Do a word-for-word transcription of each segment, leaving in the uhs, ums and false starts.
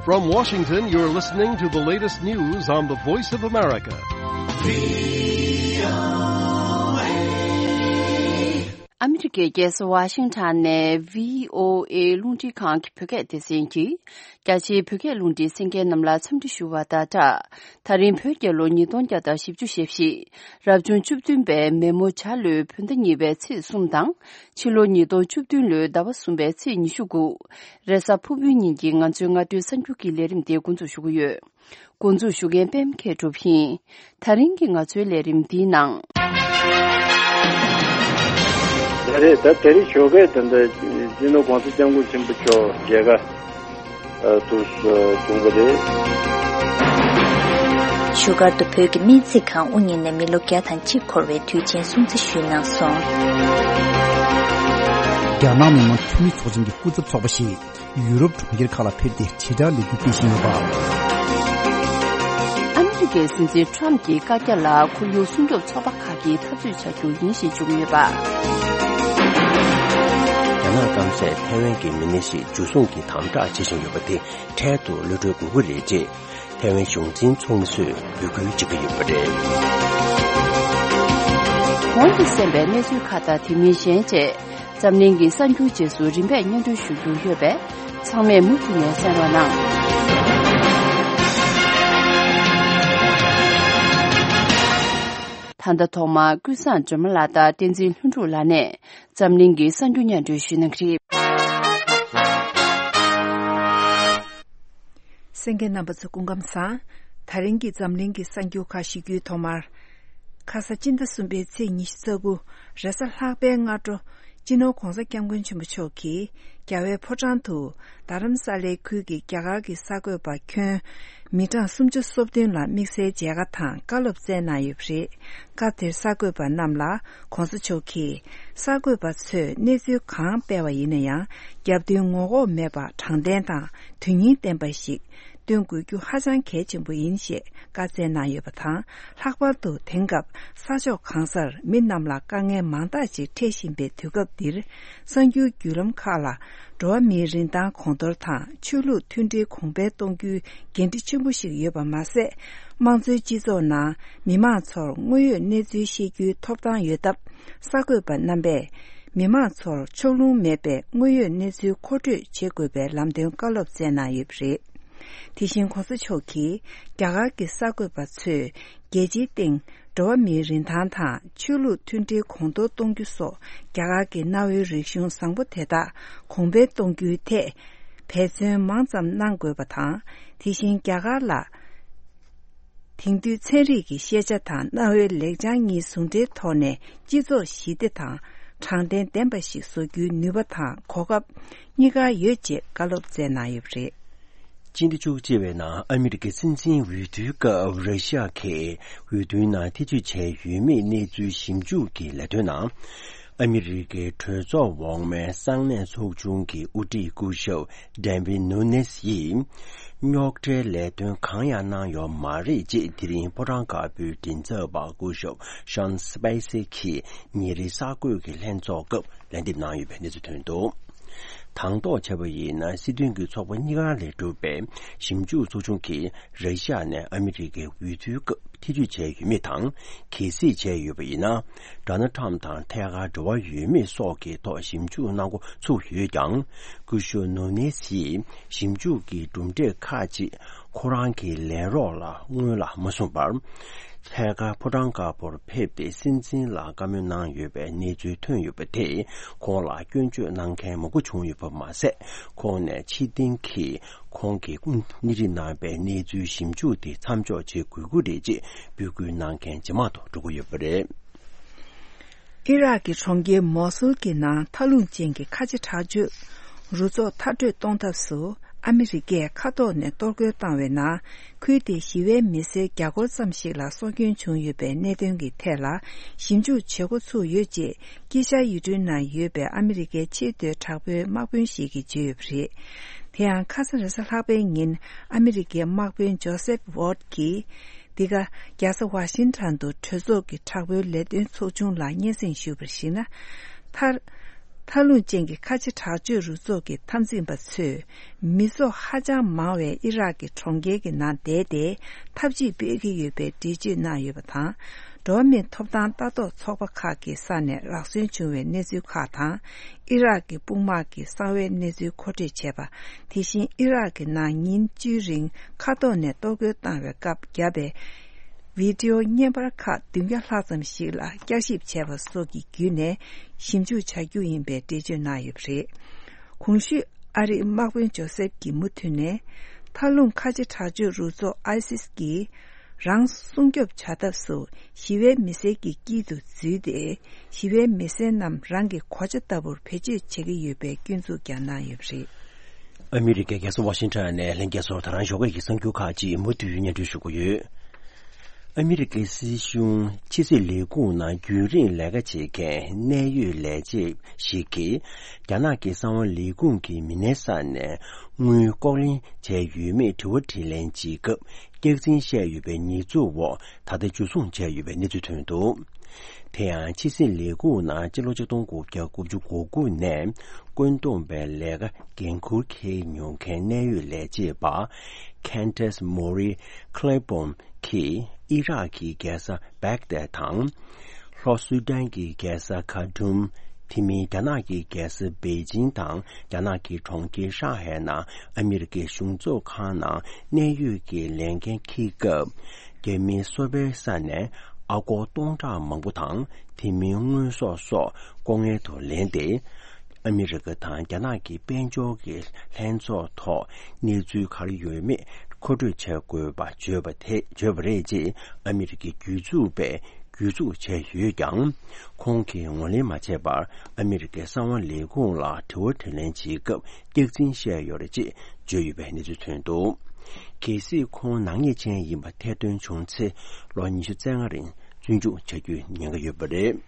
From Washington, you're listening to the latest news on the Voice of America. ཨ་མི་རི་ཀའི་རྒྱལ་ས་ཝ་ཤིང་ཊོན་ནས་བྷི་ཨོ་ཨེ་རླུང་འཕྲིན་ཁང་གི་བོད་སྐད་སྡེ་ཚན་གྱིས། རྒྱ་ཆེའི་བོད་སྐད་རླུང་འཕྲིན་གསན་མཁན་རྣམས་ལ་འཚམས་འདྲི་ཞུ་བ་དང་སྦྲགས། ད་རིང་བོད་རྒྱལ་ལོ་ཉིས་སྟོང་བརྒྱ་དང་བཞི་བཅུ་ཞེ་བཞི། རབ་བྱུང་བཅུ་བདུན་པའི་མེ་མོ་བྱ་ལོའི་བོད་ཟླ་གཉིས་པའི་ཚེས་གསུམ་དང་། ཕྱི་ལོ་ཉིས་སྟོང་བཅུ་བདུན་ལོའི་ཟླ་བ་གསུམ་པའི་ཚེས་ཉི་ཤུ་དགུ། རེས་གཟའ་ཕུར་བུའི་ཉིན་གྱི་ང་ཚོའི་སྔ་དྲོའི་གསར་འགྱུར་གྱི་ལས་རིམ་དེ་འགོ་འཛུགས་ཞུ་གི་ཡོད། འགོ་འཛུགས་ཞུ་མཁན་པད་མ་མཁས་གྲུབ་ཡིན། ད་རིང་གི་ང་ཚོའི་ལས་རིམ་འདིའི་ནང་། ད་རེས་ད་དེ་རིང་ཞོགས་ཀས་ད་ལྟ་སྤྱི་ནོར་༸གོང་ས་༸སྐྱབས་མགོན་ཆེན་པོ་མཆོག་མཇལ་ཁ་ཨ་ཐུགས་བྱུང་བ་རེད། བཞུགས་སྒར་དུ་བོད་ཀྱི་སྨན་རྩིས་ཁང་དབུ་བརྙེས་ནས་མི་ལོ་བརྒྱ་དང་གཅིག་འཁོར་བའི་དུས་ཆེན་སྲུང་བརྩི་ཞུས་གནང་སོང་། རྒྱ་ནག་མི་དམངས་འཐུས་མི་ཚོགས་ཆེན་གྱི་སྐུ་ཚབ་ཚོགས་པ་ཞིག་ཡུ་རོབ་གྲོང་ཁྱེར་ཁག་ལ་ཕེབས་ཏེ་དྲིལ་བསྒྲགས་ལས་འགུལ་སྤེལ་བཞིན་ཡོད་པ། ཨ་མི་རི་ཀའི་སྲིད་འཛིན་ཊམ་གྱི་བཀའ་རྒྱ་ལ་ཁོར་ཡུག་སྲུང་སྐྱོབ་ཚོགས་པ་ཁག་གིས་འཐབ་རྩོད་བྱ་རྒྱུ་ཡིན་ཞེས་བརྗོད་ཀྱི་ཡོད་པ། རྒྱ་ནག་སྐམ་སས་ཐའེ་ཝན་གྱི་མི་སྣ་ཞིག་འཇུ་བཟུང་གིས་དམ་དྲག་བྱེད་བཞིན་ཡོད་པ་དེ་འཕྲལ་དུ་གློད་གྲོལ་དགོས་ཀྱི་རེད་ཅེས་ཐའེ་ཝན་གཞུང་འཛིན་ཚོགས་མི་ཚོས་འབོད་སྐུལ་བྱེད་ཀྱི་ཡོད་པ་རེད། གོང་དུ་གསན་པའི་གནས་ཚུལ་ཁག་དང་དེ་མིན་གཞན་བཅས། འཛམ་གླིང་གི་གསར་འགྱུར་རྗེས་སུ་རིམ་པས་སྙན་སྒྲོན་ཞུ་རྒྱུ་ཡོད་པས། ཚང་མས་མུ་མཐུད་ནས་གསན་རོགས་གནང་། ད་ལྟ་ཐོག་མར་ཀུན་བཟང་སྒྲོལ་མ་ལགས་དང་བསྟན་འཛིན་ལྷུན་གྲུབ་ལགས་ནས་འཛམ་གླིང་གི་གསར་འགྱུར་སྙན་སྒྲོན་ཞུ་གནང་གི་རེད། གསན་མཁན་རྣམ་པ་ཚོ་སྐུ་ཁམས་བཟང་། ད་རིང་གི་འཛམ་གླིང་གི་གསར་འགྱུར་ཁག་ཞུ་རྒྱུའི་ཐོག་མར། ཁ་ས་སྤྱི་ཟླ་གསུམ་པའི་ཚེས་ཉི་ཤུ་རྩ་དགུ། རེས་གཟའ་ལྷག་པའི་སྔ་དྲོ། སྤྱི་ནོར་༸གོང་ས་༸སྐྱབས་མགོན་ཆེན་པོ་མཆོག་གིས་རྒྱལ་བའི་ཕོ་བྲང་དུ་རྡ་རམ་ས་ལའི་ཁུལ་གྱི་རྒྱ་གར་གྱི་གསར་འགོད་པ་ཁྱོན་མི་གྲངས་སུམ་ཅུ་སོ་བདུན་ལ་དམིགས་བསལ་མཇལ་ཁ་དང་བཀའ་སློབ་སྩལ་གནང་ཡོད་པ་རེད། སྐབས་དེར་གསར་འགོད་པ་རྣམས་ལ་༸གོང་ས་མཆོག་གིས་གསར་འགོད་པ་ཚོས་གནས་ཚུལ་གང་སྤེལ་བ་ཡིན་ན་ཡང་རྒྱབ་མདུན་ངོ་ལྐོག་མེད་པར་དྲང་བདེན་དང་དོན་སྙིང་ལྡན་པ་ཞིག་སྟོན་དགོས་རྒྱུ་ཧ་ཅང་གལ་ཆེན་པོ་ཡིན་ཞེས་བཀའ་སྩལ་གནང་ཡོད་པ་དང་། ལྷག་པར་དུ་དེང་སྐབས་ས་ཕྱོགས་གང་སར་མི་རྣམས་ལ་དཀའ་ངལ་མང་དག་ཅིག་འཕྲད་བཞིན་པའི་དུས་སྐབས་འདིར། གསར་འགྱུར་བརྒྱུད་ལམ་ཁག་ལ་འགྲོ་བ་མིའི་རིན་ཐང་གོང་མཐོར་དང་ཆོས་ལུགས་མཐུན་སྒྲིལ་གོང་འཕེལ་གཏོང་རྒྱུའི་འགན་འཁྲི་ཆེན་པོ་ཞིག་ཡོད་པ་མ་ཟད། དམངས་གཙོའི་སྤྱི་ཚོགས་ནང་མི་མང་ཚོར་དངོས་ཡོད་གནས་ཚུལ་ཤེས་རྒྱུའི་ཐོབ་ཐང་ཡོད་སྟབས། གསར་འགོད་པ་རྣམ་པས་མི་མང་ཚོར་ཕྱོགས་ལྷུང་མེད་པའི་དངོས་ཡོད་གནས་ཚུལ་མཁོ་སྤྲོད་བྱེད་དགོས་པའི་ལམ་སྟོན་བཀའ་སློབ་སྩལ་གནང་ཡོད་པ་རེད། དེ་བཞིན་༸གོང་ས་མཆོག་གིས་རྒྱ་གར་གྱི་གསར་འགོད་པ་ཚོས་རྒྱལ་སྤྱིའི་སྟེང་འགྲོ་བ་མིའི་རིན་ཐང་དང་ཆོས་ལུགས་མཐུན་སྒྲིལ་གོང་མཐོར་གཏོང་རྒྱུ་སོགས་རྒྱ་གར་གྱི་གནའ་བོའི་རིག་གཞུང་བཟང་པོ་དེ་དག་གོང་འཕེལ་གཏོང་རྒྱུའི་ཐད་འབད་བརྩོན་མང་ཙམ་གནང་དགོས་པ་དང་། དེ་བཞིན་རྒྱ་གར་ལ། དེང་དུས་ཚན་རིག་གི་ཤེས་བྱ་དང་གནའ་བོའི་ལེགས་བྱང་གཉིས་ཟུང་འབྲེལ་ཐོག་ནས་སྤྱི་ཚོགས་ཞི་བདེ་དང་དྲང་བདེན་ལྡན་པ་ཞིག་བཟོ་རྒྱུའི་ནུས་པ་དང་གོ་སྐབས་གཉིས་ཀ་ཡོད་ཅེས་བཀའ་སློབ་སྩལ་གནང་ཡོད་པ་རེད། སྤྱི་ཟླ་བཅུ་གཅིག་པའི་ནང་ཨ་མི་རི་ཀའི་སྲིད་འཛིན་འོས་བསྡུའི་སྐབས་ར་ཤི་ཡ་གིས་འོས་བསྡུའི་ནང་ཐེ་བྱུས་བྱས་ཡོད་མེད་གནས་ཚུལ་ཞིབ་འཇུག་གི་ལས་དོན་ནང་། ཨ་མི་རི་ཀའི་གྲོས་ཚོགས་འོག་མའི་གསང་གནས་ཚོགས་ཆུང་གི་དབུ་ཁྲིད་སྐུ་ཞབས་ཌེ་ཝིད་ནུ་ནེས་ཡིས། རྙོག་ཁྲའི་ལས་དོན་གང་ཡང་གནང་ཡོད་མ་རེད་ཅེས་དེ་རིང་ཕོ་བྲང་དཀར་པོའི་མགྲིན་ཚབ་པ་སྐུ་ཞབས་ཤཱན་སི་པེ་སི་གིས་ཉིན་རེའི་གསར་འགོད་ཀྱི་ལྷན་ཚོགས་སྐབས་ལན་འདེབས་གནང་ཡོད་པའི་གནས་ཚུལ་ཐོན་འདུག། དང་ཐོག་བྱས་པ་ཡིན་ན་སྲིད་དོན་གྱི་ཚོགས་པ་གཉིས་ཀ་ལས་གྲུབ་པའི་ཞིབ་འཇུག་ཚོགས་ཆུང་གིས་ར་ཤི་ཡ་ནས་ཨ་མི་རི་ཀའི་འོས་བསྡུའི་སྐབས། ཐེ་བྱུས་བྱས་ཡོད་མེད་དང་། གལ་སྲིད་བྱས་ཡོད་པ་ཡིན་ན། ཌོ་ནལ་ཊམ་དང་ཐད་ཀར་འབྲེལ་བ་ཡོད་མེད་སོགས་ཀྱི་ཐོག་ཞིབ་འཇུག་གནང་འགོ་ཚུགས་ཡོད་ཀྱང་། སྐུ་ཞབས་ནུ་ནེ་སིས་ཞིབ་འཇུག་གི་གྲུབ་འབྲས་ཁག་ཅིག་ཁོ་རང་གི་ལས་རོགས་ལ་སྔོན་ལ་མ་གསུངས་པར། ཐད་ཀར་ཕོ་བྲང་དཀར་པོར་ཕེབས་ཏེ་སྲིད་འཛིན་ལ་བཀའ་མོལ་གནང་ཡོད་པའི་གནས་ཚུལ་ཐོན་ཡོད་པ་དེས་ཁོང་ལ་སྐྱོན་བརྗོད་གནང་མཁན་མང་པོ་བྱུང་ཡོད་པ་མ་ཟད། ཁོང་ནས་ཕྱིར་འཐེན་གྱིས། ཁོང་གིས་སྣེ་ཁྲིད་གནང་བའི་གནས་ཚུལ་ཞིབ་འཇུག་དེ་མཚམས་འཇོག་བྱེད་དགོས་ཀྱི་རེད་ཅེས་འབོད་སྐུལ་གནང་མཁན་ཇེ་མང་དུ་འགྲོ་གི་ཡོད་པ་རེད། ཨི་རག་གི་གྲོང་ཁྱེར་མོ་སུལ་གྱི་ནང་མཐའ་ལྷུང་ཅན་གྱི་ཁ་ཆེ་དྲག་སྤྱོད་རུ་ཚོགས་མཐར་སྐྲོད་གཏོང་ཐབས་སུ་ཨ་མི་རི་ཀས་མཁའ་ཐོག་ནས་གཏོར་རྒོལ་བཏང་བའི་ནང་ཁུལ་དེའི་ཞི་བའི་མི་སེར་བརྒྱ་སྐོར་ཙམ་ཞིག་ལ་སྲོག་སྐྱོན་བྱུང་ཡོད་པའི་གནད་དོན་གྱི་ཐད་ལ་ཞིབ་འཇུག་བྱེད་འགོ་ཚུགས་ཡོད་ཅེས། དཀྱིལ་ཤར་ཡུལ་གྲུའི་ནང་ཡོད་པའི་ཨ་མི་རི་ཀའི་ཆེས་མཐོའི་དྲག་པོའི་དམག་དཔོན་ཞིག་གིས་བརྗོད་ཡོད་པ་རེད། དེ་ཡང་ཁ་སང་རེས་གཟའ་ལྷག་པའི་ཉིན་ཨ་མི་རི་ཀའི་དམག་དཔོན་ཇོ་སེབ་ཝོར་གྱིས། འདི་ག་རྒྱལ་ས་ཝ་ཤིང་ཊོན་དུ་གྲོས་ཚོགས་ཀྱི་དྲག་པོའི་ལས་དོན་ཚོགས་ཆུང་ལ་སྙན་སེང་ཞུས་པར་གཞིགས་ན། མཐར། མཐའ་ལྷུང་ཅན་གྱི་ཁ་ཆེ་དྲག་སྤྱོད་རུ་ཚོགས་ཀྱི་འཐབ་འཛིང་པ་ཚོས། མི་ཚོགས་ཧ་ཅང་མང་བའི་ཨི་རག་གི་གྲོང་ཁྱེར་གྱི་ནང་བསྡད་དེ་ཐབས་ཇུས་སྤེལ་གྱི་ཡོད་པའི་འགྲེལ་བརྗོད་གནང་ཡོད་པ་དང་། འགྲོ་བ་མིའི་ཐོབ་ཐང་ལྟ་རྟོག་ཚོགས་པ་ཁག་གི་ས་ནས་རག་སོན་བྱུང་བའི་གནས་ཚུལ་ཁག་དང་། ཨི་རག་གི་དཔུང་དམག་གི་གསང་བའི་གནས་ཚུལ་མཁོ་སྤྲོད་བྱས་པ། དེ་བཞིན་ཨི་རག་གི་ནང་ཉིན་བཅུའི་རིང་མཁའ་ཐོག་ནས་གཏོར་རྒོལ་བཏང་བའི་སྐབས་བརྒྱབ་པའི་བི་ཌི་ཨོ་བརྙན་པར་ཁག་བདུན་བརྒྱ་ལྷག་ཙམ་ཞིག་ལ་བསྐྱར་ཞིབ་བྱས་པ་སོགས་ཀྱི་བརྒྱུད་ནས་ཞིབ་འཇུག་བྱ་རྒྱུ་ཡིན་པའི་འགྲེལ་བརྗོད་གནང་ཡོད་པ་རེད། གོང་ཞུས་ཨ་རིའི་དམག་དཔོན་ཇོ་སེབ་ཀྱིས་མུ་མཐུད་ནས། མཐའ་ལྷུང་ཁ་ཆེ་དྲག་སྤྱོད་རུ་ཚོགས་ཨའི་སིས་ཀྱིས་རང་སྲུང་སྐྱོབ་བྱ་ཐབས་སུ་ཞི་བའི་མི་སེར་གྱི་དཀྱིལ་དུ་འཛུལ་ཏེ། ཞི་བའི་མི་སེར་རྣམས་རང་གི་གོ་ཆ་ལྟ་བུར་བེད་སྤྱོད་བྱེད་ཀྱི་ཡོད་པའི་སྐྱོན་འཛུགས་ཀྱང་གནང་ཡོད་པ་རེད། ཨ་མི་རི་ཀའི་རྒྱལ་ས་ཝ་ཤིང་ཊོན་ནས་ལྷན་རྒྱས་ཚོར་ད་རང་ཞོགས་ཀས་ཀྱི་གསར་འགྱུར་ཁག་ཅིག་མུ་མཐུད་སྙན་སྒྲོན་ཞུ་གི་ཡོད། ཨ་མི་རི་ཀའི་སྲིད་གཞུང་ཕྱི་སྲིད་ལས་ཁུངས་ནང་རྒྱུན་རིང་ལས་ཀ་བྱེད་མཁན་གནད་ཡོད་ལས་བྱེད་ཞིག་གིས། རྒྱ་ནག་གི་གསང་བ་ལས་ཁུངས་ཀྱི་མི་སྣའི་ས་ནས་དངུལ་ལྐོག་ལེན་བྱས་ཡོད་མེད་དྲི་བ་དྲིས་ལན་བྱེད་སྐབས། སྐྱག་རྫུན་བཤད་ཡོད་པའི་ཉེས་འཛུགས་འོག་ད་ལྟ་འཇུ་བཟུང་བྱས་ཡོད་པའི་གནས་ཚུལ་ཐོན་འདུག། དེ་ཡང་ཕྱི་སྲིད་ལས་ཁུངས་ནང་སྤྱི་ལོ་ཆིག་སྟོང་དགུ་བརྒྱ་དགུ་བཅུ་གོ་དགུ་ནས་བཀོད་འདོམས་པའི་ལས་ཀ་འགན་འཁུར་འཁྱེར་མྱོང་མཁན་གནད་ཡོད་ལས་བྱེད་པ་Candace Mori Claiborne གིས་ཨི་རག་གི་རྒྱལ་ས་བེག་དད་དང་། ལྷོ་སུ་དཱན་གྱི་རྒྱལ་ས་ཁ་ཐུམ། དེ་མིན་རྒྱ་ནག་གི་རྒྱལ་ས་པེ་ཅིང་དང་རྒྱ་ནག་གི་གྲོང་ཁྱེར་ཧྲང་ཧའེ་ནང་ཨ་མི་རི་ཀའི་གཞུང་ཚོགས་ཁང་ནང་གནད་ཡོད་ཀྱི་ལས་འགན་འཁྱེར་སྐབས། རྒྱ་མིའི་སོ་པའི་ས་ནས་ཨ་སྒོར་སྟོང་ཕྲག་མང་པོ་དང་དེ་མིན་དངོས་ཟོག་སོགས་ལྐོག་རྔན་དུ་ལེན་ཏེ། ཨ་མི་རི་ཀ་དང་རྒྱ་ནག་གི་དཔལ་འབྱོར་གྱི་ལྷན་ཚོགས་ཐོག་གནས་ཚུལ་ག་རེ་ཡོད་མེད་མཁོ་སྤྲོད་བྱ་དགོས་པ་བརྗོད་པ་དེ་བརྗོད་པ་རེད་ཅེས་ཨ་མི་རི་ཀའི་སྒེར་ཚུགས་པས་གྱོད་འཛུགས་བྱས་ཡོད་ཀྱང་། ཁོང་གིས་ངོས་ལེན་མ་བྱས་པར་ཨ་མི་རི་ཀའི་གསང་བ་ལས་ཁུངས་ལ་དྲི་བ་དྲིས་ལན་བྱེད་སྐབས་སྐྱག་རྫུན་བཤད་ཡོད་རེད་ཅེས་བརྗོད་ཡོད་པའི་གནས་ཚུལ་ཐོན་འདུག། གལ་སྲིད་ཁོང་ནག་ཉེས་ཅན་ཡིན་པ་ཐེར་འདོན་བྱུང་ཚེ་ལོ་ཉི་ཤུ་རྩ་ལྔ་རིང་བཙོན་འཇུག་བྱ་རྒྱུའི་ཉེན་ཁ་ཡོད་པ་རེད།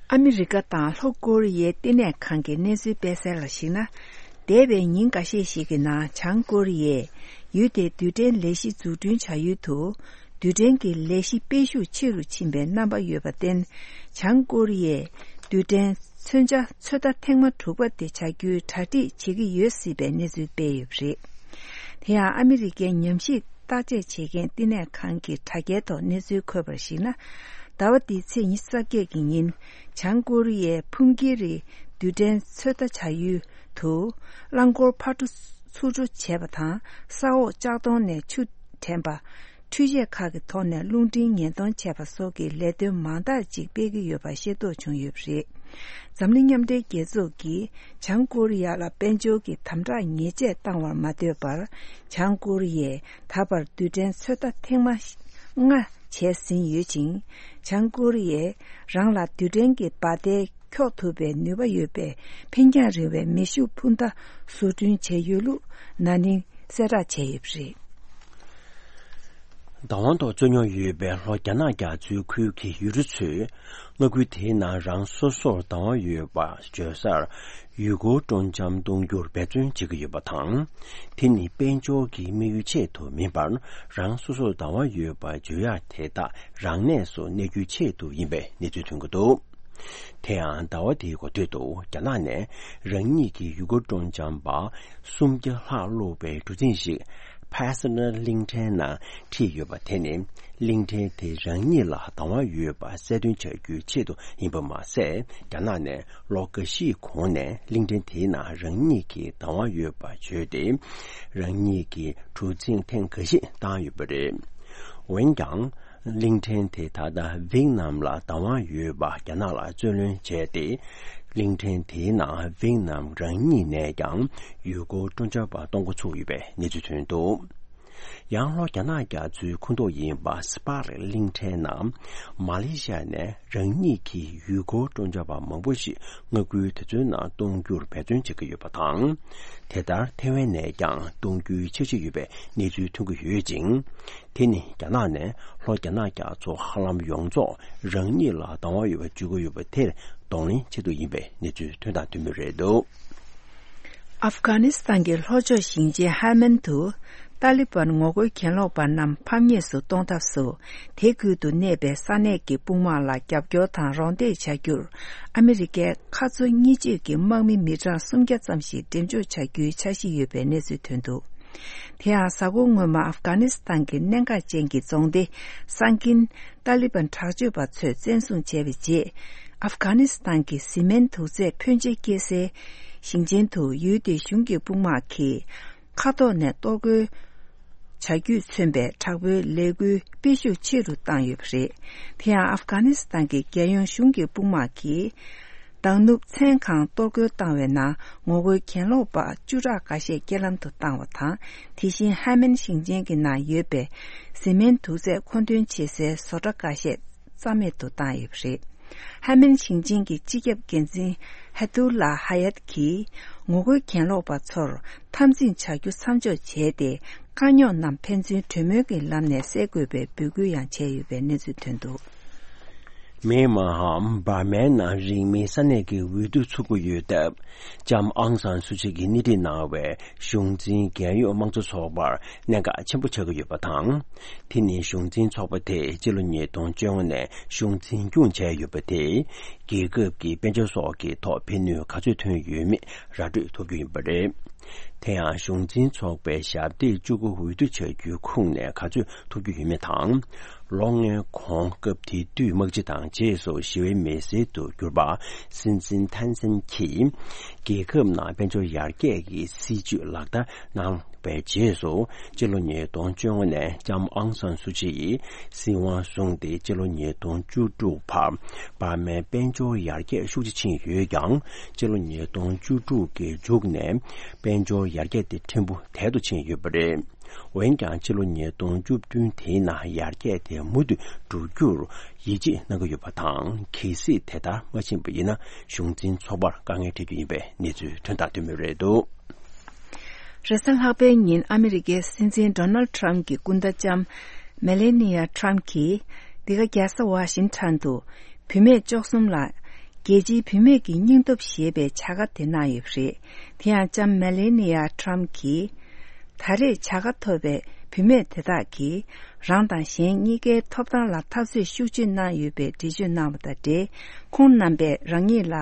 ཨ་མི་རི་ཀ་དང་ལྷོ་ཀོ་རི་ཡའི་བསྟི་གནས་ཁང་གི་གནས་ཚུལ་སྤེལ་གསལ་ལ་གཞིགས་ན། འདས་པའི་ཉིན་འགའ་ཤས་ཤིག་གི་ནང་བྱང་ཀོ་རི་ཡས་ཡུལ་དེའི་རྡུལ་ཕྲན་ལས་གཞི་འཛུགས་སྐྲུན་བྱ་ཡུལ་དུ། རྡུལ་ཕྲན་གྱི་ལས་གཞི་སྤེལ་ཤུགས་ཆེ་རུ་ཕྱིན་པའི་རྣམ་པ་ཡོད་པར་བརྟེན། བྱང་ཀོ་རི་ཡས་རྡུལ་ཕྲན་མཚོན་ཆ་ཚོད་ལྟ་ཐེངས་མ་དྲུག་པ་དེ་བྱ་རྒྱུའི་གྲ་སྒྲིག་བྱེད་ཀྱི་ཡོད་སྲིད་པའི་གནས་ཚུལ་སྤེལ་ཡོད་པ་རེད། དེ་ཡང་ཨ་མི་རི་ཀའི་ཉམས་ཞིབ་བརྟག་དཔྱད་བྱེད་མཁན་བསྟི་གནས་ཁང་གི་དྲ་རྒྱའི་ཐོག་གནས་ཚུལ་འཁོད་པར་གཞིགས་ན། ཟླ་བ་འདིའི་ཚེས་ཉི་ཤུ་རྩ་བརྒྱད་ཀྱི་ཉིན། བྱང་ཀོ་རི་ཡའི་ཕུང་ཀི་རི་རྡུལ་ཕྲན་ཚོད་ལྟ་བྱ་ཡུལ་དུ། རླངས་འཁོར་ཕར་འགྲོ་ཚུར་འགྲོ་བྱས་པ་དང་། ས་འོག་ལྕགས་མདོང་ནས་ཆུ་འདྲེན་པ། འཕྲུལ་ཆས་ཁག་གི་ཐོག་ནས་རླུང་འཕྲིན་ཉེན་གཏོང་བྱས་པ་སོགས་ཀྱི་ལས་དོན་མང་དག་ཅིག་སྤེལ་གྱི་ཡོད་པ་ཤེས་རྟོགས་བྱུང་ཡོད་པ་རེད། འཛམ་གླིང་མཉམ་འབྲེལ་རྒྱལ་ཚོགས་ཀྱིས་བྱང་ཀོ་རི་ཡ་ལ་དཔལ་འབྱོར་གྱི་དམ་དྲག་ཉེས་ཆད་བཏང་བར་མ་ལྟོས་པར། བྱང་ཀོ་རི་ཡས་ད་བར་རྡུལ་ཕྲན་ཚོད་ལྟ་ཐེངས་མ་ལྔ་བྱས་ཟིན་ཡོད་ཅིང་། བྱང་ཀོ་རི་ཡས་རང་ལ་རྡུལ་ཕྲན་གྱི་འབར་མདེལ་འཁྱོག་ཐུབ་པའི་ནུས་པ་ཡོད་པའི་འཕེན་རྒྱང་རིང་བའི་མེ་ཤུགས་འཕུར་མདའ་བཟོ་སྐྲུན་བྱས་ཡོད་ལུགས་ན་ནིང་གསལ་བསྒྲགས་བྱས་ཡོད་པ་རེད། བདག་དབང་ཐོག་རྩོད་རྙོག་ཡོད་པའི་ལྷོ་རྒྱ་ནག་རྒྱ་མཚོའི་ཁུལ་གྱི་ཡུལ་གྲུ་ཚོས། མངའ་ཁུལ་དེའི་ནང་རང་སོ་སོར་བདག་དབང་ཡོད་པ་བརྗོད་སར་ཡུལ་སྐོར་སྤྲོ་འཆམ་གཏོང་རྒྱུར་འབད་བརྩོན་བྱེད་ཀྱི་ཡོད་པ་དང་། དེ་ནི་དཔལ་འབྱོར་གྱི་དམིགས་ཡུལ་ཆེད་དུ་མིན་པར། རང་སོ་སོར་བདག་དབང་ཡོད་པ་བརྗོད་ཡག་དེ་དག་རང་གནས་སུ་གནས་རྒྱུའི་ཆེད་དུ་ཡིན་པའི་གནས་ཚུལ་ཐོན་གྱི་འདུག། དེ་ཡང་ཟླ་བ་འདིའི་འགོ་སྟོད་དུ་རྒྱ་ནག་ནས་རང་ཉིད་ཀྱི་ཡུལ་སྐོར་སྤྲོ་འཆམ་པ་སུམ་བརྒྱ་ལྷག་བླུགས་པའི་གྲུ་གཟིངས་ཤིག་ཕ་སི་ནར་གླིང་ཕྲན་ནང་ཁྲིད་ཡོད་པ་དེ་ནི། གླིང་ཕྲན་དེ་རང་ཉིད་ལ་བདག་དབང་ཡོད་པ་གསལ་སྟོན་བྱ་རྒྱུའི་ཆེད་དུ་ཡིན་པ་མ་ཟད། རྒྱ་ནག་ནས་ལོ་འགའ་ཤས་གོང་ནས་གླིང་ཕྲན་དེའི་ནང་རང་ཉིད་ཀྱི་བདག་དབང་ཡོད་པ་བརྗོད་དེ། རང་ཉིད་ཀྱི་གྲུ་གཟིངས་ཐེངས་འགའ་ཤས་བཏང་ཡོད་པ་རེད། འོན་ཀྱང་། གླིང་ཕྲན་དེ་ད་ལྟ་ཝེ་ཏི་ནམ་ལ་བདག་དབང་ཡོད་པ་རྒྱ་ནག་ལ་རྩོད་ལེན་བྱས་ཏེ། གླིང་ཕྲན་དེའི་ནང་ཝེ་ཏི་ནམ་རང་ཉིད་ནས་ཀྱང་ཡུལ་སྐོར་སྤྲོ་འཆམ་པ་གཏོང་འགོ་ཚུགས་ཡོད་པའི་གནས་ཚུལ་ཐོན་འདུག། ཡང་ལྷོ་རྒྱ་ནག་རྒྱ་མཚོའི་ཁོངས་གཏོགས་ཡིན་པ་སི་པ་རི་གླིང་ཕྲན་ནང་མ་ལེ་ཤི་ཡ་ནས་རང་ཉིད་ཀྱི་ཡུལ་སྐོར་སྤྲོ་འཆམ་པ་མང་པོ་ཞིག་མངའ་ཁུལ་དེ་ཚོའི་ནང་གཏོང་རྒྱུར་འབད་བརྩོན་བྱེད་ཀྱི་ཡོད་པ་དང་། དེ་ལྟར་ཐེ་ཝན་ནས་ཀྱང་གཏོང་རྒྱུའི་འཆར་གཞི་ཡོད་པའི་གནས་ཚུལ་ཐོན་གྱི་ཡོད་ཅིང་། དེ་ནི་རྒྱ་ནག་ནས་ལྷོ་རྒྱ་ནག་རྒྱ་མཚོ་ཧ་ལམ་ཡོངས་རྫོགས་རང་ཉིད་ལ་བདག་དབང་ཡོད་པར་བརྗོད་ཀྱི་ཡོད་པ་དེར་གདོང་ལེན་ཆེད་དུ་ཡིན་པའི་གནས་ཚུལ་ཐོན་དང་ཐོན་མུས་རེད་འདུག། ཨབ་གྷ་ནི་སི་ཐན་གྱི་ལྷོ་ཕྱོགས་ཞིང་ཆེན་ཧལ་མན་དུ། ཏཱ་ལི་བན་ངོ་རྒོལ་གྱེན་ལོག་པ་རྣམས་ཕམ་ཉེས་སུ་གཏོང་ཐབས་སུ། དེ་ཁུལ་དུ་གནས་པའི་ས་གནས་ཀྱི་དཔུང་དམག་ལ་རྒྱབ་སྐྱོར་དང་རོགས་འདེགས་བྱ་རྒྱུར། ཨ་མི་རི་ཀས་ཁ་མཆུ་གཉིས་གཅོད་ཀྱི་དམག་མི་མི་གྲངས་སུམ་བརྒྱ་ཙམ་ཞིག་འགྲེམས་འཇོག་བྱ་རྒྱུའི་འཆར་གཞི་ཡོད་པའི་གནས་ཚུལ་ཐོན་འདུག། དེ་ཡང་། གཟའ་འཁོར་སྔོན་མ་ཨབ་གྷ་ནི་སི་ཐན་གྱི་གནད་འགག་ཅན་གྱི་རྫོང་སྡེ་སང་གིན། ཏཱ་ལི་བན་དྲག་སྤྱོད་པ་ཚོས་བཙན་བཟུང་བྱས་པའི་རྗེས། ཨབ་གྷ་ནི་སི་ཐན་གྱི་བཟི་སྨན་དུག་རྫས་ཕོན་ཆེ་སྐྱེ་སའི་ཞིང་ཆེན་དུ་ཡུལ་དེའི་གཞུང་གི་དཔུང་དམག་གིས། མཁའ་ཐོག་ནས་གཏོར་རྒོལ་བྱ་རྒྱུས་མཚོན་པའི་དྲག་པོའི་ལས་འགུལ་སྤེལ་ཤུགས་ཆེ་རུ་བཏང་ཡོད་པ་རེད། དེ་ཡང་། ཨབ་གྷ་ནི་སི་ཐན་གྱི་རྒྱལ་ཡོངས་གཞུང་གི་དཔུང་དམག་གིས། མདང་ནུབ་མཚན་གང་གཏོར་རྒོལ་བཏང་བའི་ནང་ངོ་རྒོལ་གྱེན་ལོག་པ་བཅུ་ཕྲག་འགའ་ཤས་རྐྱེན་ལམ་དུ་བཏང་བ་དང་། དེ་བཞིན་ཧ་མན་ཞིང་ཆེན་གྱི་ནང་ཡོད་པའི་བཟི་སྨན་དུག་རྫས་མཁོ་འདོན་བྱེད་སའི་བཟོ་གྲྭ་འགའ་ཤས་རྩ་མེད་དུ་བཏང་ཡོད་པ་རེད། ཧ་མན་ཞིང་ཆེན་གྱི་སྤྱི་ཁྱབ་འགན་འཛིན་ཧ་ཏུ་ལ་ཧ་ཡད་ཀྱིས། ངོ་རྒོལ་གྱེན་ལོག་པ་ཚོར་འཐབ་འཛིང་བྱ་རྒྱུ་མཚམས་འཇོག་བྱས་ཏེ། དཀའ་རྙོག་རྣམས་ཕན་ཚུན་གྲོས་མོལ་གྱི་ལམ་ནས་སེལ་དགོས་པའི་འབོད་སྐུལ་ཡང་བྱས་ཡོད་པའི་གནས་ཚུལ་ཐོན་འདུག། མེན་མ་ཧམ་འབར་མའི་ནང་རིང་མིན་ས་གནས་ཀྱི་འོས་བསྡུ་ཚུགས་ཀྱི་ཡོད་སྟབས། ལྕམ་ཨང་སན་སུ་ཅི་གིས་སྣེ་ཁྲིད་གནང་བའི་གཞུང་འཛིན་རྒྱལ་ཡོངས་དམངས་གཙོ་ཚོགས་པར་གནད་འགག་ཆེན་པོ་ཆགས་ཀྱི་ཡོད་པ་དང་། དེ་ནི་གཞུང་འཛིན་ཚོགས་པ་དེས་སྤྱི་ལོ་ཉིས་སྟོང་བཅོ་ལྔ་ནས་གཞུང་འཛིན་སྐྱོང་བྱས་ཡོད་པ་དེས། རྒྱལ་ཁབ་ཀྱི་དཔལ་འབྱོར་སོགས་ཀྱི་ཐོག་ཕན་ནུས་ག་ཚོད་ཐོན་ཡོད་མེད་ར་སྤྲོད་ཐུབ་རྒྱུ་ཡིན་པ་རེད། དེ་ཡང་གཞུང་འཛིན་ཚོགས་པའི་ཞབས་སྟེགས་བཅུ་དགུ་འོས་བསྡུ་བྱ་རྒྱུའི་ཁོངས་ནས་ག་ཚོད་ཐོབ་རྒྱུ་ཡོད་མེད་དང་། ལོ་ལྔའི་གོང་སྐབས་དེ་དུས་དམག་སྤྱི་དང་རྗེས་སུ་ཞི་བའི་མི་སེར་དུ་གྱུར་པ་སྲིད་འཛིན་ཐན་སན་གྱིས་རྒྱལ་ཁབ་ནང་དཔལ་འབྱོར་ཡར་རྒྱས་ཀྱི་སྲིད་ཇུས་ལག་བསྟར་གནང་བའི་རྗེས་སུ། སྤྱི་ལོ་ཉིས་སྟོང་བཅོ་ལྔ་ནས་ལྕམ་ཨང་སན་སུ་ཅི་ཡིས་སྲིད་དབང་བཟུང་སྟེ། སྤྱི་ལོ་ཉིས་སྟོང་བཅུ་དྲུག་བར་འབར་མའི་དཔལ་འབྱོར་ཡར་རྒྱས་ཤུགས་ཆེ་ཕྱིན་ཡོད་ཀྱང་། སྤྱི་ལོ་ཉིས་སྟོང་བཅུ་དྲུག་གི་མཇུག་ནས་དཔལ་འབྱོར་ཡར་རྒྱས་དེ་ཕྲན་བུ་དལ་དུ་ཕྱིན་ཡོད་པ་རེད། འོན་ཀྱང་། སྤྱི་ལོ་ཉིས་སྟོང་བཅུ་བདུན་དེའི་ནང་ཡར་རྒྱས་དེ་མུ་མཐུད་འགྲོ་རྒྱུར་ཡིད་ཆེས་གནང་གི་ཡོད་པ་དང་། གལ་སྲིད་དེ་ལྟར་མ་ཕྱིན་པ་ཡིན་ན། གཞུང་འཛིན་ཚོགས་པར་དཀའ་ངལ་འཕྲད་རྒྱུ་ཡིན་པའི་གནས་ཚུལ་ཐོན་དང་ཐོན་མུས་རེད་འདུག། རེས་གཟའ་ལྷག་པའི་ཉིན་ཨ་མི་རི་ཀའི་སྲིད་འཛིན་ཌོ་ནལ་ཁྲམ་གྱི་སྐུ་ཟླ་ལྕམ་མེ་ལེ་ནི་ཡ་ཁྲམ་གྱིས། འདི་ག་རྒྱལ་ས་ཝ་ཤིང་ཊོན་དུ་བུད་མེད་བཅུ་གསུམ་ལ། རྒྱལ་སྤྱིའི་བུད་མེད་ཀྱི་སྙིང་སྟོབས་ཞེས་པའི་བྱ་དགའ་དེ་གནང་ཡོད་པ་རེད། དེ་ཡང་ལྕམ་མེ་ལེ་ནི་ཡ་ཁྲམ་གྱིས། ད་རེས་བྱ་དགའ་ཐོབ་པའི་བུད་མེད་དེ་དག་གིས། རང་དང་གཞན་གཉིས་ཀའི་ཐོབ་ཐང་ལ་འཐབ་རྩོད་ཤུགས་ཆེ་གནང་ཡོད་པའི་འགྲེལ་བརྗོད་གནང་བ་དང་འབྲེལ། ཁོང་རྣམ་པས་རང་ཉིད་ལ་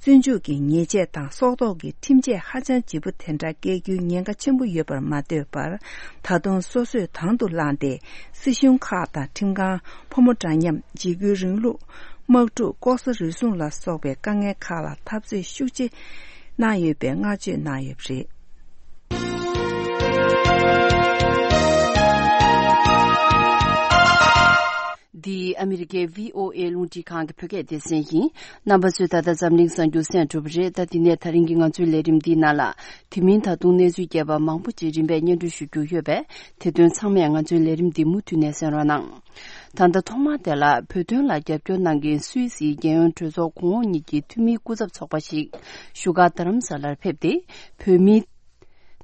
བཙོན་འཇུག་གི་ཉེས་ཆད་དང་སྲོག་ཐོག་གི་ཁྲིམས་ཆད་ཧ་ཅང་ལྗིད་པོ་དེ་འདྲ་བཀལ་རྒྱུའི་ཉེན་ཁ་ཆེན་པོ་ཡོད་པར་མ་ལྟོས་པར། ད་དུང་སོ་སོས་དང་དུ་བླངས་ཏེ། སྲིད་གཞུང་ཁག་དང་ཁྲིམས་ཁང་། ཕོ་མོ་འདྲ་མཉམ། འཇིགས་སྐུལ་རིང་ལུགས། དམག་འཁྲུག་ལྐོག་ཟ་རུལ་སུངས་ལ་སོགས་པའི་དཀའ་ངལ་ཁག་ལ་འཐབ་རྩོད་ཤུགས་ཆེ་གནང་ཡོད་པའི་བསྔགས་བརྗོད་གནང་ཡོད་པ་རེད། འདི་ཨ་མི་རི་ཀའི་བྷི་ཨོ་ཨེ་རླུང་འཕྲིན་ཁང་གི་བོད་སྐད་སྡེ་ཚན་ཡིན། རྣམ་པ་ཚོས་ད་ལྟ་འཛམ་གླིང་གསར་འགྱུར་གསན་གྲུབ་པ་རེད། ད་དེ་ནས་ད་རིང་གི་ང་ཚོའི་ལས་རིམ་འདིའི་ནང་ལ། དེ་མིན་ད་དུང་གནས་ཚུལ་རྒྱས་པ་མང་པོ་ཅིག་རིམ་པས་སྙན་སྒྲོན་ཞུ་རྒྱུ་ཡོད་པས། དེ་དོན་ཚང་མས་ང་ཚོའི་ལས་རིམ་འདི་མུ་མཐུད་ནས་གསན་རོགས་གནང་། ད་ལྟ་ཐོག་མར་དེ་ལ། བོད་དོན་ལ་རྒྱབ་སྐྱོར་གནང་མཁན་སུད་སིའི་རྒྱལ་ཡོངས་གྲོས་ཚོགས་གོང་འོག་གཉིས་ཀྱི་འཐུས་མིའི་སྐུ་ཚབ་ཚོགས་པ་ཞིག་བཞུགས་སྒར་རྡ་རམ་ས་ལར་ཕེབས་ཏེ། བོད་མིའི་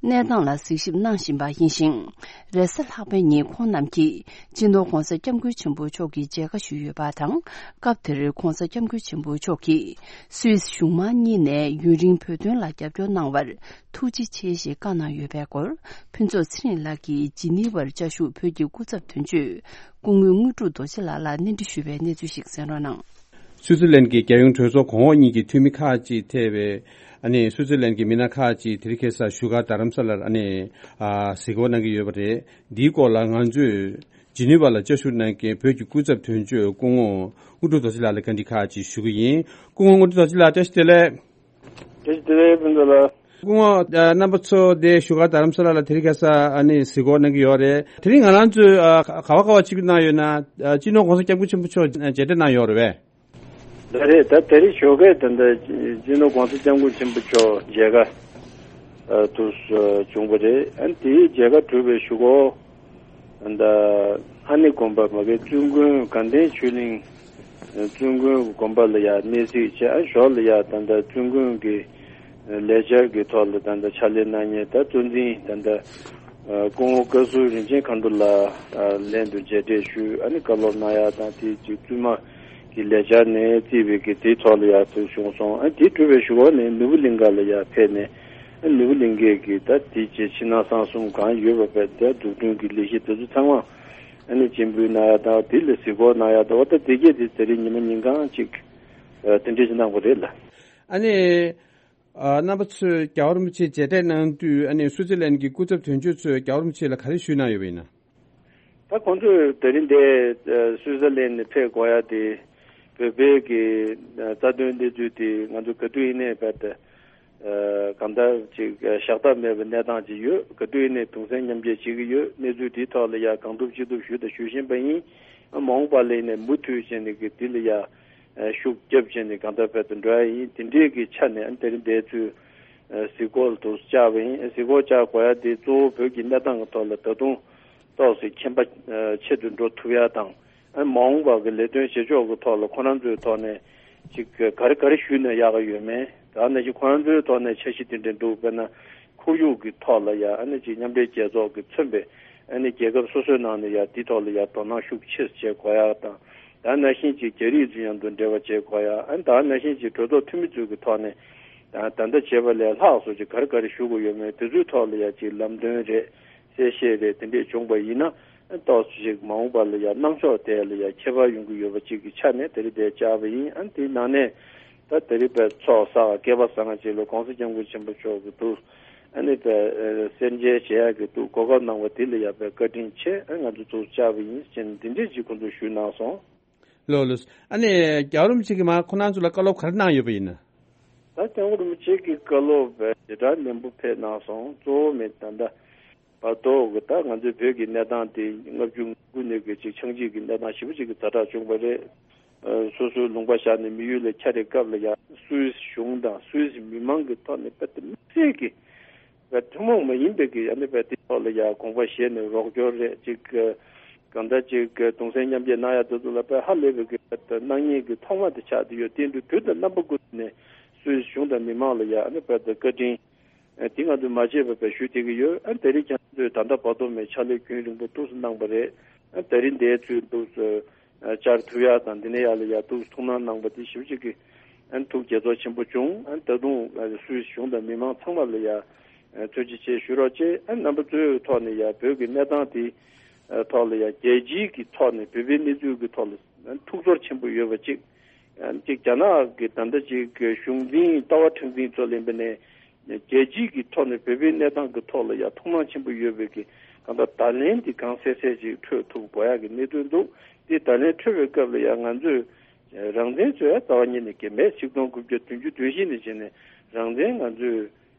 གནས་སྟངས་ལ་གཟིགས་ཞིབ་གནང་བཞིན་པ་ཡིན་ཞིང་། རེས་གཟའ་ལྷག་པའི་ཉིན་ཁོང་རྣམས་ཀྱིས་སྤྱི་ནོར་༧གོང་ས་༧སྐྱབས་མགོན་ཆེན་པོ་མཆོག་གི་མཇལ་ཁ་ཞུས་ཡོད་པ་དང་། སྐབས་དེར་༧གོང་ས་༧སྐྱབས་མགོན་ཆེན་པོ་མཆོག་གིས་སུད་སི་གཞུང་མང་གཉིས་ནས་ཡུན་རིང་བོད་དོན་ལ་རྒྱབ་སྐྱོར་གནང་བར། ཐུགས་རྗེ་ཆེ་ཞེས་བཀའ་གནང་ཡོད་པའི་སྐོར། ཕུན་ཚོགས་ཚེ་རིང་ལགས་ཀྱིས་ཇི་ནི་ཝར་བཅའ་བཞུགས་བོད་ཀྱི་སྐུ་ཚབ་དོན་གཅོད་སྐུ་ངོ་དངོས་གྲུབ་རྡོ་རྗེ་ལགས་ལ་གནས་འདྲི་ཞུས་པའི་གནས་ཚུལ་ཞིག་གསན་རོགས་གནང་། སུའུ་ཙི་ལན་གྱི་རྒྱལ་ཡོངས་གྲོས་ཚོགས་གོང་འོག་གཉིས་ཀྱི་འཐུས་མི་ཁག་ཅིག་ཐེ་བའི་ཨ་ནི་སུའུ་ཙི་ལན་གྱི་མི་སྣ་ཁག་ཅིག་དེ་རིང་ཁ་སང་བཞུགས་སྒར་རྡ་རམ་ས་ལར་ཨ་ནི་ཨ་གཟིགས་སྐོར་གནང་གི་ཡོད་པ་རེད། འདིའི་སྐོར་ལ་ང་ཚོས་ཇི་ནི་ཝར་ལ་བཅའ་བཞུགས་གནང་མཁན་བོད་ཀྱི་སྐུ་ཚབ་དོན་གཅོད་སྐུ་ངོ་དངོས་གྲུབ་རྡོ་རྗེ་ལགས་ལ་བཀའ་འདྲི་ཁག་ཅིག་ཞུ་གི་ཡིན། སྐུ་ངོ་དངོས་གྲུབ་རྡོ་རྗེ་ལགས། བཀྲ་ཤིས་བདེ་ལེགས། བཀྲ་ཤིས་བདེ་ལེགས་ཕུན་ཚོགས་ལགས། སྐུ་ངོ་ཨ་རྣམ་པ་ཚོ་དེ་བཞུགས་སྒར་རྡ་རམ་ས་ལ་ལ་དེ་རིང་ཁ་སང་ཨ་ནི་གཟིགས་སྐོར་གནང་གི་ཡོད་རེད། དེ་རིང་ང་རང་ཚོས་ཨ་ག་བ་ག་བ་ཅིག་གནང་ཡོད་ན། ཨ་སྤྱི་ནོར་༧གོང་ས་༧སྐྱབས་མགོན་ཆེན་པོ་མཆོག་མཇལ་འཕྲད་གནང་ཡོད་རེད་པས། ལགས་རེད། ད་དེ་རིང་ཞོགས་ཀས་ད་ལྟ་སྤྱི་ནོར་༧གོང་ས་༧སྐྱབས་མགོན་ཆེན་པོ་མཆོག་མཇལ་ཁ་ཨ་དུ་བྱུང་བ་རེད། ཨ་ནི་དེའི་མཇལ་ཁ་གྲུབ་པའི་གཞུག་གུ། ད་ལྷ་ནི་དགོན་པ་མ་གི་བཙུན་དགོན་དགའ་ལྡན་ཆོས་གླིང་བཙུན་དགོན་དགོན་པ་ལ་ཡ་གནས་གཟིགས་བྱས། ཨ་ཞོར་ལ་ཡ་ད་ལྟ་བཙུན་དགོན་གྱི་ལས་འཆར་གྱི་ཐོག་ལ་ད་ལྟ་ཕྱག་ལས་གནང་མཁན་ད་གཙོ་འཛིན་ད་ལྟ་སྐུ་ངོ་བཀའ་ཟུར་རིན་ཆེན་མཁའ་འགྲོ་ལགས་ལྷན་དུ་མཇལ་འཕྲད་ཞུས། ཨ་ནི་བཀའ་སློབ་གནང་ཡ་དང་དེ་གཅིག་བཙུན་མ་གི་ལས་འཆར་ནས་བརྩིས་པའི་གི་དེའི་ཐོག་ལ་ཡ་ཐུག་བྱུང་སོང་། ཨ་དེ་གྲུབ་པའི་གཞུག་གུ་ནས་ནོར་བུ་གླིང་ཁ་ལ་ཡ་ཕེབས་ནས། ནོར་བུ་གླིང་གའི་གི་ད་དེ་རྗེས་ཕྱི་ནང་གསང་གསུམ་གང་ཡོད་པ་བས་དེ་འཛུགས་སྐྲུན་གྱི་ལས་གཞི་དེ་ཚོ་ཚང་མ་ཨ་ནི་སྤྱན་འབུལ་གནང་ཡ་དང་དེ་ལ་གཟིགས་སྐོར་གནང་ཡ་དང་འོ་ད་དེ་གས་དེ་དེ་རིང་ཉི་མ་ཉིན་གང་ཅིག་དེ་འདྲས་ཅིག་གནང་བ་རེད་ལ། ཨ་ནི། ཨ། རྣམ་པ་ཚོས་རྒྱལ་བ་རིན་པོ་ཆེ་མཇལ་འཕྲད་གནང་དུས་ཨ་ནི་སུའུ་ཙི་ལན་གྱི་སྐུ་ཚབ་དོན་གཅོད་ཚོས་རྒྱལ་བ་རིན་པོ་ཆེ་ལ་ག་རེ་ཞུས་གནང་ཡོད་པ་ཡིན་ན། ད་ཁོང་ཚོས་དེ་རིང་འདི་སུའུ་ཙི་ལན་ནས་ཕེབས་དགོས་ཡ་དེ་བོད་པའི་གི་རྩ་དོན་གནས་ཚུལ་དེ་ང་ཚོ་ག་དུས་ཡིན་ནའི་བར་དུ་གང་ལྟར་ཅིག་བཞག་ཐབས་མེད་པའི་གནས་སྟངས་ཅིག་ཡོད། ག་དུས་ཡིན་ནའི་གདུང་སེམས་མཉམ་སྐྱེད་བྱེད་ཀྱི་ཡོད། གནས་ཚུལ་དེའི་ཐོག་ལ་ཡ་གང་ཐུབ་ཅི་ཐུབ་ཞུས་དང་ཞུ་བཞིན་པ་ཡིན། མ་འོངས་པ་ལ་ཡིན་ནའི་མུ་མཐུད་བྱས་ནས་གི་དེ་ལ་ཡ། ཤུགས་རྒྱབ་བྱས་ནས་གང་ལྟར་བོད་དུ་འགྲོ་ཡ་ཡིན། དེ་འདྲའི་གི་ཆ་ནས་དེ་རིང་འདིར་ཚུར་གཟིགས་སྐོར་དུ་བཅར་བ་ཡིན། གཟིགས་སྐོར་བཅར་དགོས་ཡ་དེ་གཙོ་བོ་བོད་ཀྱི་གནས་སྟངས་ཀྱི་ཐོག་ལ་ད་དུང་ཏོག་ཙམ་ཁྱད་པར་ཆེད་དུ་འགྲོ་ཐུབ་ཡ་དང་། མ་འོངས་པ་གི་ལས་དོན་བྱེད་ཕྱོགས་ཀྱི་ཐོག་ལ་ཁོ་རང་ཚོའི་ཐོག་ནས་ཅིག་ག་རེ་ག་རེ་ཞུས་ན་ཡག་གི་ཡོད་མེད། ད་ནང་བཞིན་ཁོ་རང་ཚོའི་ཐོག་ནས་འཆར་གཞི་དེ་འདྲ་འདུག་དཔེར་ན། ཁོར་ཡུག་གི་ཐོག་ལ་ཡ་ཨ་ནི་ཅིག་མཉམ་འབྲེལ་རྒྱལ་ཚོགས་ཀྱིས་མཚོན་པའི་ཨ་ནི་རྒྱལ་ཁབ་སོ་སོའི་ནང་ནས་ཡ་དེའི་ཐོག་ལ་ཡ་དོ་སྣང་ཤུགས་ཆེ་བྱེད་དགོས་ཡ་དང་། ད་ནང་བཞིན་ཅིག་རྒྱ་རིགས་ཚོ་མཉམ་དུ་འབྲེལ་བ་བྱེད་དགོས་ཡ། ཨ་ནི་ད་ནང་བཞིན་ཅིག་གྲོས་ཚོགས་འཐུས་མི་ཚོའི་གི་ཐོག་ནས་ད་ད་ལྟ་བྱས་པ་ལས་ལྷག་སོགས་ཅིག་ག་རེ་ག་རེ་ཞུ་དགོས་ཡོད་མེད་དེ་ཚོའི་ཐོག་ལ་ཡ་ཅིག་ལམ་སྟོན་རེད། གསལ་བཤད་རེད། དེ་འདྲས་བྱུང་པ་ཡིན་ན་ཨ་ནི་ཏོག་ཙམ་ཅིག་མ་འོངས་པ་ལ་ཡ་གནང་ཕྱོགས་དེ་ལ་ཡ་ཁྱད་པར་ཡོང་གི་ཡོད་པ་ཅིག་གི་ཆ་ནས་དེ་རིང་འདིར་བཅར་བ་ཡིན། ཨ་ནི་དེའི་ནང་ནས་ད་དེ་རིང་བོད་ཚོགས་བསགས་སྐལ་པ་བཟང་ཅིག་ལ་༸གོང་ས་༸སྐྱབས་མགོན་ཆེན་པོ་མཆོག་གི་འདུག་ཨ་ནི་བོད་ཨ་གསལ་མཇལ་བྱེད་ཡག་གི་འདུག་གོ་སྐབས་གནང་བ་དེ་ལ་ཡ་བོད་བཀའ་དྲིན་ཆེ། ཨ་ང་ཚོ་ཚུར་བཅར་བ་ཡིན་ཟེར་ནས་འདི་འདྲས་ཅིག་ཁོང་ཚོས་ཞུས་གནང་སོང་། ལགས་ལགས། ཨ་ནི་རྒྱལ་བ་རིན་པོ་ཆེ་གིས་མར་ཁོང་རྣམ་ཚོ་ལ་བཀའ་སློབ་ག་རེ་གནང་ཡོད་པ་ཡིན་ན། ད་སྐྱབས་མགོན་རིན་པོ་ཆེ་གི་བཀའ་སློབ་དཔེ་ཞེ་དྲག་ནན་པོ་ཕེབས་གནང་སོང་། གཙོ་བོ་མེད་ད་ལྟ་བར་དོ་གི་ད་ང་ཚོའི་བོད་ཀྱི་གནས་སྟངས་དེ་ལྔ་བཅུ་ང་དགུ་ནས་གི་ཅིག་ཆག་འཇིག་གི་གནས་སྟངས་ཞེ་པོ་ཅིག་གི་ཛ་དྲག་བྱུང་བ་རེད། ཨ་སོ་སོའི་ལུང་པ་བཞག་ནས་མི་ཡུལ་ལ་འཁྱམས་པའི་སྐབས་ལ་ཡང་སུད་སི་གཞུང་དང་སུད་སི་མི་མང་གི་ཐོག་ནས་དཔེ་དེ་དམིགས་བསལ་གྱི་བས་ཐུན་མོང་མ་ཡིན་པའི་གི་ཨ་ནི་བས་དེ་ཐོག་ལ་ཡ་དགོངས་པ་བཞེས་ནས་རོགས་སྐྱོར་རེད་ཅིག་གི་གང་ལྟར་ཅིག་གི་གདུང་སེམས་མཉམ་སྐྱེད་གནང་ཡ་དེ་ཚོ་ལ་བས་ཧ་ལས་པའི་གི་བས་གནང་མཁན་གི་ཐོག་མ་དེ་ཆགས་བསྡད་ཡོད། དེ་འདྲ་དུས་དང་རྣམ་པ་ཀུན་ནས་སུད་སི་གཞུང་དང་མི་མང་ལ་ཡ་ཨ་ནི་བས་དེ་བཀའ་དྲིན་དེ་ང་ཚོས་མ་བརྗེད་པ་བས་ཞུ་བསྡད་ཀྱི་ཡོད། ཨ་ནི་དེ་རིང་ཁྱེད་ཚོས་ད་ལྟ་བར་དུ་མའི་ཕྱག་ལས་རྒྱུན་རིང་པོ་ཏོག་ཙམ་གནང་བ་རེད། ཨ་ནི་དེ་རིང་འདིར་ཚུར་འདུག་སེ། བཅར་ཐུབ་ཡ་དང་འདི་ནས་ཡར་ལ་ཡ་ཐུགས་ཐུགས་སྣང་གནང་པ་དེ་ཞེ་པོ་ཅིག་གི་ཨ་ནི་ཐུགས་དགྱེས་ཚོར་ཆེན་པོ་བྱུང་། ཨ་ནི་ད་དུང་ཨ་སུད་སི་གཞུང་དང་མི་མང་ཚང་མ་ལ་ཡ་ཨ་ཐུགས་རྗེ་ཆེ་ཞུ་རོགས་བྱེད། ཨ་ནི་རྣམ་པ་ཚོའི་ཐོག་ནས་ཡ་བོད་ཀྱི་གནས་སྟངས་དེ་ཨ་ཐོག་ལ་ཡ་རྒྱལ་སྤྱིའི་གི་ཐོག་ནས་བོད་པའི་གནས་ཚུལ་གྱི་ཐོག་ལ་ཨ་ཐུགས་ཚོར་ཆེན་པོ་ཡོད་པ་ཅིག་ཨ་ནི་ཅིག་རྒྱ་ནག་གི་ད་ལྟ་ཅིག་གི་གཞུང་འཛིན་ལྟ་བ་མཁྲེགས་འཛིན་ཚོ་ལེན་པ་ནས། རྒྱལ་སྤྱིའི་གི་ཐོག་ནས་བོད་པའི་གནས་སྟངས་ཀྱི་ཐོག་ལ་ཡང་ཐུགས་སྣང་ཆེན་པོ་ཡོད་པའི་གི་གང་ལྟར་བརྡ་ལན་དེ་གང་གསལ་གསལ་ཅིག་འཕྲོད་ཐུབ་དགོས་ཡག་གི་གནད་དོན་འདུག་དེ་བརྡ་ལན་འཕྲོད་པའི་སྐབས་ལ་ཡང་ང་ཚོས་རང་བཙན་ཚོས་རྩ་བ་ཉིད་ནས་གལ་མེད། ཆིག་སྟོང་དགུ་བརྒྱ་བདུན་ཅུ་དོན་བཞི་ནས་བྱས་ནས་རང་བཙན་ང་ཚོས་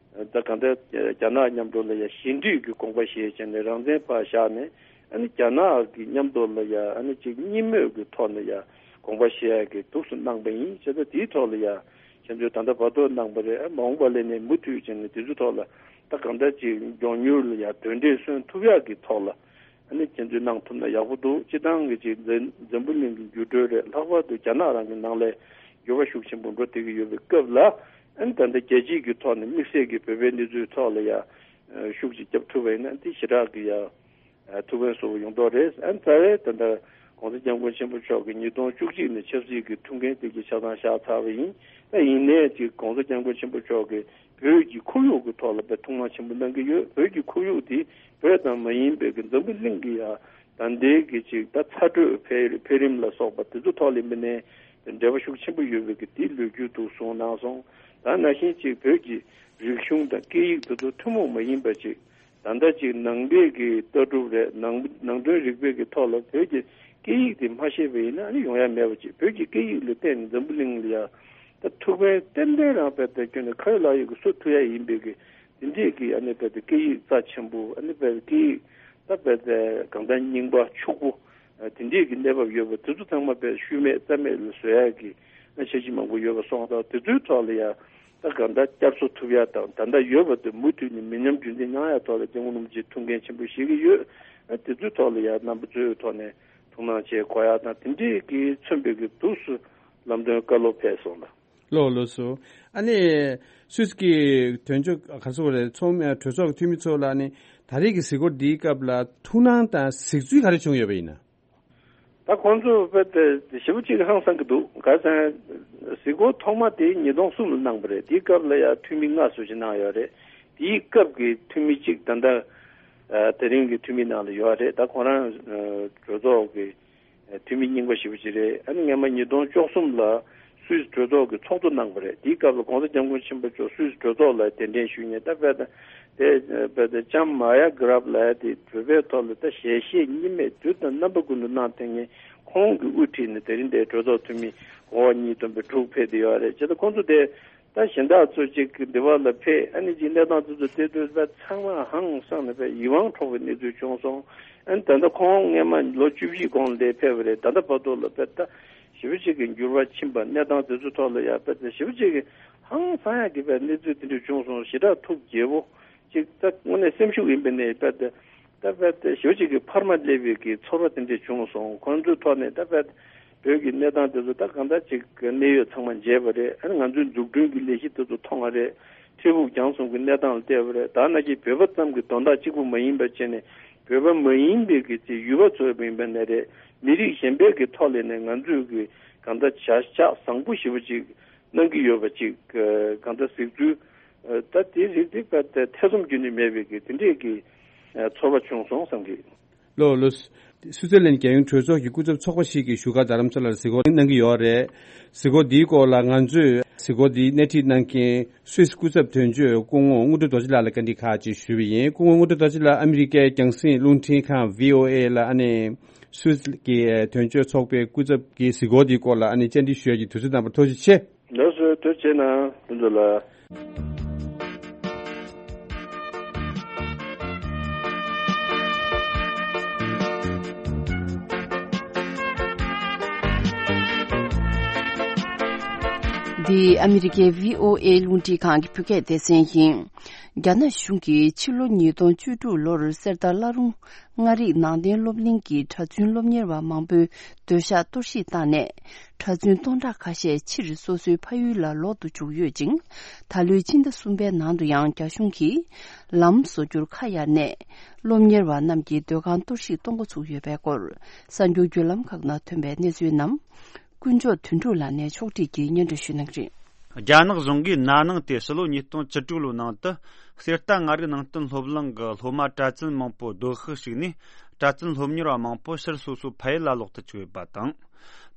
ད་གང་ལྟར་རྒྱ་ནག་མཉམ་དུ་ལ་ཡང་ཞི་འགྲིག་གི་དགོངས་པ་བཞེས་བྱས་ནས་རང་བཙན་ཕར་བཞག་ནས་ཨ་ནི་རྒྱ་ནག་གི་མཉམ་དུ་ལ་ཡང་ཨ་ནི་ཅིག་གཉིས་མོས་ཀྱི་ཐོག་ནས་ཡང་དགོངས་པ་བཞེས་ཡག་གི་འདུག་སེ་གནང་པ་ཡིན། བྱས་ཙང་དེའི་ཐོག་ལ་ཡང་། ཁྱེད་ཚོས་ད་ལྟ་བར་དུ་གནང་པ་རེད། ཨ་མ་འོངས་པ་ལ་ནི་མུ་མཐུད་བྱས་ནས་དེ་ཚོའི་ཐོག་ལ་ད་གང་ལྟར་ཅིག་མགྱོགས་མྱུར་ལ་ཡང་དོན་འབྲས་སོན་ཐུབ་ཡག་གི་ཐོག་ལ་ཨ་ནི་ཁྱེད་ཚོས་གནང་ཐུབ་ན་ཡག་པོ་འདུག་སྤྱི་བཏང་གི་ཅིག་འཛམ་འཛམ་བུ་གླིང་གི་འགྱུར་འགྲོས་རེད། ལྷག་པར་དུ་རྒྱ་ནག་རང་གི་ནང་ལ་འགྱུར་བ་ཤུགས་ཆེན་པོ་འགྲོ་བསྡད་ཀྱི་ཡོད་པའི་སྐབས་ལ་ཨ་ནི་ད་ལྟ་རྒྱལ་སྤྱིའི་གི་ཐོག་ནས་དམིགས་བསལ་གྱི་བོད་པའི་གནས་ཚུལ་ཐོག་ལ་ཡང་ཤུགས་ཅིག་བརྒྱབ་ཐུབ་པ་ཡིན་ན་དེ་ཞེ་དྲག་གི་ཡང་། ཨ་ཐུགས་ཕན་གསོས་པ་ཡོང་མདོག་རེད། ཨ་རྩ་བའི་ད་ལྟ་༸གོང་ས་༸སྐྱབས་མགོན་ཆེན་པོ་མཆོག་གིས་ཉིས་སྟོང་བཅུ་གཅིག་ནས་ཆབ་སྲིད་ཀྱི་ཐུགས་འགན་དེ་གའི་ཆ་ཚང་བཞག་ཚར་བ་ཡིན། ད་ཡིན་ནའི་ཅིག་༸གོང་ས་༸སྐྱབས་མགོན་ཆེན་པོ་མཆོག་གིས་བོད་ཀྱི་ཁོར་ཡུག་གི་ཐོག་ལ་དཔེ་ཐུགས་སྣང་ཆེན་པོ་གནང་གི་ཡོད། བོད་ཀྱི་ཁོར་ཡུག་དེ་བོད་ཙམ་མ་ཡིན་པའི་གི་འཛམ་བུ་གླིང་གི་ཡ་ད་ལྟའི་གི་ཅིག་ད་ཚ་དྲོད་འཕེལ་འཕེལ་རིམ་ལ་སོགས་པ་དེ་ཚོ་ཐོག་ལ་མི་གནས་འབྲེལ་བ་ཤུགས་ཆེན་པོ་ཡོད་པའི་གི་དེའི་ལོ་རྒྱུས་འདུག་གསུངས་གནང་སོང་། ད་ནང་བཞིན་ཅིག་བོད་ཀྱི་རིག་གཞུང་དང་སྐད་ཡིག་དེ་ཚོ་ཐུན་མོང་མ་ཡིན་པ་ཅིག་ད་ལྟ་ཅིག་ནང་པའི་གི་ལྟ་གྲུབ་རེད། ནང་ནང་དོན་རིག་པའི་གི་ཐོག་ལ་བོད་ཀྱི་སྐད་ཡིག་དེ་མ་ཤེས་པ་ཡིན་ན་ཨ་ནི་ཡོང་ཡ་མེད་པ་ཅིག་བོད་ཀྱི་སྐད་ཡིག་ལ་བརྟེན་ནས་འཛམ་བུ་གླིང་ལ་ཡ་ད་ཐུགས་ཕན་ཏན་ཏན་རང་བས་ད་ཁྱོན་ནས་ཁ་ཡོད་ལག་ཡོད་ཀྱི་གསོ་ཐུབ་ཡ་ཡིན་པའི་གི་དེ་འདྲས་ཀྱི་ཨ་ནི་བས་ད་སྐད་ཡིག་རྩ་ཆེན་པོ་ཨ་ནི་བས་སྐད་ཡིག་ད་བས་ད་གང་ལྟར་རྙིང་པ་ཕྱུག་པོ་དེ་འདྲས་ཀྱི་གནས་བབ་ཡོད་པ་དེ་ཚོ་ཚང་མ་བས་ཤུལ་མེད་རྩ་མེད་ལ་བཟོ་ཡ་གི་ཨ་འཆར་གཞི་མང་པོ་ཡོད་པ་སོང་ཙང་དེ་ཚོའི་ཐོག་ལ་ཡ། ད་གང་ལྟར་བསྐྱར་གསོ་ཐུབ་ཡ་དང་ད་ལྟ་ཡོད་པ་དེ་མུ་མཐུད་ནས་མི་ཉམས་རྒྱུན་འཛིན་གནང་ཡ་ཐོག་ལ་སྐྱབས་མགོན་རིན་པོ་ཆེས་ཐུགས་འགན་ཆེན་པོ་བཞེས་ཀྱི་ཡོད། ཨ་དེ་ཚོའི་ཐོག་ལ་ཡ་རྣམ་པ་ཚོའི་ཐོག་ནས་ཐུགས་སྣང་བྱེད་དགོས་ཡ་དང་དེ་འདྲའི་གིས་མཚོན་པའི་གི་འདུག་སེ་ལམ་སྟོན་བཀའ་སློབ་ཕེབས་སོང་ལ། ལགས་ལགས་སོ། ཨ་ནི་སུད་སི་གི་དོན་གཅོད་ག་ཚོད་རེད་ཚོགས་མི་གྲོས་ཚོགས་ཀྱི་འཐུས་མི་ཚོ་ལ་ཨ་ནི་ད་རེས་ཀྱི་གཟིགས་སྐོར་འདིའི་སྐབས་ལ་ཐུགས་སྣང་དང་གཟིགས་ཚུལ་ག་རེ་བྱུང་ཡོད་པ་ཡིན་ན། ད་ཁོང་ཚོ་དཔེ་དེ་ཞེ་པོ་ཅིག་ཧང་སང་གི་འདུག་ག་ཟེར་ན་གཟིགས་སྐོར་ཐོག་མ་དེ་ཉིས་སྟོང་གསུམ་ལ་གནང་བ་རེད། དེའི་སྐབས་ལ་ཡང་འཐུས་མི་ལྔ་ཙམ་ཞིག་གནང་ཡོད་རེད། དེའི་སྐབས་ཀྱི་འཐུས་མི་གཅིག་ད་ལྟ་ཨ་དེ་རིང་གི་འཐུས་མི་ནང་ལ་ཡོད་རེད། ད་ཁོ་རང་ཨ་གྲོས་ཚོགས་ཀྱི་ཨ་འཐུས་མི་རྙིང་པ་ཞེ་པོ་ཅིག་རེད། ཨ་ནི་སྔོན་མ་ཉིས་སྟོང་བཅུ་གསུམ་ལ་སུད་སི་གྲོས་ཚོགས་ཀྱི་ཚོགས་གཙོ་གནང་བ་རེད། དེའི་སྐབས་ལ་༸གོང་ས་༸སྐྱབས་མགོན་ཆེན་པོ་མཆོག་སུད་སི་གྲོས་ཚོགས་ལ་གདན་འདྲེན་ཞུས་ནས། ད་དཔེ་ད་དེ་དཔེ་ད་ལྕམ་མ་ཡ་གྷི་རབ་ལབ་ཡ་དེ་བོད་པའི་ཐོག་ལ་ད་ཞལ་བཞེས་གཉིས་མེད་དུས་དང་རྣམ་པ་ཀུན་ཏུ་གནང་བསྡད་མཁན་ཁོང་གིས་དབུ་ཁྲིད་ནས་དེ་རིང་འདིར་གྲོས་ཚོགས་འཐུས་མི་འོ་གཉིས་བསྡོམས་པའི་དྲུག་ཕེབས་བསྡད་ཡོད་རེད། བྱས་ཙང་ཁོང་ཚོ་དེ་ད་གཞན་དག་ཚོ་གཅིག་འདི་བ་ལ་ཕེབས། ཨ་ནི་གཅིག་གནས་སྟངས་དེ་ཚོ་བལྟས་དུས་ད་ཚང་མ་ཧང་སངས་ནས་དཔེ་ཡིད་དབང་འཕྲོག་པའི་གནས་ཚུལ་བྱུང་སོང་། ཨ་ནི་ད་ལྟ་ཁོང་སྔས་མ་ལོ་བཅུ་བཞི་གོང་ལ་འདིར་ཕེབས་པ་རེད། ད་ལྟ་བར་དུ་ལ་དཔེ་ད་ཞེ་པོ་ཅིག་གི་འགྱུར་བ་ཕྱིན་པ། གནས་སྟངས་དེ་ཚོ་ཐོག་ལ་ཡ་དཔེ་ད་ཞེ་པོ་ཅིག་གི་ཧང་སངས་ཡག་གི་དཔེ་གནས་ཚུལ་དེ་འདྲ་བྱུང་སོང་། ཞེ་དྲག་ཐུགས་དགྱེས་པོ་ཅིག་ད་དངོས་གནས་སེམས་ཤུགས་ཡིན་པ་ནས་དཔེ་ད་ད་དཔེ་ད་ཞེ་པོ་ཅིག་གི་འཕར་མ་སླེབས་པའི་གི་ཚོར་བ་དེ་འདྲ་བྱུང་སོང་། ཁོང་ཚོའི་ཐོག་ནས་ད་དཔེ་བོད་ཀྱི་གནས་སྟངས་དེ་ཚོ་ད་གང་ལྟར་ཅིག་གནད་ཡོད་ཚང་མ་མཇལ་བ་རེད། ཨ་ནི་ང་ཚོའི་འཛུགས་སྐྲུན་གྱི་ལས་གཞི་དེ་ཚོ་མཐོང་བ་རེད། འཕྲལ་ཕུགས་རྒྱང་གསུམ་གྱི་གནས་སྟངས་ལ་བལྟས་པ་རེད། ད་ནང་བཞིན་བོད་པ་ཙམ་གྱི་དོན་དག་གཅིག་པུ་མ་ཡིན་པ་བྱས་ནས་བོད་པ་མ་ཡིན་པའི་གི་ཅིག་ཡུལ་པ་ཚོ་ཡིན་པ་ནས་རེད། མི་རིགས་གཞན་པའི་གི་ཐོག་ལ་ནས་ང་ཚོས་གི་གང་ལྟར་བྱ་གཞག་བཟང་པོ་ཞེ་པོ་ཅིག་གནང་གི་ཡོད་པ་ཅིག་གང་ལྟར་གཟིགས་ཚུལ་ད་དེ་རིགས་དེ་ཐེ་ཚོམ་རྒྱུན་ནས་མེད་པའི་གི་དེ་འདྲས་ཀྱི་ཚོར་བ་བྱུང་སོང་བསམ་གི། ལོ་ལོ། སུའུ་ཙེར་ལན་རྒྱལ་ཡོངས་གྲོས་ཚོགས་ཀྱི་སྐུ་ཚབ་ཚོགས་པ་ཞིག་གིས་བཞུགས་སྒར་རྡ་རམ་ས་ལར་གཟིགས་སྐོར་གནང་གི་ཡོད་རེད། གཟིགས་སྐོར་འདིའི་སྐོར་ལ་ང་ཚོས་གཟིགས་སྐོར་འདི་སྣེ་ཁྲིད་གནང་མཁན་སུད་སི་སྐུ་ཚབ་དོན་གཅོད་སྐུ་ངོ་དངོས་གྲུབ་རྡོ་རྗེ་ལགས་ལ་བཀའ་འདྲི་ཁག་ཅིག་ཞུས་པ་ཡིན། སྐུ་ངོ་དངོས་གྲུབ་རྡོ་རྗེ་ལགས་ཨ་མི་རི་ཀའི་རྒྱང་སྲིང་རླུང་འཕྲིན་ཁང་བྷི་ཨོ་ཨེ་ལ་ཨ་ནི་སུད་སི་གི་དོན་གཅོད་ཚོགས་པའི་སྐུ་ཚབ་ཀྱི་གཟིགས་སྐོར་འདིའི་སྐོར་ལ་ཨ་ནི་བཅར་འདྲི་ཞུ་ཡ་གི་དུས་ཚོད་གནང་བར་ཐུགས་རྗེ་ཆེ། ལགས་སོ། ཐུགས་རྗེ་གནང་། ལགས་སོ། འདི་ཨ་མི་རི་ཀའི་བྷི་ཨོ་ཨེ་རླུང་འཕྲིན་ཁང་གི་བོད་སྐད་སྡེ་ཚན་ཡིན། རྒྱ་ནག་གཞུང་གིས་ཕྱི་ལོ་ཉིས་སྟོང་བཅུ་དྲུག་ལོར་གསེར་རྟ་བླ་རུང་མངའ་རིས་ནང་བསྟན་སློབ་གླིང་གི་གྲྭ་བཙུན་སློབ་གཉེར་བ་མང་པོའི་སྡོད་ཤག་གཏོར་བཤིག་བཏང་ནས། གྲྭ་བཙུན་སྟོང་ཕྲག་ཁ་ཤས་ཕྱིར་སོ་སོའི་ཕ་ཡུལ་ལ་ལོག་ཏུ་བཅུག་ཡོད་ཅིང་། ད་ལོའི་ཕྱི་ཟླ་གསུམ་པའི་ནང་དུ་ཡང་རྒྱ་གཞུང་གིས་ལམ་བཟོ་རྒྱུར་ཁ་གཡར་ནས། སློབ་གཉེར་བ་རྣམས་ཀྱི་སྡོད་ཁང་གཏོར་བཤིག་གཏོང་འགོ་ཚུགས་ཡོད་པའི་སྐོར། གསར་འགྱུར་བརྒྱུད་ལམ་ཁག་ནང་ཐོན་པའི་གནས་ཚུལ་རྣམས། དཀོན་མཆོག་དོན་གྲུབ་ལགས་ནས་ཕྱོགས་སྒྲིག་གིས་སྙན་སྒྲོན་ཞུ་གནང་གི་རེད། རྒྱ་ནག་གཞུང་གིས་ན་ནིང་སྟེ་ཕྱི་ལོ་ཉིས་སྟོང་བཅུ་དྲུག་ལོའི་ནང་དུ་གསེར་རྟ་མངའ་རིས་ནང་བསྟན་སློབ་གླིང་གི་སློབ་མ་གྲྭ་བཙུན་མང་པོ་སྡོད་ཤག་ཞིག་ནས་གྲྭ་བཙུན་སློབ་གཉེར་བ་མང་པོ་ཕྱིར་སོ་སོའི་ཕ་ཡུལ་ལ་ལོག་ཏུ་བཅུག་ཡོད་པ་དང་།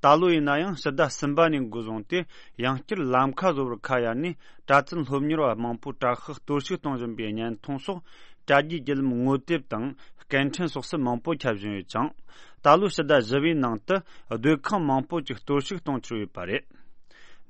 ད་ལོ་ཡིན་ན་ཡང་ཕྱི་ཟླ་གསུམ་པ་ནས་འགོ་བཟུང་སྟེ་ཡང་བསྐྱར་ལམ་ཁ་བཟོ་བར་ཁ་གཡར་ནས་གྲྭ་བཙུན་སློབ་གཉེར་བ་མང་པོ་དྲག་ཤུགས་གཏོར་བཤིག་གཏོང་བཞིན་པའི་བརྙན་ཐུང་སོགས་དྲ་རྒྱའི་བརྒྱུད་ལམ་ངོ་དེབ་དང་སྐད་འཕྲིན་སོགས་སུ་མང་པོ་ཁྱབ་བཞིན་ཡོད་ཅིང་། ད་ལོའི་ཕྱི་ཟླ་བཞི་པའི་ནང་དུ་སྡོད་ཁང་མང་པོ་ཅིག་གཏོར་བཤིག་གཏོང་འཆར་ཡོད་པ་རེད།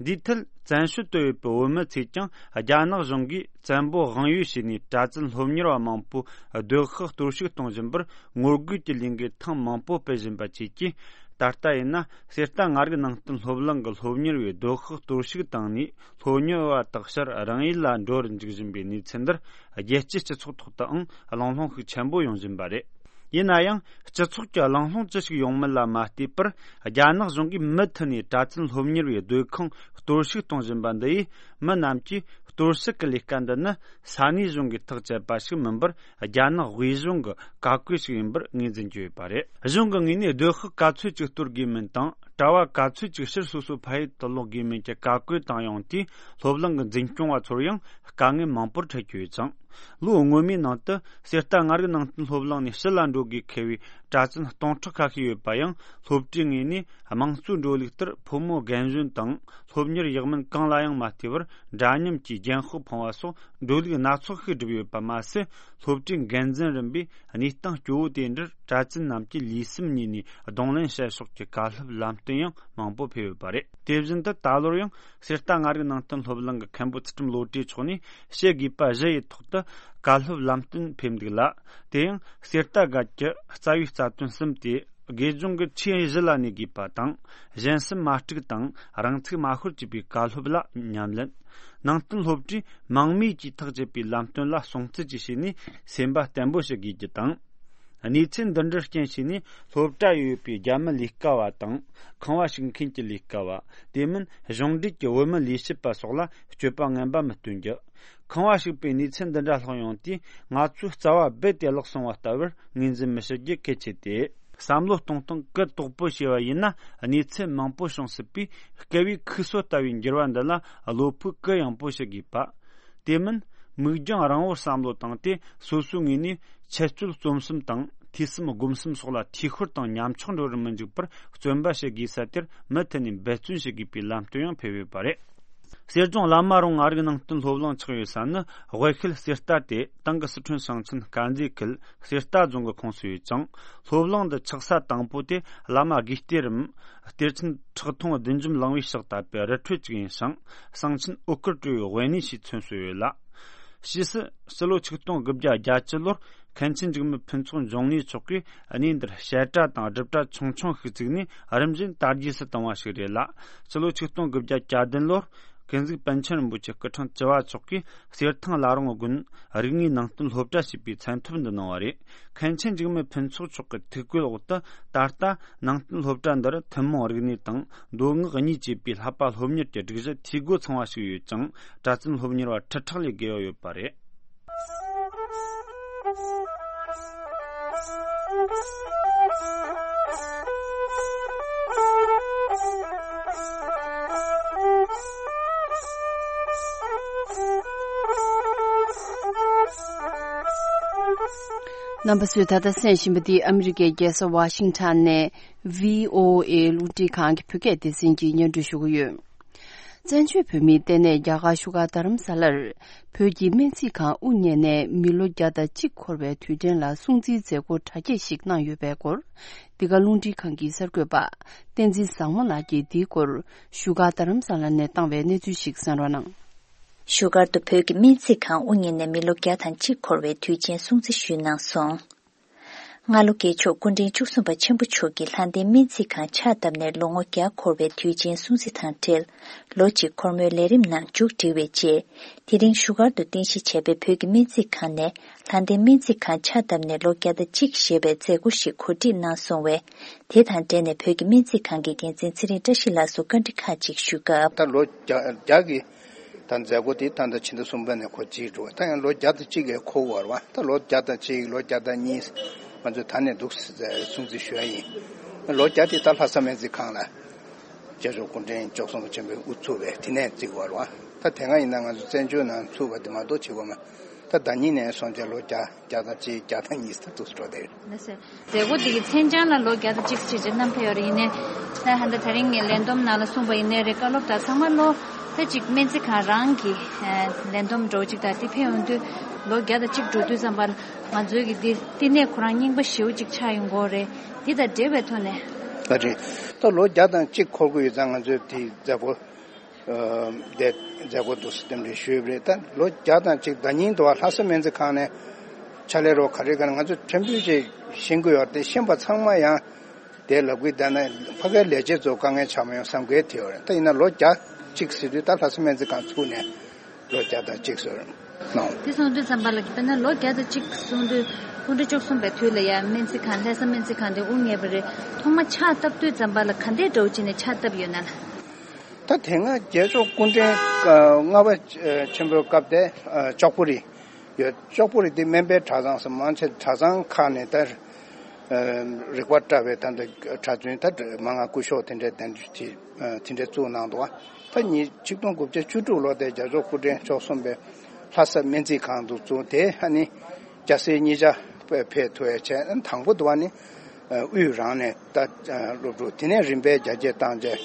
འདིའི་ཐད་བཙན་བྱོལ་དུ་ཡོད་པའི་བོད་མི་ཚོས་ཀྱང་རྒྱ་ནག་གཞུང་གིས་བཙན་པོ་དབང་ཡོད་བྱས་ནས་གྲྭ་བཙུན་སློབ་གཉེར་བ་མང་པོ་སྡོད་ཤག་གཏོར་བཤིག་གཏོང་བཞིན་པར་ངོ་རྒོལ་གྱི་ལས་འགུལ་ཐེངས་མང་པོ་སྤེལ་བཞིན་པ་བཅས་ཀྱིས། ད་ལྟ་ཡིན་ན་གསེར་རྟ་མངའ་རིས་ནང་བསྟན་སློབ་གླིང་གི་སློབ་གཉེར་བས་སྡོད་ཤག་གཏོར་བཤིག་བཏང་ནས་སློབ་གཉེར་བ་དག་ཕྱིར་རང་ཡུལ་ལ་འགྲོ་རུ་འཇུག་བཞིན་པའི་གནས་ཚུལ་འདིར་རྒྱལ་སྤྱིའི་སྤྱི་ཚོགས་ཐོག་ཏུའང་གླེང་སློང་ཤུགས་ཆེན་པོ་ཡོང་བཞིན་པ་རེད། ཡིན་ན་ཡང་སྤྱི་ཚོགས་ཀྱི་གླེང་སློང་ཅི་ཞིག་ཡོང་མིན་ལ་མ་ལྟོས་པར་རྒྱ་ནག་གཞུང་གིས་མུ་མཐུད་ནས་གྲྭ་བཙུན་སློབ་གཉེར་བའི་སྡོད་ཁང་གཏོར་བཤིག་གཏོང་བཞིན་པ་འདི་ཡིས་མི་རྣམས་ཀྱིས་གཏོར་བཤིག་གི་ལས་ཀ་འདི་ནི་ས་གནས་གཞུང་གིས་ཐག་བཅད་པ་ཞིག་མིན་པར་རྒྱ་ནག་དབུས་གཞུང་གི་བཀའ་བཀོད་ཞིག་ཡིན་པར་ངོས་འཛིན་གྱི་ཡོད་པ་རེད། གཞུང་གི་ངོས་ནས་སྡོད་ཤག་ག་ཚོད་ཅིག་གཏོར་དགོས་མིན་དང་གྲྭ་བ་ག་ཚོད་ཅིག་ཕྱིར་སོ་སོའི་ཕ་ཡུལ་དུ་ལོག་དགོས་མིན་གྱི་བཀའ་བཀོད་བཏང་ཡོང་དུས་སློབ་གླིང་གི་འཛིན་སྐྱོང་བ་ཚོར་ཡང་དཀའ་ངལ་མང་པོར་འཕྲད་ཀྱི་ཡོད་ཅིང་། ལོ་སྔོན་མའི་ནང་དུ་གསེར་རྟ་མངའ་རིས་ནང་བསྟན་སློབ་གླིང་ནས་ཕྱི་ལ་འགྲོ་དགོས་འཁེལ་བའི་གྲྭ་བཙུན་སྟོང་ཕྲག་ཁ་ཤས་ཡོད་པ་ཡང་སློབ་གྲྭའི་ངོས་ནས་དམངས་གཙོའི་འགྲོ་ལུགས་ལྟར་ཕོ་མོ་རྒན་གཞོན་དང་སློབ་གཉེར་ཡག་མིན་གང་ལ་ཡང་མ་ལྟོས་པར་འདྲ་མཉམ་གྱིས་རྒྱན་ཤོག་ཕུང་བ་སོགས་འགྲོ་ལུགས་སྣ་ཚོགས་ཤིག་བསྒྲུབས་ཡོད་པ་མ་ཟད། སློབ་གྲྭའི་འགན་འཛིན་རིམ་པས་གནས་སྟངས་སྐྱོ་བོ་དེ་འདྲར་གྲྭ་བཙུན་རྣམས་ཀྱིས་ལུས་སེམས་གཉིས་ནས་གདོང་ལེན་བྱེད་ཕྱོགས་ཀྱི་བཀའ་སློབ་ལམ་སྟོན་ཡང་མང་པོ་ཕེབས་ཡོད་པ་རེད། དེ་བཞིན་དུ་ད་ལོར་ཡང་གསེར་རྟ་མངའ་རིས་ནང་བསྟན་སློབ་གླིང་གི་མཁན་པོ་ཚུལ་ཁྲིམས་བློ་གྲོས་མཆོག་ནས་བཤད་དགོས་པ་བཞི་ཡི་ཐོག་ཏུ་བཀའ་སློབ་ལམ་སྟོན་ཕེབས་འདུག་ལ། དེ་ཡང་གསེར་རྟ་སྒར་གྱི་རྩ་བའི་རྩ་དོན་གསུམ་སྟེ། དགེ་སྦྱོང་གི་ཆོས་གཞི་ལ་གནས་དགོས་པ་དང་། གཞན་སེམས་མ་དཀྲུགས་དང་རང་ཚུགས་མ་ཤོར་བཅས་པའི་བཀའ་སློབ་ལ་ཉམས་ལེན། ནང་བསྟན་སློབ་གྲྭས་མང་མོས་ཀྱིས་ཐག་བཅད་པའི་ལམ་སྟོན་ལ་སྲུང་བརྩི་བཅས་བྱས་ནས་སེམས་པ་བརྟན་པོ་བྱེད་དགོས་རྒྱུ་དང་། གནས་ཚུལ་འདི་འདྲར་རྐྱེན་བྱས་ནས་སློབ་གྲྭར་ཡོད་པའི་རྒྱ་མི་ལས་ཀ་བ་དང་ཁང་བ་ཞིག་མཁན་གྱི་ལས་ཀ་བ། དེ་མིན་གཞུང་འབྲེལ་གྱི་བོད་མི་ལས་བྱེད་པ་སོགས་ལ་སྤྱོད་པ་ངན་པ་མི་སྟོན་རྒྱུ། ཁང་བ་ཞིག་པའི་གནས་ཚུལ་འདི་འདྲ་ལྷག་ཡོང་དུས་ང་ཚོའི་རྩ་བ་རྦད་དེ་བརླག་སོང་བ་ལྟ་བུར་ངོས་འཛིན་མི་བྱེད་རྒྱུ་གལ་ཆེ་སྟེ། བསམ་བློ་གཏོང་སྟངས་གུ་དོག་པོ་བྱས་པ་ཡིན་ན་གནས་ཚུལ་མང་པོ་བྱུང་སྲིད་པས། སྐལ་བའི་ཁུག་སོ་ལྟ་བུའི་འགྱུར་བ་འདི་ལ་བློ་ཕུགས་གུ་ཡངས་པོ་བྱེད་དགོས་པ། དེ་མིན་ མིག་རྒྱང་རིང་བོར་བསམ་བློ་བཏང་སྟེ། སོ་སོའི་ངོས་ནས་འཆལ་རྩོད་རྩོམ་གསུམ་དང་། ཐོས་བསམ་སྒོམ་གསུམ་སོགས་ལ་འཐུས་ཤོར་དང་ཉམ་ཆག་འགྲོ་བར་མི་འཇུག་པར། བརྩོན་པ་བྱེད་དགོས་ས་དེར་མུ་མཐུད་ནས་འབད་བརྩོན་བྱེད་དགོས་པའི་ལམ་སྟོན་ཡང་ཕེབས་ཡོད་པ་རེད། གསེར་ལྗོངས་བླ་མ་རུ་མངའ་རིས་ནང་བསྟན་སློབ་གླིང་ཆགས་ཡོད་ས་ནི། དབུས་ཤུལ་གསེར་རྟ་སྟེ། དེང་གི་སི་ཁྲོན་ཞིང་ཆེན་དཀར་མཛེས་ཁུལ་གསེར་རྟ་རྫོང་གི་ཁོངས་སུ་ཡོད་ཅིང་། སློབ་གླིང་འདི་ཆགས་ས་དང་པོ་དེ། བླ་མ་དགེ་གཏེར་རམ། གཏེར་ཆེན་ཁྲག་འཐུང་བདུད་འཇོམས་གླིང་བའི་ཕྱག་བཏབ་པའི་རི་ཁྲོད་ཅིག་ཡིན་ཞིང་། གསང་ཆེན་འོད་དཀར་སྤྲུལ་བའི་དབེན་གནས་ཞེས་མཚོན་སྲོལ་ཡོད་ལ། ཕྱིས་སུ་སྤྱི་ལོ་ཆིག་སྟོང་དགུ་བརྒྱ་བརྒྱད་ཅུ་ལོར། མཁན་ཆེན་འཇིགས་མེད་ཕུན་ཚོགས་འབྱུང་གནས་མཆོག་གིས་གནས་འདིར་བཤད་གྲྭ་དང་སྒྲུབ་གྲྭ་ཆུང་ཆུང་ཞིག་བཙུགས་ནས། རིམ་བཞིན་དར་རྒྱས་སུ་བཏང་བ་ཞིག་རེད་ལ། སྤྱི་ལོ་ཆིག་སྟོང་དགུ་བརྒྱ་གྱ་བདུན་ལོར། ཀུན་གཟིགས་པཎ་ཆེན་རིན་པོ་ཆེ་སྐུ་ཕྲེང་བཅུ་བ་མཆོག་གིས་གསེར་ཐང་བླ་རུང་དགོན་རིག་གནས་ནང་བསྟན་སློབ་གྲྭ་ཞེས་པའི་མཚན་ཐོབ་འདི་གནང་བ་རེད། མཁན་ཆེན་འཇིགས་མེད་ཕུན་ཚོགས་མཆོག་གི་ཐུགས་བསྐུལ་འོག་ཏུ། ད་ལྟ་ནང་བསྟན་སློབ་གྲྭ་འདིར་ཐུན་མོང་རིག་གནས་དང་། མདོ་སྔགས་གཉིས་བཅས་པའི་བསླབ་པ་སློབ་གཉེར་གྱི་སྒྲིག་གཞི་འཐུས་སྒོ་ཚང་བ་ཞིག་ཡོད་ཅིང་། གྲྭ་བཙུན་སློབ་གཉེར་བ་ཁྲི་ཕྲག་ལས་བརྒལ་བ་ཡོད་པ་རེད། རྣམ་པ་ཚོས་ད་ལྟ་གསན་བཞིན་པ་འདི་ཨ་མི་རི་ཀའི་རྒྱལ་ས་ཝ་ཤིང་ཊོན་ནས་བྷི་ཨོ་ཨེ་རླུང་འཕྲིན་ཁང་གི་བོད་སྐད་སྡེ་ཚན་གྱིས་སྙན་སྒྲོན་ཞུ་གི་ཡོད། བཙན་བྱོལ་བོད་མིའི་ལྟེ་གནས་རྒྱ་གར་བཞུགས་སྒར་རྡ་རམ་ས་ལར། བོད་ཀྱི་སྨན་རྩིས་ཁང་དབུ་བརྙེས་ནས་མི་ལོ་བརྒྱ་དང་གཅིག་འཁོར་བའི་དུས་དྲན་ལ་སྲུང་བརྩིའི་མཛད་སྒོ་གྲ་རྒྱས་ཤིག་གནང་ཡོད་པའི་སྐོར། འདི་ག་རླུང་འཕྲིན་ཁང་གི་གསར་འགོད་པ་བསྟན་འཛིན་བཟང་མོ་ལགས་ཀྱིས་འདིའི་སྐོར་བཞུགས་སྒར་རྡ་རམ་ས་ལ་ནས་བཏང་བའི་གནས་ཚུལ་ཞིག་གསན་རོགས་གནང་། བཞུགས་སྒར་དུ་བོད་ཀྱི་སྨན་རྩིས་ཁང་དབུ་བརྙེས་ནས་མི་ལོ་བརྒྱ་དང་གཅིག་འཁོར་བའི་དུས་ཆེན་སྲུང་བརྩི་ཞུས་གནང་སོང་། སྔ་ལོ་རྒྱལ་མཆོག་སྐུ་ཕྲེང་བཅུ་གསུམ་པ་ཆེན་པོ་མཆོག་གིས་ལྷ་ལྡན་སྨན་རྩིས་ཁང་ཕྱག་བཏབ་ནས་ལོ་ངོ་བརྒྱ་འཁོར་བའི་དུས་ཆེན་སྲུང་བརྩི་དང་འབྲེལ། ལོ་གཅིག་འཁོར་མོའི་ལས་རིམ་ནང་མཇུག་སྒྲིལ་བའི་རྗེས། དེ་རིང་བཞུགས་སྒར་དུ་རྟེན་གཞི་བྱས་པའི་བོད་ཀྱི་སྨན་རྩིས་ཁང་ནས་ལྷ་ལྡན་སྨན་རྩིས་ཁང་ཕྱག་བཏབ་ནས་ལོ་བརྒྱ་དང་གཅིག་ཞེས་པའི་མཛད་སྒོ་ཞིག་གོ་སྒྲིག་གནང་སོང་བས། དེ་དང་འབྲེལ་ནས་བོད་ཀྱི་སྨན་རྩིས་ཁང་གི་འགན་འཛིན་ཚེ་རིང་བཀྲ་ཤིས་ལགས་སུ་བཀའ་འདྲི་ཁག་ཅིག་ཞུས་སྐབས། ད་ལོ་བརྒྱ་བརྒྱ་གི་ད་མཛད་སྒོ་དེ་ད་ལྟ་ཕྱི་ཟླ་གསུམ་པ་ནས་འགོ་བཙུགས་འགྲོ་བ། ད་ཡང་ལོ་བརྒྱ་དང་གཅིག་གི་འཁོར་བར་བ། ད་ལོ་བརྒྱ་དང་གཅིག་ལོ་བརྒྱ་དང་གཉིས་ང་ཚོས་ད་ནས་འདུག་སྲུང་བརྩི་ཞུ་ཡ་ཡིན། ལོ་བརྒྱ་དེ་ད་ལྷ་ས་སྨན་རྩིས་ཁང་ལ་རྒྱལ་མཆོག་སྐུ་ཕྲེང་བཅུ་གསུམ་པ་ཆེན་པོས་དབུ་བཙུགས་པའི་དེ་ནས་བརྩིས་བར་བ། ད་དེ་སྔ་ཡིན་ན་ང་ཚོ་བཙན་བྱོལ་ནང་ཚུགས་པ་དེ་མ་གཏོགས་བྱེད་དགོས་མ། ད་ཟླ་ཉིན་ནས་བཟུང་སྟེ་ལོ་བརྒྱ་བརྒྱ་དང་གཅིག་བརྒྱ་དང་གཉིས་ད་འདུག་སེ་འགྲོ་བསྡད་ཡོད། ལགས་སོ། མཛད་སྒོ་འདི་གི་མཚན་བྱང་ལ་ལོ་བརྒྱ་དང་གཅིག་ཅེས་བརྗོད་གནང་ཕེབས་ཡོད་རེད། ཡིན་ནའི་ད་ཧ་ད་དེ་རིང་ངས་ལས་བསྡོམས་ནང་ལ་གསུངས་པ་ཡིན་ནའི་རེད། བཀའ་སློབ་དང་ཚང་མ་ལོ་ད་ཅིག་སྨན་རྩིས་ཁང་རང་གི་ལས་བསྡོམས་འདྲ་བོ་ཅིག་དང་དེ་ཕེབས་ཡོང་དུས་ལོ་བརྒྱ་དང་གཅིག་འགྲོ་དུས་ཙམ་པ་ལ་ང་ཚོའི་གི་འདི་བསྟི་གནས་ཁོ་རང་རྙིང་པ་ཞེ་པོ་ཅིག་ཆགས་ཡོང་གི་ཡོད་རེད། འདི་དང་འབྲེལ་བའི་ཐོག་ནས། ད་རེད། ད་ལོ་བརྒྱ་དང་གཅིག་འཁོར་གི་ཡོད་ཙང་ང་ཚོས་དེའི་མཛད་སྒོ་ཨ་དེ་མཛད་སྒོ་འདུག་སེ་རྟེན་འབྲེལ་ཞུས་པ་རེད། ད་ལོ་བརྒྱ་དང་གཅིག་ཟླ་ཉིན་དུ་བ་ལྷ་ས་སྨན་རྩིས་ཁང་ནས་ཕྱག་ལས་རོགས་ག་རེ་ག་རེ་ང་ཚོ་ཕྲན་བུ་ཞིག་ཤེས་ཀྱི་ཡོད་རེད། དེ་ཤེས་པ་ཚང་མ་ཡང་དེ་ལབ་གི་བསྡད་ན་ཕ་གའི་ལས་བྱེད་ཚོ་དཀའ་ངལ་ཆགས་མ་ཡོང་བསམ་གི་དེ་ཡོད་རེད། ད་ཡིན་ན་ལོ་བརྒྱ་གཅིག་ཟེར་དུས་ད་ལྷ་ས་སྨན་རྩིས་ཁང་ཚུགས་ནས་ལོ་བརྒྱ་དང་གཅིག་ཟེར་གནང་། དེ་སོང་དུས་ཙམ་པ་ལ་དཔེར་ན་ལོ་བརྒྱ་དང་གཅིག་སོང་དུས་སྐུ་ཕྲེང་བཅུ་གསུམ་པའི་དུས་ལ་ཡང་སྨན་རྩིས་ཁང་ལྷ་ས་སྨན་རྩིས་ཁང་དེ་དབུ་བརྙེས་པ་རེད། ཐོག་མ་ཕྱག་བཏབ་དུས་ཙམ་པ་ལ་ག་འདྲའི་འདྲ་བོ་བྱས་ནས་ཕྱག་བཏབ་ཡོད་ན་ལ། ད་དེ་སྔ་རྒྱལ་མཆོག་སྐུ་ཕྲེང་ལྔ་པ་ཆེན་པོའི་སྐབས་དེ་ལྕོག་པོ་རི་ཡོད། ལྕོག་པོ་རི་དེ་སྨན་པའི་གྲྭ་ཚང་སོགས་མང་ཆེ་གྲྭ་ཚང་ཁག་ནས་ད་རིག་པ་བཀྲ་བའི་ད་ལྟ་གྲྭ་བཙུན་ད་མ་ང་སྐུ་ཞབས་དེ་འདྲའི་གདན་འདྲེན་དེ་འདྲ་བཙུགས་གནང་འདུག་ད་ཉིས་ཆིག་སྟོང་དགུ་བརྒྱ་བཅུ་དྲུག་ལོ་དེ་རྒྱལ་མཆོག་སྐུ་ཕྲེང་བཅུ་གསུམ་པས་ལྷ་ས་སྨན་རྩིས་ཁང་དུ་བཙུགས། དེ་ཨ་ནི་སྐྱ་སེར་གཉིས་ཆ་ཕེབས་ཐུབ་ཡ་བྱས། དང་པོ་དུ་བ་ནི་དབུས་རང་ནས་ད་སློབ་ཕྲུག་དེ་ནས་རིམ་པས་རྒྱ་སྐྱེད་བཏང་རྗེས་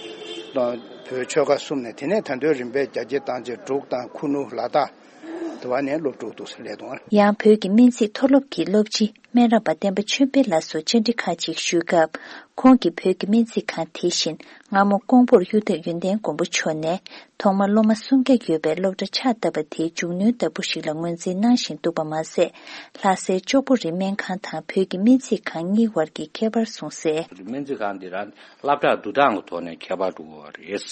བོད་ཆོལ་ཁ་གསུམ་ནས། དེ་ནས་ད་དུང་རིམ་པས་རྒྱ་སྐྱེད་བཏང་རྗེས་འབྲུག་དང་ཁུ་ནུ་ལ་དྭགས་དུ་བ་ནས་སློབ་ཕྲུག་འདུག་སེ་སླེབས་འདུག་ཡང་བོད་ཀྱི་སྨན་རྩིས་མཐོ་སློབ་ཀྱི་སློབ་སྤྱི་སྨན་རམས་པ་བསྟན་པ་ཆོས་འཕེལ་ལགས་སུ་བཅར་འདྲི་ཁག་ཅིག་ཞུས་སྐབས། ཁོང་གིས་བོད་ཀྱི་སྨན་རྩིས་ཁང་དེ་བཞིན་སྔ་མོ་ཀོང་པོར་གཡུ་སྟག་ཡོན་ཏན་མགོན་པོ་མཆོག་ནས་ཐོག་མར་སློབ་མ་སུམ་བརྒྱ་ཡོད་པའི་སློབ་གྲྭ་ཕྱག་བཏབ་པ་དེའི་མཇུག་སྣོན་ལྟ་བུ་ཞིག་ལ་ངོས་འཛིན་གནང་བཞིན་འདུག་པ་མ་ཟད། ལྷ་སའི་ལྕོག་པོ་རི་སྨན་ཁང་དང་བོད་ཀྱི་སྨན་རྩིས་ཁང་གཉིས་བར་གྱི་ཁྱད་པར་གསུངས་གསལ། སྨན་རྩིས་ཁང་འདི་རང་སློབ་གྲྭ་བསྡུ་སྟངས་ཀྱི་ཐོག་ནས་ཁྱད་པར་འགྲོ་གི་ཡོད་རེད།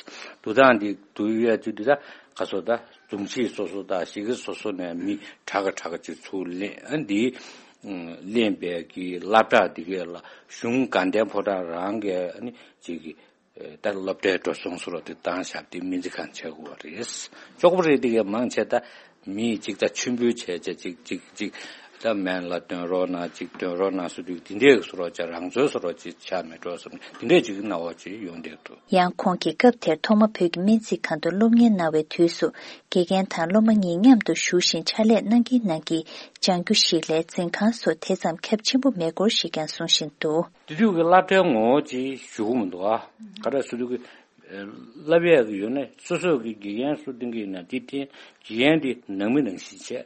བསྡུ་སྟངས་འདི་བསྡུ་ཡས་ཚུལ་འདི་ད་ག་སོ་ད་འཛུམ་ཆེ་སོ་སོ་དང་གཞིས་ཀ་སོ་སོ་ནས་མི་གྲངས་ཀ་གྲངས་ཀ་ཅིག་ཚུར་ལེན། ཨ་འདི་ལེན་པའི་གི་སློབ་གྲྭ་འདི་གས་ལ་གཞུང་དགའ་ལྡན་ཕོ་བྲང་རང་གི་ཨ་ནི་ཅིག་གི་ད་སློབ་གྲྭའི་འགྲོ་སོང་སོ་རོ་དེ་བཏང་བཞག་དེ་སྨན་རྩིས་ཁང་བྱེད་དགོས་པ་རེད། ལྕོག་པོ་རི་དེ་གས་མང་ཆེ་ད་མི་གཅིག་ད་ཆུན་པོའི་བྱས་བྱས་གཅིག་གཅིག་གཅིག་ ད་སྨན་བླ་སྟོན་རོགས་གནང་གཅིག་སྟོན་རོགས་གནང་ཟེར་དུས་དེ་འདྲའི་བཟོ་འདྲ་ཅིག་རང་ཚོའི་བཟོ་འདྲ་ཅིག་ཆགས་མེད་འགྲོ་བསམ་དེ་འདྲའི་ཅིག་སྣང་བ་ཅིག་ཡོང་བསྡད་འདུག། ཡང་ཁོང་གིས་སྐབས་དེར་ཐོག་མ་བོད་ཀྱི་སྨན་རྩིས་ཁང་དུ་སློབ་གཉེར་གནང་བའི་དུས་སུ་དགེ་རྒན་དང་སློབ་མ་གཉིས་མཉམ་དུ་བཞུགས་ཤིང་ཕྱག་ལས་གནང་གིན་གནང་གིན་སྦྱང་རྒྱུ་ཞིག་ལས་འཛིན་ཁང་སོགས་དེ་ཙམ་ཁྱབ་ཆེན་པོ་མེད་སྐོར་ཞིག་ཀྱང་གསུང་བཞིན་འདུག། དེ་དུས་ཀྱི་སློབ་གྲྭའི་ངོ་བོ་ཅིག་ཞུ་གི་མི་འདུག་ཨ། ག་རེ་ཟེར་དུས་ཀྱི་བསླབ་ཡས་ཀྱི་ཡོད་ནས་སོ་སོ་གི་དགེ་རྒན་སུ་བསྟེན་གྱི་ཡིན་ན་དེ་བསྟེན། དགེ་རྒན་དེ་ནང་མི་ནང་བཞིན་བྱས།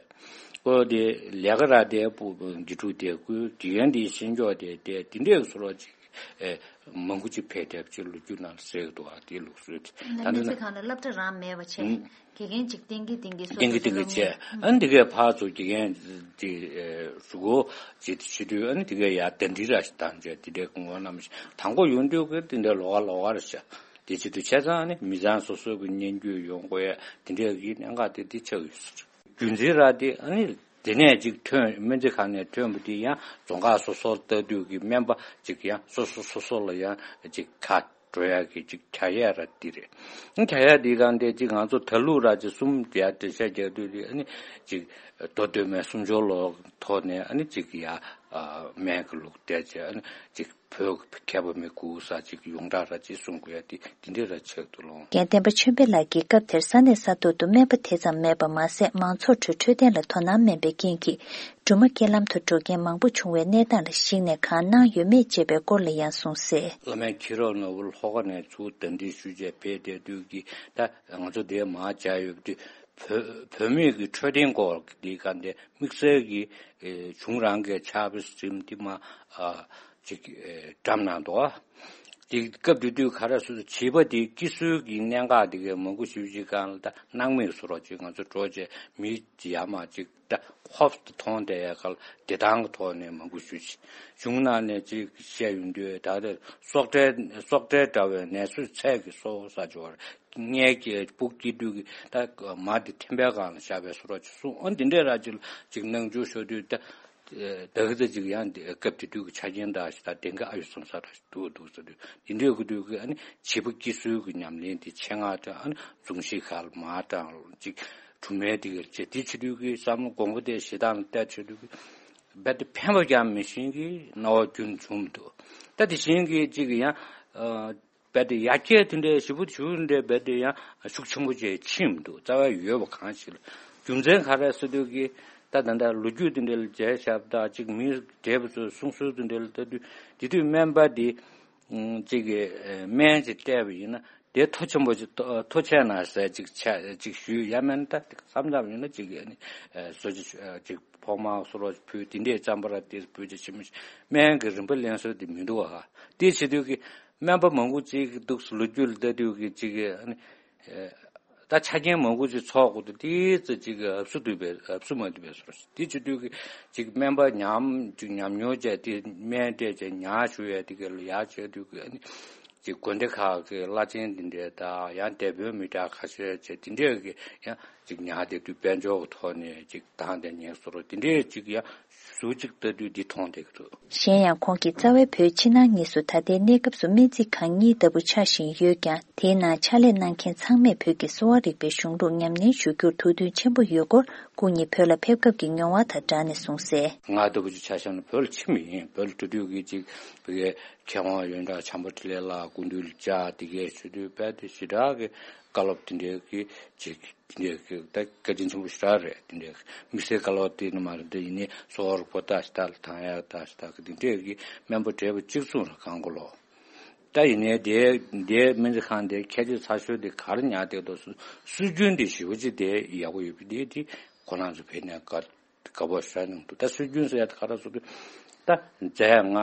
ཨོ་དེ་ལས་ཀ་ར་དེ་པུ་དགེ་ཕྲུག་དེ་ཀུ་དགེ་རྒན་དེ་ཤེས་འཇོག་དེ་དེ་དེ་འདྲའི་བཟོ་འདྲ་ཅིག་ཨེ་མང་པོ་ཅིག་ཕེབས་ཐེབས་ཅིག་ལོ་རྒྱུས་ནང་ལ་གསལ་གི་འདུག་ཨ། དེ་ལུགས་སྲོལ་དེ་ད་ལྟ་སྨན་རྩིས་ན་ཁང་ལ་སློབ་གྲྭ་རང་མེད་པ་བྱས། ཨུམ། དགེ་རྒན་ཅིག་བསྟེན་གི་བསྟེན་གི་སོ་བསྟེན་གི་སོ་བསྟེན་གི་སོ་བྱས། ཨ་ནི་དེ་གས་ཕར་ཚུར་དགེ་རྒན་དེ་ཨེ་ཞུ་གོ་ཅིག་དེ་བྱེད་དུས་ཨ་ནི་དེ་གས་ཡར་ཟླ་སྒྲིལ་ར་ཞིག་བཏང་བྱས་དེ་འདྲའི་ངོ་བོ་རྣམས་ཤིག་དང་པོ་ཡོང་དུས་ཀྱི་དེ་འདྲའི་ལོགས་ཀ་ལོགས་ཀ་རེད་ཤག། དེ་བྱེད་དུས་བྱས་ཙང་ཨ་ནི་མི་ཚང་སོ་སོ་གི་སྙན་བརྒྱུད་ཡོང་དགོས་ཡ་དེ་འདྲའི་གི་གནད་འགག་དེ་དེ་ཆགས་ཡོད་ཟེར། རྒྱུ་མཚན་ར་དེ་ཨ་ནི་དེ་ནས་ཅིག་ཐོན་སྨན་རྩིས་ཁང་ནས་ཐོན་པ་དེ་ཡང་རྫོང་ཁག་སོ་སོར་ལྟ་དུས་ཀྱི་སྨན་པ་ཅིག་ཡང་སོ་སོ་སོ་སོ་ལ་ཡང་ཅིག་ཁ་འགྲོ་ཡ་གི་ཅིག་བྱ་ཡ་ར་དེ་རེད། ཨ་བྱ་ཡ་དེ་གང་དེ་ཅིག་ང་ཚོ་ད་ལུགས་ར་ཅིག་གསུམ་དེ་ཡ་འགྲེལ་བཤད་རྒྱག་དུས་དེ་ཨ་ནི་ཅིག་མདོ་སྟོད་སྨད་སུམ་ཅུ་ལོ་ཐོག་ནས་ཨ་ནི་ཅིག་ཡ་སྨན་གི་ལུགས་བསྡད་བྱས་ཨ་ནི་ཅིག་བོད་མཁས་པ་མི་དགུ་ས་ཅིག་ཡོངས་གྲགས་ར་ཅིག་གསུང་དགོས་ཡ་དེ་དེ་འདྲས་ར་ཆགས་འདུག་ལོ། རྒན་བསྟན་པ་ཆོས་འཕེལ་ལགས་ཀྱིས་སྐབས་དེར་ས་གནས་ས་ཐོག་ཏུ་སྨན་པ་དེ་ཙམ་མེད་པ་མ་ཟད་མང་ཚོགས་ཁྲོད་འཕྲོད་བསྟེན་ལ་དོ་སྣང་དམན་པའི་རྐྱེན་གྱིས་སྦྲུམ་མ་རྐྱེན་ལམ་དུ་འགྲོ་མཁན་མང་པོ་བྱུང་བའི་གནས་སྟངས་ལ་གཞིགས་ནས་གང་གནང་ཡོད་མེད་ཅེས་པའི་སྐོར་ལ་ཡང་གསུངས་གསལ། བླ་སྨན་ཁྱི་རོ་ནོར་བུ་ལྷོ་ཁ་ནས་ཚུར་གདན་འདྲེན་ཞུས་བྱས་ཕེབས་བསྡད་དུས་ཀྱི་ད་ང་ཚོ་དེ་མར་བཅར་ཡོད་པ་དུས་བོད་བོད་མི་གི་འཕྲོད་བསྟེན་སྐོར་གྱི་ག་འདྲ་དམིགས་བསལ་གྱི་ཨེ་གཞུང་རང་གི་ཕྱག་དཔེ་རིམ་འདི་མ་ཨ་ཅིག་ཨེ་བཀྲམ་གནང་འདུག་ཨ། དེ་སྐབས་དེ་དུས་ག་རེ་ཟེར་བྱིས་པ་དེ་སྐྱེ་སྲོལ་གྱི་གནད་འགག་དེ་གའི་མང་པོ་ཞིག་ཅིག་སྒང་ལ་ད་སྣང་མེད་བཟོ་འདྲ་ཅིག་ང་ཚོ་འགྲོ་བྱས་མི་ཡར་མར་ཅིག་ད་ཧོབ་ཏེ་མཐོང་བསྡད་ཡ་ག་ལ་བདེ་ཐང་གི་ཐོག་ནས་མང་པོ་ཞིག་གཞུང་ནང་ནས་ཅིག་བཤད་ཡོང་དུས་ད་ལྟ་སྲོག་བྲལ་སྲོག་བྲལ་འདྲ་བའི་ནད་གཞི་ཚད་ཀྱི་གསོ་བ་ས་ཆ་བར། ངའི་སྐྱེ་བུ་སྐྱེ་དུས་ཀྱི་ད་མ་དེ་ཐེམ་པའི་སྒང་ལ་བཞག་པའི་བཟོ་འདྲ་ཅིག་གསུངས། ཨ་འདི་འདྲའི་ར་ཅིག་ཅིག་སྣང་ཆུང་ཤོར་དུས་ད་ད་གི་ད་ཅིག་ཡང་འདི་སྐབས་དེ་དུས་ཀྱི་ཆ་རྐྱེན་འདྲ་ཞིག་ད་དེང་གི་ཨ་ཡོད་བསམ་ས་འདྲ་ཞིག་འདུག་འདུག་ཟེར་དུས་འདི་འདྲའི་གི་དུས་ཀྱི་ཨ་ནི་བྱིས་པ་སྐྱེ་སྲོལ་གྱི་ཉམས་ལེན་དེ་ཆེད་མངགས་དང་ཨ་ནི་ཟུངས་ཤིག་ག་ལ་མ་དང་ཅིག་གྲུབ་མའི་དེ་གི་ཅེ་དེ་བྱེད་དུས་ཀྱི་བསམ་བློ་དགོངས་པ་དེ་ཞེ་དྲག་ལ་གཏད་བྱེད་དུས་ཀྱི་རྦད་དེ་ཕན་པ་ཀྱང་མི་ཤེས་ཀྱི་སྣང་བ་རྒྱུན་བྱུང་མི་འདུག། ད་དེ་བཞིན་གྱི་ཅིག་ཡང་། རྦད་དེ་ཡར་རྒྱས་དེ་འདྲའི་ཞེ་པོ་ཞུ་འདྲའི་རྦད་དེ་ཡང་ཤུགས་ཆེན་པོ་ཅིག་ཕྱིན་མི་འདུག། རྩ་བ་ཡོད་པ་གང་ཞིག་ལ་རྒྱུ་མཚན་ག་རེ་ཟེར་དུས་ཀྱི་ད་ད་ལྟ་ལོ་རྒྱུས་དེ་འདྲ་ལ་མཇལ་ཞབས་དང་ཅིག་མི་འདྲེས་པ་ཚོའི་གསུང་སྲོལ་དེ་འདྲ་ལ་ལྟ་དུས་དེ་དུས་སྨན་པ་དེ་ཅིག་གི་སྨན་ཅིག་བལྟས་པ་ཡིན་ན་དེ་མཐོ་ཆེན་པོ་ཅིག་མཐོ་ཆེ་ན་ཟེར་ཅིག་ཆ་ཅིག་ཞུས་ཡ་མེད་ན་ད་བསམ་བསམ་ཡིན་ན་ཅིག་གི་ཨ་ནི་བཟོ་ཅིག་ཅིག་ཕོག་མ་སོ་རོ་ཕུལ་དེ་འདྲའི་རྩམ་པ་ར་དེ་ཕུལ་ཅིག་ཕྱི་མི་སྨན་གྱི་རིན་པ་ལེན་སྲོལ་དེ་མི་འདུག་ཨ། དེ་བྱེད་དུས་ཀྱི། སྨན་པ་མང་པོ་ཅིག་གི་འདུག་སེ་ལོ་རྒྱུས་ལ་ལྟ་དུས་ཀྱི་ཅིག་གི་ཨ་ནི། ད་ཆ་རྐྱེན་མང་པོ་ཅིག་ཚོགས་དགོས་དུས་དེའི་ཚེ་ཅིག་གི་ཨབ་སུ་འདུས་པའི་ཨབ་སུ་མ་འདུས་པའི་སོར་དེ་བྱེད་དུས་ཀྱི་ཅིག་སྨན་པ་ཉམས་ཅིག་ཉམས་མྱོང་བྱས་དེ་སྨན་སྤྲད་བྱས་ཉར་ཞུ་ཡས་དེ་ག་ལ་ཡར་བྱས་དུས་ཀྱི་ཨ་ནི་ཅིག་དགོན་སྡེ་ཁག་གི་བླ་ཆེན་དེ་འདྲས་དང་ཡང་དེད་དཔོན་མི་དྲག་ཁ་ཤས་བྱས་དེ་འདྲས་ཀྱི་ཡང་ཅིག་ཉར་བསྡད་དུས་དཔལ་འབྱོར་གྱི་ཐོག་ནས་ཅིག་དང་དེ་ཉེས་སོར་དེ་འདྲས་ཅིག་ཡང་། ཟུར་གཅིག་ལྟ་དུས་འདི་མཐོང་བསྡད་ཀྱི་འདུག། གཞན་ཡང་ཁོང་གིས་རྩ་བའི་བོད་ཕྱི་ནང་གཉིས་སུ་ད་ལྟའི་གནས་སྐབས་སུ་སྨན་རྩིས་ཁང་གཉིས་ལྟ་བུ་ཆགས་བཞིན་ཡོད་ཀྱང་དེའི་ནང་ཕྱག་ལས་གནང་མཁན་ཚང་མས་བོད་ཀྱི་གསོ་བ་རིག་པའི་གཞུང་ལུགས་ཉམས་ལེན་ཞུ་རྒྱུར་ཐུགས་འདུན་ཆེན་པོ་ཡོད་སྐོར་སྐུ་ཉིད་བོད་ལ་ཕེབས་སྐབས་ཀྱི་མྱོང་བ་དང་སྦྲགས་ནས་གསུངས་གསལ། ང་ལྟ་བུ་ཅིག་ཆ་བཞག་ན་བོད་ལ་ཕྱིན་པ་ཡིན། བོད་ལ་འགྲོ་དུས་ཀྱི་ཅིག་བོད་ཀྱི་མཁས་དབང་ཡོན་བདག་བྱམས་པ་འཕྲིན་ལས་ལགས་སྐུ་མདུན་ལ་བཅར་དེ་གས་ཞུ་དུས་རྦད་དེ་ཞེ་དྲག་གི་བཀའ་སློབ་དེ་འདྲའི་གི་ཅིག་དེ་འདྲའི་ད་བཀའ་དྲིན་ཆེན་པོ་ཞེ་དྲག་རེད། དེ་འདྲའི་དམིགས་བསལ་བཀའ་སློབ་དེ་ནི་མ་རེད། དེ་ཡིན་ནའི་གསོ་བ་རིག་པ་ལྟ་ཞིག་ལྟ་ལ་དང་ཡག་ལྟ་ཞིག་ལྟ་གི་དེ་འདྲའི་གི་སྨན་པ་བགྲེས་པོ་གཅིག་མཚུངས་རེད་གང་གོ་ལོ། ད་ཡིན་ནའི་དེ་དེ་སྨན་རྩིས་ཁང་དེ་ཁྱད་ཆོས་ཚ་ཤོས་དེ་ག་རེ་ཉར་བསྡད་འདུག་སྲོལ་སྲོལ་རྒྱུན་དེ་ཞེ་པོ་ཅིག་དེ་ཡག་པོ་ཡོད་པ་དེ་དེ་ཁོ་རང་ཚོ་བས་ནས་དགའ་དགའ་པོ་ཞེ་དྲག་གནང་འདུག། ད་སྲོལ་རྒྱུན་ཟེར་ཡ་དེ་ག་རེ་ཟེར་དུས། ད་རྫས་ང་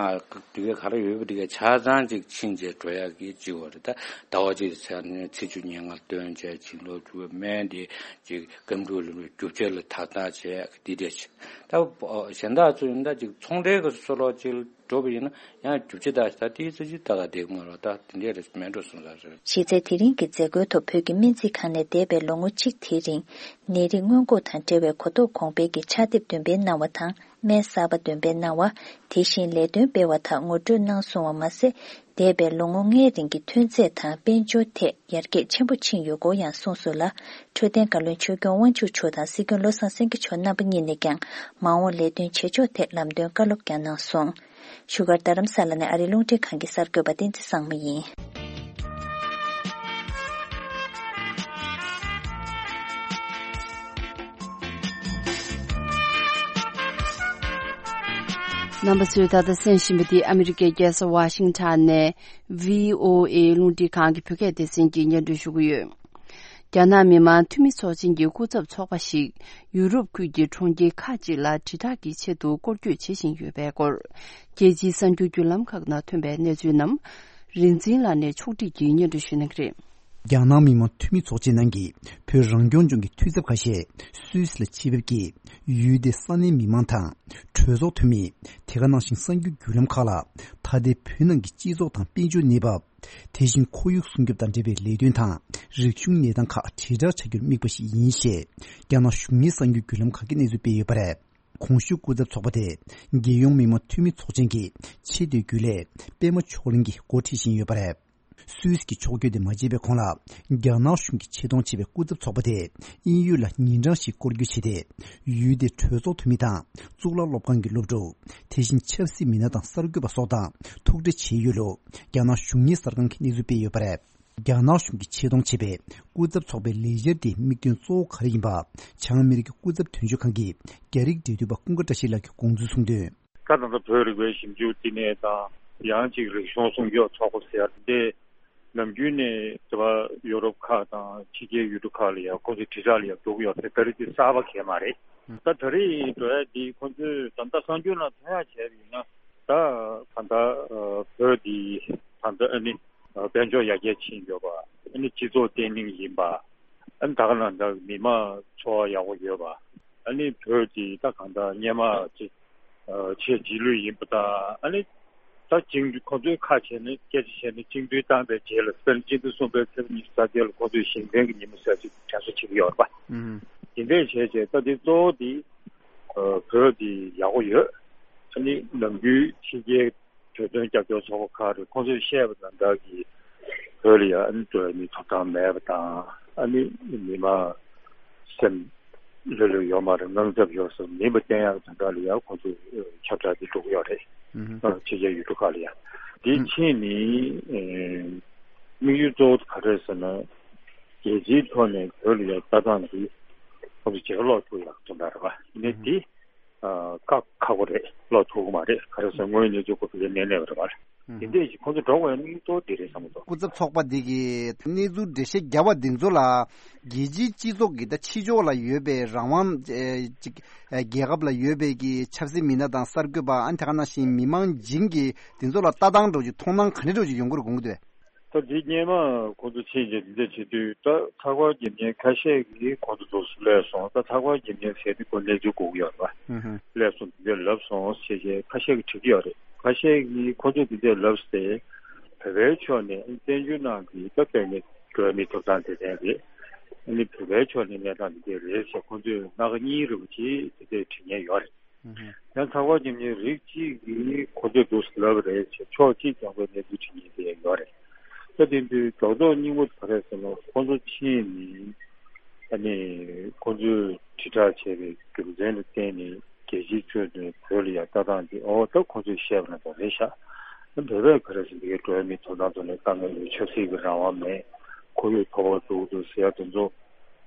དེ་གའི་ག་རེ་ཡོད་པ་དེ་གའི་ཆ་ཚང་ཅིག་ཕྱིན་བྱས་འགྲོ་ཡག་གི་ཅིག་བ་རེད། ད་ཟླ་བ་གཅིག་ཚར་ནས་ཚེས་བཅུ་ཉེར་ལྔ་སྟོན་བྱས་བྱིན་རླབས་སྒྲུབ་པའི་སྨན་དེ་ཅིག་སྐམ་འཁྲུ་ལ་རྒྱུ་ཆ་ལ་དག་དག་བྱས་དེ་འདྲས་ཅིག། ད་གཞན་དག་ཚོ་ཡིན་ད་ཅིག་ཚོང་འབྲེལ་གྱི་སོ་སོ་ཅིག་འགྲོ་བ་ཡིན་ན་ཡང་རྒྱུ་ཆ་དག་ད་དེའི་ཚེ་ཅིག་ད་ག་བསྡད་ཀྱི་མ་རེད། ད་དེ་འདྲས་རེད་མེད་འགྲོ་སོང་ས་རེད། གཞི་རྩའི་དེ་རིང་གི་མཛད་སྒོའི་ཐོག་བོད་ཀྱི་སྨན་རྩིས་ཁང་ནས་འདས་པའི་ལོ་ངོ་གཅིག་དེའི་རིང་ནད་རིགས་སྔོན་འགོག་དང་འབྲེལ་བའི་གོ་རྟོགས་གོང་སྤེལ་གྱི་ཕྱག་དེབ་འདོན་སྤེལ་གནང་བ་དང་། སྨན་གསར་པ་འདོན་སྤེལ་གནང་བ། དེ་བཞིན་ལས་དོན་སྤེལ་བ་དག་ངོ་སྤྲོད་གནང་སོང་བ་མ་ཟད། འདས་པའི་ལོ་ངོ་ལྔའི་རིང་གི་ཐོན་རྫས་དང་དཔལ་འབྱོར་ཐད་ཡར་རྒྱས་ཆེན་པོ་ཕྱིན་ཡོད་སྐོར་ཡང་གསུངས་སོང་ལ། འཕྲོད་བསྟེན་བཀའ་བློན་ཆོས་སྐྱོང་དབང་ཕྱུག་མཆོག་དང་སྲིད་སྐྱོང་བློ་བཟང་སེང་གེ་མཆོག་རྣམ་པ་གཉིས་ནས་ཀྱང་མ་འོངས་ལས་དོན་བྱེད་ཕྱོགས་ཐད་ལམ་སྟོན་བཀའ་སློབ་ཀྱང་གནང་སོང་། བཞུགས་སྒར་རྡ་རམ་ས་ལ་ནས་ཨ་རིའི་རླུང་འཕྲིན་ཁང་གི་གསར་འགོད་པ་བསྟན་འཛིན་བཟང་མོ་ཡིན། རྣམ་པ་ཚོས་ད་ལྟ་གསན་བཞིན་པ་འདི་ཨ་མི་རི་ཀའི་རྒྱལ་ས་ཝ་ཤིང་ཊོན་ནས་བྷི་ཨོ་ཨེ་རླུང་འཕྲིན་ཁང་གི་བོད་སྐད་སྡེ་ཚན་གྱིས་སྙན་སྒྲོན་ཞུ་གི་ཡོད། རྒྱ་ནག་མི་དམངས་འཐུས་མི་ཚོགས་ཆེན་གྱི་སྐུ་ཚབ་ཚོགས་པ་ཞིག་ཡུ་རོབ་ཁུལ་གྱི་གྲོང་ཁྱེར་ཁག་ཅིག་ལ་དྲིལ་བསྒྲགས་ཀྱི་ཆེད་དུ་སྐོར་སྐྱོད་བྱེད་བཞིན་ཡོད་པའི་སྐོར། རྒྱལ་སྤྱིའི་གསར་འགྱུར་བརྒྱུད་ལམ་ཁག་ནང་ཐོན་པའི་གནས་ཚུལ་རྣམས། རིག་འཛིན་ལགས་ནས་ཕྱོགས་སྒྲིག་གིས་སྙན་སྒྲོན་ཞུ་གནང་གི་རེད། རྒྱ་ནག་མི་དམངས་འཐུས་མི་ཚོགས་ཆེན་ནང་གི་བོད་རང་སྐྱོང་ལྗོངས་ཀྱི་འཐུས་ཚབ་ཁ་ཤས་སུད་སི་ལ་ཆེད་ཕེབས་ཀྱིས། ཡུལ་དེའི་ས་གནས་མི་མང་དང་། གྲོས་ཚོགས་འཐུས་མི། དེ་ག་ནང་བཞིན་གསར་འགྱུར་བརྒྱུད་ལམ་ཁག་ལ། ད་ལྟའི་བོད་ནང་གི་སྤྱི་ཚོགས་དང་དཔལ་འབྱོར་གནས་བབ། དེ་བཞིན་ཁོར་ཡུག་སྲུང་སྐྱོབ་དང་འབྲེལ་བའི་ལས་དོན་དང་། རིག་གཞུང་གནས་སྟངས་ཁག་དྲིལ་བསྒྲགས་བྱ་རྒྱུར་དམིགས་པ་ཞིག་ཡིན་ཞེས། རྒྱ་ནག་གཞུང་གཉེར་གསར་འགྱུར་བརྒྱུད་ལམ་ཁག་གིས་གནས་ཚུལ་སྤེལ་ཡོད་པ་རེད། གོང་ཞུས་སྐུ་ཚབ་ཚོགས་པ་དེ། རྒྱལ་ཡོངས་མི་དམངས་འཐུས་མི་ཚོགས་ཆེན་གྱི་ཆེས་མཐོའི་རྒྱུན་ལས་པད་མ་ཕྱོགས་གླིང་གིས་འགོ་ཁྲིད་བཞིན་ཡོད་པ་རེད། སུད་སི་གི་ཕྱོགས་བསྐྱོད་དེ་མ་བརྗེད་པའི་གོང་ལ། རྒྱ་ནག་གཞུང་གིས་ཆེ་མཐོང་བྱས་པའི་སྐུ་ཚབ་ཚོགས་པ་དེ། དབྱིན་ཡུལ་ལ་ཉིན་གྲངས་ཤིག་སྐོར་སྐྱོད་བྱས་ཏེ། ཡུལ་དེའི་གྲོས་ཚོགས་འཐུས་མི་དང་། གཙུག་ལག་སློབ་ཁང་གི་སློབ་ཕྲུག་དེ་བཞིན་ཆབ་སྲིད་མི་སྣ་དང་གསར་འགོད་པ་སོགས་དང་ཐུག་འཕྲད་བྱས་ཡོད་ལུགས། རྒྱ་ནག་གཞུང་གཉེར་གསར་ཁང་གིས་གནས་ཚུལ་སྤེལ་ཡོད་པ་རེད། རྒྱ་ནག་གཞུང་གིས་ཆེ་མཐོང་བྱས་པའི་སྐུ་ཚབ་ཚོགས་པའི་ལས་འཆར་དེའི་དམིགས་དོན་གཙོ་བོ་ག་རེ་ཡིན་པ། བྱང་ཨ་མི་རི་ཀའི་སྐུ་ཚབ་དོན་གཅོད་ཁང་གི་རྒྱ་རིགས་འབྲེལ་མཐུད་པ་ཀུན་དགའ་བཀྲ་ཤིས་ལགས་ཀྱིས་དགོངས་ཚུལ་གསུངས་དོན། ད་ད་ལྟ་བོད་རིག་པའི་ཞིབ་འཇུག་བསྟི་གནས་དང་། ཡང་ཅིག་རིག་གཞུང་སྲུང་སྐྱོབ་ཚོགས་པ་ཟེར་ཏེ། ནམ་རྒྱུན་ནས་དེ་བ་ཡོ་རོབ་ཁག་དང་ཕྱི་རྒྱལ་ཡུལ་གྲུ་ཁག་ལ་ཡང་ཁོ་ཚོས་དྲིལ་བསྒྲགས་ལ་ཡང་འགྲོ་གི་ཡོད་པས། ད་རེས་དེ་གསར་པ་གང་ཡང་མ་རེད། ད་ད་རེས་འགྲོ་ཡ་དེ་ཁོ་ཚོས་ད་ལྟ་གསར་འགྱུར་ནང་ཐོན་ཡ་བྱས་པ་ཡིན་ན། ད་གང་ལྟར་བོད་འདི་ད་ལྟ་ཨ་ནི་དཔལ་འབྱོར་ཡར་རྒྱས་ཕྱིན་ཡོད་པ། ཨ་ནི་སྤྱི་ཚོགས་བརྟན་ལྷིང་ཡིན་པ། ཨ་ནི་ད་ག་ནང་འདྲ་མི་མང་འཚོ་བ་ཡག་པོ་ཡོད་པ། ཨ་ནི་བོད་འདི་ད་གང་ལྟར་སྔོན་མ་ཅིག་ཆེས་རྗེས་ལུས་ཡིན་པ་དང་། ཨ་ནི་ད་བཅིངས་འགྲོལ་ཁོ་ཚོས་ཁ་བྱས་ནས་སྐད་ཆ་བཤད་ནས་བཅིངས་འགྲོལ་བཏང་པའི་རྗེས་ལ་དཔེར་ན་སྤྱི་ཟླ་གསུམ་པའི་ཚེས་པ་ཉི་ཤུ་རྩ་བརྒྱད་ལ་ཁོ་ཚོས་ཞིང་བྲན་གྱི་ཉིན་མོ་ཟེར་ཅིག་དྲན་གསོ་བྱེད་ཀྱི་ཡོད་རེད་པ། ཨུམ། དེ་འདྲས་བྱས་བྱས་ད་འདི་གཙོ་བོ་འདི་བོད་འདི་ཡག་པོ་ཡོད། ཨ་ནི་ནམ་རྒྱུན་ཕྱི་རྒྱལ་བོད་དོན་རྒྱབ་སྐྱོར་ཚོགས་པ་ཁག་རེད། ཁོང་ཚོས་བཤད་པ་དང་འདྲ་གི་བོད་ལ་ཡང་ཨ་ནི་འགྲོ་ཡ་མི་ཐོབ་ཐང་མེད་པ་དང་། ཨ་ནི་མི་མང་སེམས་ལྷོད་ལྷོད་ཡོད་མ་རེད། དངངས་འཚབ་ཡོད་ཟེར་མིན་པ་བསྟན་ཡག་དང་འདྲ་ལ་ཡང་ཁོང་ཚོས་ཁྱབ་བསྒྲགས་འདི་འགྲོ་གི་ཡོད་རེད། ཨུ་ཧུ། ཕྱི་རྒྱལ་ཡུལ་གྲུ་ཁག་ལ་ཡང་། འདི་ཕྱིན་ནི་དམིགས་ཡུལ་གཙོ་བོ་ག་རེ་རེད་ཟེར་ན། རྒྱལ་སྤྱིའི་ཐོག་ནས་བོད་ལ་ཡང་ལྟ་སྟངས་འདི་ཁོང་ཚོ་ཇེ་ལོག་ཐུག་ཡག་དོན་དག་རེད་པ། ཡིན་ནའི་འདི། ཨ། ཁག་ཁག་པོ་རེད། ལོག་ཐུབ་ཀྱི་མ་རེད། ག་རེ་ཟེར་དངོས་ཡོད་གནས་ཚུལ་ཁོ་ཚོ་ལ་གནས་གནས་པ་རེད་པ། ཨུ། དེ་འདྲས་ཞིག་ཁོ་ཚོ་འགྲོ་དགོས་ཡ་དམིགས་གཙོ་དེ་རེད་བསམ་གྱི་འདུག་སྐུ་ཚབ་ཚོགས་པ་འདི་གིས་གནས་ཚུལ་འགྲེལ་བཤད་བརྒྱབ་པ་འདི་ཚོ་ལ་རྒྱལ་སྤྱིའི་སྤྱི་ཚོགས་ཀྱི་ད་ཕྱི་ཕྱོགས་ལ་ཡོད་པའི་རང་དབང་ཨེ་ཅིག་ཨེ་རྒྱལ་ཁབ་ལ་ཡོད་པའི་གི་ཆབ་སྲིད་མི་སྣ་དང་གསར་འགོད་པ། ཨ་ནི་དེ་ག་ནང་བཞིན་མི་མང་སྦྱིན་གྱི་འདི་ཚོ་ལ་ལྟ་སྟངས་འདྲ་ཅིག་མཐོང་སྣང་ག་འདྲ་འདྲ་ཅིག་ཡོང་གི་རེད་དགོངས་ཀྱི་འདུག་ད་འདི་སྔོན་མ་ཁོང་ཚོ་ཕྱིན་རྗེས་འདི་འདྲ་བྱེད་དུས། ད་ཚགས་པར་འགེམས་མཁན་ཁ་ཤས་ཀྱིས་ཁོང་ཚོ་འདུག་སེ་སླེབས་སོང་། ད་ཚགས་པར་འགེམས་མཁན་ཟེར་དུས་ཁོ་གནས་ཚུལ་གོ་གི་ཡོད་རེད་པ། ཨུ་ཧུ། སླེབས་སོང་འདི་འདྲ་ལབ་སོང་ཟེར་བྱས་ཁ་ཤས་ཀྱིས་བྲིས་ཀྱི་ཡོད་རེད། ཁ་ཤས་ཀྱིས་ཁོང་ཚོས་འདི་འདྲ་ལབ་སྟེ། བོད་པའི་ཕྱོགས་ནས་བཙན་བྱོལ་ནང་གི་ད་དཔེར་ན་འགྲོ་བ་མིའི་ཐོབ་ཐང་དེ་འདྲ་རེད། ཨ་ནི་བོད་པའི་ཕྱོགས་ནས་གནས་སྟངས་འདི་འདྲ་རེད་ཟེར་ཁོང་ཚོས་སྣ་ཁ་གཉིས་རེ་བ་ཅིག་དེ་འདྲ་བྲིས་མཁན་ཡོད་རེད། ཡང་ཚགས་པར་འགེམས་མཁན་རིགས་གཅིག་གིས་ཁོ་ཚོས་འདུག་སེ་ལབ་པ་རེད་ཅེས་ཕྱོགས་གཅིག་རྐྱང་པའི་གནས་ཚུལ་བྲིས་མཁན་དེ་ཡང་ཡོད་རེད། ད་དེ་དུས་རྡོག་རྡོག་སྙིང་པོ་ག་རེ་ཟེར་ན། ཁོ་ཚོ་ཕྱིན་ནས་ཨ་ནི་ཁོ་ཚོས་དྲིལ་བསྒྲགས་བྱས་པའི་རྒྱུ་མཚན་ལ་བརྟེན་ནས་རྒྱལ་སྤྱིའི་ཁྲོད་ནས་བོད་ལ་ཡང་ལྟ་སྟངས་དེ། ཨོ་ད་ཁོ་ཚོས་བཤད་པ་ན་ད་རེད་ཤག་ཨ་བོད་པས་ག་རེ་ཟེར་འདི་གའི་འགྲོ་བ་མིའི་ཐོབ་ཐང་ཐོག་ནས་དཀའ་ངལ་ཡོད། ཆབ་སྲིད་ཀྱི་རང་དབང་མེད། ཁོར་ཡུག་ཐོག་འགྲོ་གི་འདུག་ཟེར་ཡ་དེ་ཚོ།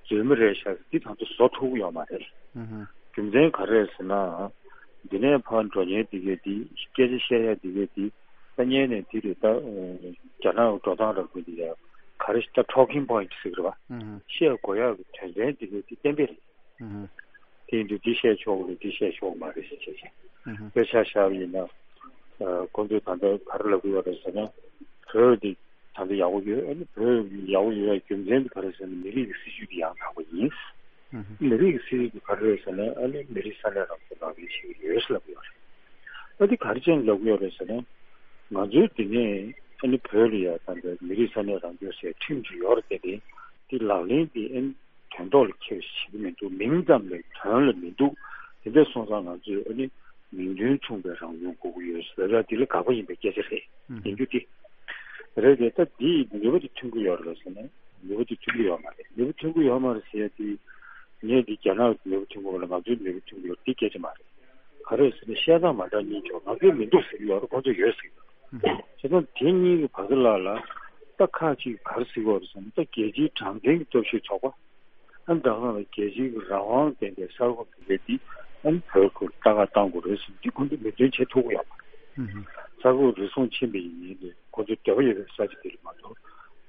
རྫུན་མ་རེད་ཤག་འདི་ད་དུང་བཟོ་ཐུབ་ཀྱི་ཡོད་མ་རེད། ཨུ་ཧུ། རྒྱུ་མཚན་ག་རེ་རེད་ཟེར་ན། འདི་ནས་ཕར་འགྲོ་མཁན་འདི་གས་འདི། སྐད་ཆ་བཤད་ཡ་འདི་གས་འདི། ད་སྔོན་ནས་འདི་རེད། ད་རྒྱ་ནག་འགྲོ་སྟངས་རབ་དགོས་འདི་ཡ། ག་རེ་ད་talking point ཟེར་གི་རེད་པ། ཨུ་ཧུ། བཤད་དགོས་ཡ་གི་དོན་ཚན་འདི་གས་འདི་གཏན་འབེབས་རེད། ཨུ་ཧུ། དེ་ཡིན་དུས་འདི་བཤད་ཆོག་གི་རེད། འདི་བཤད་ཆོག་གི་མ་རེད་ཟེར་བྱས་བྱས། ཨུ་ཧུ། དཔེ་ཆ་བཞག་པ་ཡིན་ན། ཁོང་ཚོས་ད་ལྟ་ག་རེ་ལབ་ཀྱི་ཡོད་རེད་ཟེར་ན། བོད་འདི་ད་ལྟ་ཡག་པོ་ཡོད། ཨ་ནི་བོད་ཡག་པོ་ཡོད་པའི་རྒྱུ་མཚན་དེ་ག་རེ་ཟེར་ན། མི་རིགས་ཀྱི་སྲིད་ཇུས་དེ་ཡང་དག་པ་ཡིན། ཨུ་ཧུ། མི་རིགས་ཀྱི་སྲིད་ཇུས་དེ་ག་རེ་རེད་ཟེར་ན། ཨ་ནི་མི་རིགས་ས་གནས་རང་སྐྱོང་ལག་ལེན་བྱེད་ཀྱི་ཡོད་ཟེར་ལབ་ཀྱི་ཡོད་རེད། ཨ་འདི་ག་རེ་བྱས་ནས་ལབ་ཀྱི་ཡོད་རེད་ཟེར་ན། ང་ཚོའི་འདི་ནས་ཨ་ནི་བོད་ལ་ཡ་ད་ལྟ་མི་རིགས་ས་གནས་རང་སྐྱོང་ཟེར་ཁྲིམས་ཅིག་ཡོད་རེད་དེ། དེ་ལག་ལེན་དེ་ཨ་ནི་དོན་ཐོག་ལ་འཁྱོལ་བྱེད་ཀྱི་མི་འདུག་མིང་ཙམ་ལས་དོན་ལ་མི་འདུག་དེ་འདྲ་སོང་ཙང་ང་ཚོས་ཨ་ནི་མིང་དོན་མཚུངས་པའི་རང་སྐྱོང་དགོས་ཀྱི་ཡོད་ཟེར་ལབ་ཡ་དེ་ལ་དགག་པ་ཡིན་པའི་སྐད་ཆ་རེད། ཨུ་ཡིན་རྒྱུ་དེ། རེད་དེ། ད་འདིས་ནུས་པ་དེ་ཐོན་གྱི་ཡོད་རེད་ཟེར་ན། ནུས་པ་དེ་ཐོན་གྱི་ཡོད་མ་རེད། ནུས་པ་ཐོན་གྱི་ཡོད་མ་རེད་ཟེར་ཡ་དེ། ངས་འདི་རྒྱ་ནག་གི་ནུས་པ་ཐོན་གྱི་ཡོད་རེད། ང་ཚོའི་ནུས་པ་ཐོན་གྱི་ཡོད་རེད། འདི་སྐད་ཆ་མ་རེད། ག་རེ་ཟེར་ན། བཤད་སྟངས་མ་འདྲ་གཉིས་བྱུང་། ང་ཚོས་མི་འདུག་ཟེར་གྱི་ཡོད་རེད། ཁོང་ཚོས་ཡོད་ཟེར་གྱི་ཡོད་རེད། བྱས་ཙང་དེ་གཉིས་ཀྱི་བར་དུ་ལ་ལ། ད་ཁག་ཅིག་ག་རེ་ཟེར་གྱི་ཡོད་རེད་ཟེར་ན། ད་རྒྱལ་སྤྱིའི་དྲང་བདེན་གྱི་སྟོབས་ཤུགས་ཚོགས་པ། ཨ་ནི་ད་ག་ནང་ལ་རྒྱལ་སྤྱིའི་རང་དབང་ལྡན་པའི་གསར་འགོད་པ་དེ་འདི་ཨ་ནི་བོད་ཁུལ་ལྟ་ག་གཏང་དགོས་རེད་ཟེར་ནས་འདི་ཁོང་ཚོས་མོས་མཐུན་བྱེད་ཐུབ་ཀྱི་ཡོད་མ་རེད། ཧུམ་ཧུམ། གསར་འགོད་རུལ་སུངས་ཕྱིན་པ་ཡིན་ནའི་ཁོང་ཚོའི་འདོད་པ་ཡོད་པའི་ས་ཆ་དེ་ལ་མ་གཏོགས།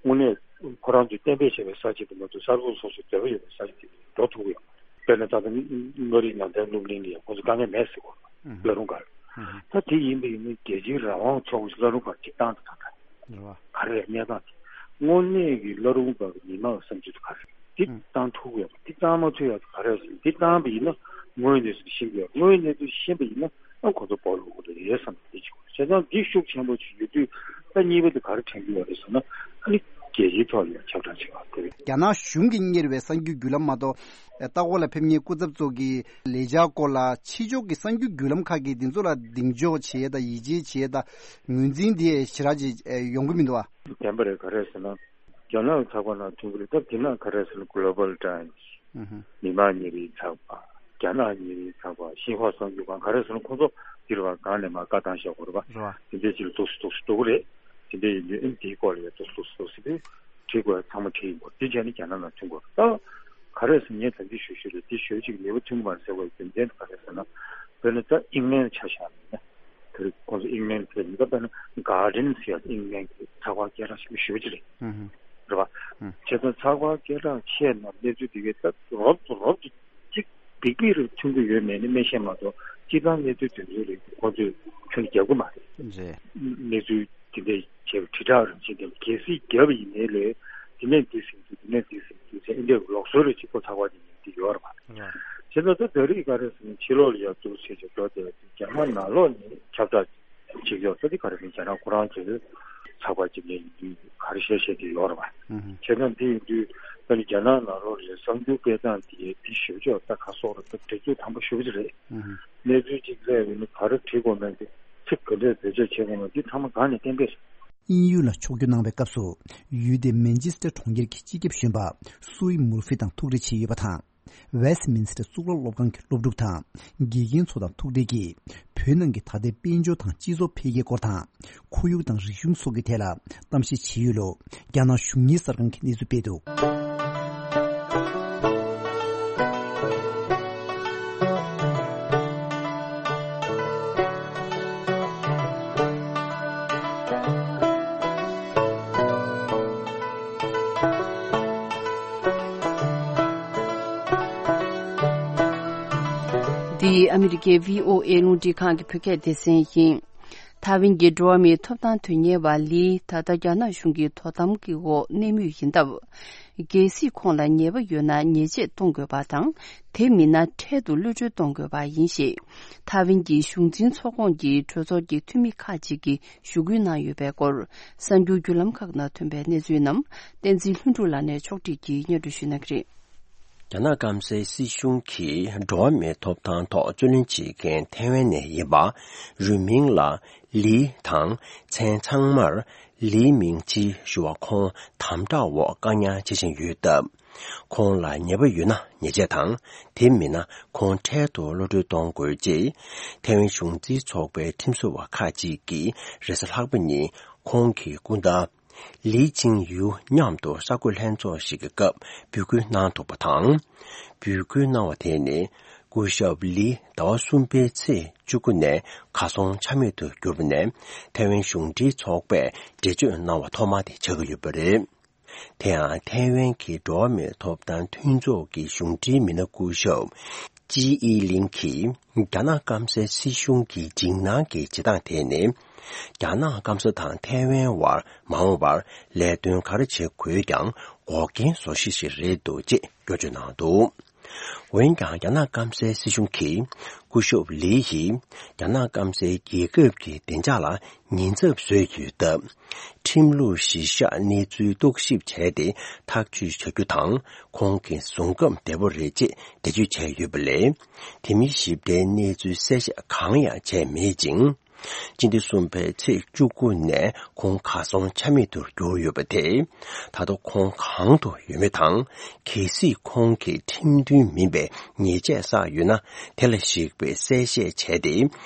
དངོས་གནས་ཁོ་རང་ཚོས་གཏན་འབེབས་བྱས་པའི་ས་ཆ་དེ་མ་གཏོགས། གསར་འགོད་སོ་སོའི་འདོད་པ་ཡོད་པའི་ས་ཆ་དེ་ལ་འགྲོ་ཐུབ་ཀྱི་ཡོད་མ་རེད། དཔེར་ན་ད་ལྟ་མངའ་རིས་ནང་བསྟན་སློབ་གླིང་ལ་ཡང་ཁོང་ཚོ་དཀའ་ངལ་མེད་ཟེར་གོ། ཧུམ། བླ་རུང་སྒར། ཧུམ་ཧུམ། ད་དེ་ཡིན་པ་ཡིན་ན་རྒྱལ་སྤྱིའི་རང་དབང་ཚོགས་པ་ཞིག་བླ་རུང་སྒར་གཅིག་བཏང་དང་། ད་ལྟ་རེད་བ། ག་རེ་རེད། གནས་སྟངས་དེ། དངོས་གནས་ཀྱི་བླ་རུང་སྒར་གྱི་མི་མང་བསམ་ཚུལ་དེ་ག་རེ་རེད། དེ་ཧུམ། བཏང་ཐུབ་ཀྱི་ཡོད་པ། དེ་བཏང་མ་ཐུབ་ཡག་དེ་ག་རེ་རེད་ཟེར་ན། དེ་བཏང་པ་ཡིན་ན་དངོས་ཡོད་གནས་ཚུལ་ཤེས་ཀྱི་ཡོད། དངོས་ཡོད་གནས་ཚུལ་ཤེས་པ་ཡིན་ན་ཨ་ཁོ་ཚོ་སྦོ་ལོག་གི་རེད་བསམ། དེ་གཅིག་པོ། བྱས་ཙང་འདི་ཤུགས་ཆེན་པོ་ཅིག་ཡོད་དུས། ད་གཉིས་པ་དེ་ག་རེ་དྲན་གྱི་ཡོད་རེད་ཟེར་ན། ཨ་ནི་རྒྱལ་སྤྱིའི་ཐོག་ལ་ཡང་ཁྱབ་བསྒྲགས་བྱེད་པ་དེ་རེད། རྒྱ་ནག་གཞུང་གིས་གཉེར་བའི་གསར་འགྱུར་བརྒྱུད་ལམ་མ་གཏོགས། ལྟ་སྐོར་ལ་ཕེབས་མཁན་སྐུ་ཚབ་ཚོ་གི་ལས་འཆར་སྐོར་ལ་ཕྱི་ཕྱོགས་ཀྱི་གསར་འགྱུར་བརྒྱུད་ལམ་ཁག་གིས་འདི་ཚོ་ལ་གདེང་འཇོག་བྱེད་ཡས་དང་། ཡིད་ཆེས་བྱེད་ཡས་དང་། ངོས་འཛིན་དེ་ཞེ་དྲག་ཅིག་ཡོང་གི་མི་འདུག་ཨ། བདེན་པ་རེད། ག་རེ་ཟེར་ན། རྒྱ་ནག་གི་ཚགས་པར་ནང་ཐོན་གྱི་རེད། སྟབས་བདེ་ན་ག་རེ་ཟེར་ན། Global Times། ཨུ་ཧུ། མི་དམངས་ཉིན་རེའི་ཚགས་པར། རྒྱ་ནག་ཉིན་རེའི་ཚགས་པར། ཤིན་ཧྭ་གསར་འགྱུར་ཁང་། ག་རེ་ཟེར་ན། ཁོང་ཚོ་འདི་རུ་བ་སྒང་ནས་མར་བཀའ་བཏང་བཞག་གོ་རེད་པ། རེད་པ། དེ་འདྲའི་ཅིག་ལ་འདུག་སེ་འདུག་སེ་འགྲོ་གི་རེད། དེ་འདྲ་ཡིན་དུས་ཨ་ནི་དེའི་སྐོར་ལ་ཡང་འདུག་སེ་འདུག་སེ་འདུག་སེ་དེ་བྲིས་དགོས་ཡ་ཚང་མ་བྲིས་ཡིན་པ། དེ་བྱས་ནས་རྒྱ་ནག་ནང་ཐོན་དགོས་རེད། ད་ག་རེ་ཟེར་ན། ངས་ད་གིན་ཞུ་ཞུ་རེད། དེ་ཞེ་པོ་ཅིག་ནུས་པ་ཐོན་གྱི་མ་རེད་ཟེར་བའི་རྒྱུ་མཚན་དེ་ག་རེ་ཟེར་ན། དཔེར་ན་ད་ཨིང་ལན་ཆ་བཞག་ན། དེར་ཁོང་ཚོ་ཨིང་ལན་གྱི་ད་དཔེར་ན་Guardian་ཟེར་ཡ་ཨིང་ལན་གྱི་ཚགས་པར་སྐད་གྲགས་ཆེན་པོ་ཞེ་པོ་ཅིག་རེད། ཧུམ་ཧུམ། རེད་པ། ཧུམ། བྱས་ཙང་ཚགས་པར་སྐད་གྲགས་ཆེ་ན་གནས་ཚུལ་དེ་གའི་ད་རོབ་ཏུ་རོབ་ཏུ་གཅིག་བིག་བིག་རེ་ཐོན་གྱི་ཡོད་མེད་ནི་མི་ཤེས་མ་གཏོགས། སྤྱིར་བཏང་གནས་ཚུལ་དེ་ཚོའི་རིགས་ཁོང་ཚོས་ཁྱོན་ནས་རྒྱབ་ཀྱི་མ་རེད། རེད། གནས་ཚུལ་དེ་འདྲ་བྱས་པ། དྲིལ་བསྒྲགས་རིན་ཆེན་དེ་གལ་སྲིད་བརྒྱབ་པ་ཡིན་ནའི་ལས། དེ་ནས་འདི་ཟིན་འདུག་དེ་ནས་འདི་ཟིན་འདུག་ཟེར། ཨིན་འདྲའི་ལུགས་སྲོལ་རེ་གཅིག་པོ་ཚགས་པར་དེ་ནས་འདི་ཡོད་རེད་པ། ཨ། བྱས་ཙང་ད་ད་རེས་ག་རེ་ཟེར་ན། ཕྱི་ལོགས་ལ་ཡར་འདུག་བྱས་བྱས་འགྲོ་བསྡད་པ་དེ། རྒྱ་ནག་ནང་ལོགས་ནས་ཁྱབ་བསྒྲགས་བྱེད་ཀྱི་ཡོད་ས་དེ་ག་རེ་ཟེར་ན། རྒྱ་ནག་ཁོ་རང་གི་ཚགས་པར་ཅིག་ནས་ཡིན་དུས་ག་རེ་བཤད་བཤད་ཀྱི་ཡོད་རེད་པ། ཨུ་ཧུ། བྱས་ཙང་འདི་ཡིན་དུས་ད་ནི་རྒྱ་ནག་ནང་ལོགས་ལ་གསར་འགྱུར་སྤེལ་སྟངས་དེ་དེ་ཞེ་པོ་ཅིག་ད་ག་སོགས་རེད། ད་དེ་ཚོ་དམ་པོ་ཞེ་པོ་ཅིག་རེད། ཨུ་ཧུ། གནས་ཚུལ་ཅིག་སླེབས་ཡོང་ན་ག་རེ་བྲིས་དགོས་མིན། དེ་ཚིག་ག་འདྲས་བེད་སྤྱོད་བྱེད་དགོས་མིན། དེ་ཚང་མ་སྒང་ནས་གཏན་འབེབས། དབྱིན་ཡུལ་ལ་ཕྱོགས་བསྐྱོད་གནང་བའི་སྐབས་སུ། ཡུལ་དེའི་མན་ཆེ་སི་ཊར་གྲོང་ཁྱེར་གྱི་སྤྱི་ཁྱབ་གཞོན་པ་སུའི་མུར་ཧྥི་དང་ཐུག་འཕྲད་བྱས་ཡོད་པ་དང་། ཝེ་སི་ཏི་མིན་སི་ཊར་གཙུག་ལག་སློབ་ཁང་གི་སློབ་ཕྲུག་དང་དགེ་རྒན་ཚོ་དང་ཐུག་འཕྲད་ཀྱིས། བོད་ནང་གི་ད་ལྟའི་དཔལ་འབྱོར་དང་སྤྱི་ཚོགས་འཕེལ་རྒྱས་སྐོར་དང་། ཁོར་ཡུག་དང་རིག་གཞུང་སོགས་ཀྱི་ཐད་ལ་གཏམ་བཤད་བྱས་ཡོད་ལུགས་རྒྱ་ནག་གཞུང་གཉེར་གསར་ཁང་གིས་གནས་ཚུལ་སྤེལ་འདུག། འདི་ཨ་མི་རི་ཀའི་བྷི་ཨོ་ཨེ་རླུང་འཕྲིན་ཁང་གི་བོད་སྐད་སྡེ་ཚན་ཡིན། ཐའེ་ཝན་གྱི་འགྲོ་བ་མིའི་ཐོབ་ཐང་དོན་གཉེར་བ་ལི། ད་ལྟ་རྒྱ་ནག་གཞུང་གི་དོ་དམ་གྱི་འོག་གནས་མུས་ཡིན་སྟབས། གལ་སྲིད་ཁོང་ལ་ཉེས་པ་ཡོད་ན་ཉེས་ཆད་གཏོང་དགོས་པ་དང་། དེ་མིན་ན་འཕྲལ་དུ་གློད་གྲོལ་གཏོང་དགོས་པ་ཡིན་ཞེས། ཐའེ་ཝན་གྱི་གཞུང་འཛིན་ཚོགས་ཁོངས་ཀྱི་གྲོས་ཚོགས་ཀྱི་འཐུས་མི་ཁག་ཅིག་གིས་ཞུ་སྐུལ་གནང་ཡོད་པའི་སྐོར། གསར་འགྱུར་བརྒྱུད་ལམ་ཁག་ནང་ཐོན་པའི་གནས་ཚུལ་རྣམས་བསྟན་འཛིན་ལྷུན་གྲུབ་ལགས་ནས་ཕྱོགས་སྒྲིག་གིས་སྙན་སྒྲོན་ཞུ་གནང་གི་རེད། རྒྱ་ནག་སྐམ་སའི་སྲིད་གཞུང་གིས་འགྲོ་བ་མིའི་ཐོབ་ཐང་ཐོག་རྩོད་ལེན་བྱེད་མཁན་ཐའེ་ཝན་ནས་ཡིན་པ། རུས་མིང་ལ་ལི་དང་། མཚན་ཚང་མར་ལི་མིང་ཅི་ཞུ་བ། ཁོང་དམ་དྲག་འོག་བཀག་ཉར་བྱེད་བཞིན་ཡོད་སྟབས། ཁོང་ལ་ཉེས་པ་ཡོད་ན་ཉེས་ཆད་དང་། དེ་མིན་ན་ཁོང་འཕྲལ་དུ་གློད་གྲོལ་གཏོང་དགོས་ཅེས། ཐའེ་ཝན་གཞུང་འཛིན་ཚོགས་པའི་ཁྲིམས་བཟོ་བ་ཁག་ཅིག་གིས་རེས་གཟའ་ལྷག་པ་ཉིན་ཁོང་གི་སྐུ་ཟླ་ལི་ཅིང་ཡུ་མཉམ་དུ་གསར་འགོད་ལྷན་ཚོགས་ཤིག་གི་སྐབས་འབོད་སྐུལ་གནང་འདུག་པ་དང་། འབོད་སྐུལ་གནང་བ་དེ་ནི་སྐུ་ཞབས་ལི་ཟླ་བ་གསུམ་པའི་ཚེས་བཅུ་དགུ་ནས་གར་སོང་ཆ་མེད་དུ་གྱུར་པ་ནས། ཐའེ་ཝན་གཞུང་འབྲེལ་ཚོགས་པས་འགྲེལ་བརྗོད་གནང་བ་ཐོག་མ་དེ་ཆགས་ཀྱི་ཡོད་པ་རེད། དེ་ཡང་ཐའེ་ཝན་གྱི་འགྲོ་བ་མིའི་ཐོབ་ཐང་མཐུན་ཚོགས་ཀྱི་གཞུང་འབྲེལ་མི་སྣ་སྐུ་ཞབས་ཅི་ཨི་ལིང་གིས། རྒྱ་ནག་སྐམ་སའི་སྲིད་གཞུང་གི་འཇིགས་སྣང་གི་བྱེད་སྟངས་དེ་ནི། རྒྱ་ནག་སྐམ་ས་དང་ཐའེ་ཝན་བར་མ་འོངས་པར་ལས་དོན་ག་རེ་བྱེད་དགོས་ཀྱང་འགོག་རྐྱེན་བཟོ་གཞི་ཞིག་རེད་འདུག་ཅེས་སྐྱོན་བརྗོད་གནང་འདུག། འོན་ཀྱང་། རྒྱ་ནག་སྐམ་སའི་སྲིད་གཞུང་གིས་སྐུ་ཞབས་ལི་ཡིས་རྒྱ་ནག་སྐམ་སའི་རྒྱལ་ཁབ་ཀྱི་བདེ་འཇགས་ལ་ཉེན་ཚབས་བཟོས་ཡོད་སྟབས། ཁྲིམས་ལུགས་གཞིར་བཞག་གནས་ཚུལ་རྟོག་ཞིབ་བྱས་ཏེ་ཐག་གཅོད་བྱ་རྒྱུ་དང་། ཁོང་གི་བཟུང་སྐབས་བདེ་པོ་རེད་ཅེས་འགྲེལ་བརྗོད་བྱས་ཡོད་པ་ལས། དེ་མིན་ཞིབ་ཕྲའི་གནས་ཚུལ་གསལ་བཤད་གང་ཡང་བྱས་མེད་ཅིང་། སྤྱི་ཟླ་གསུམ་པའི་ཚེས་བཅུ་དགུ་ནས་ཁོང་གར་སོང་ཆ་མེད་དུ་གྱུར་ཡོད་པ་དེས། ད་དུང་ཁོང་གང་དུ་ཡོད་མེད་དང་། གལ་སྲིད་ཁོང་གི་ཁྲིམས་མཐུན་མིན་པའི་ཉེས་ཆད་བསགས་ཡོད་ན། དེ་ལ་གཞིགས་པའི་གསལ་བཤད་བྱས་ཏེ།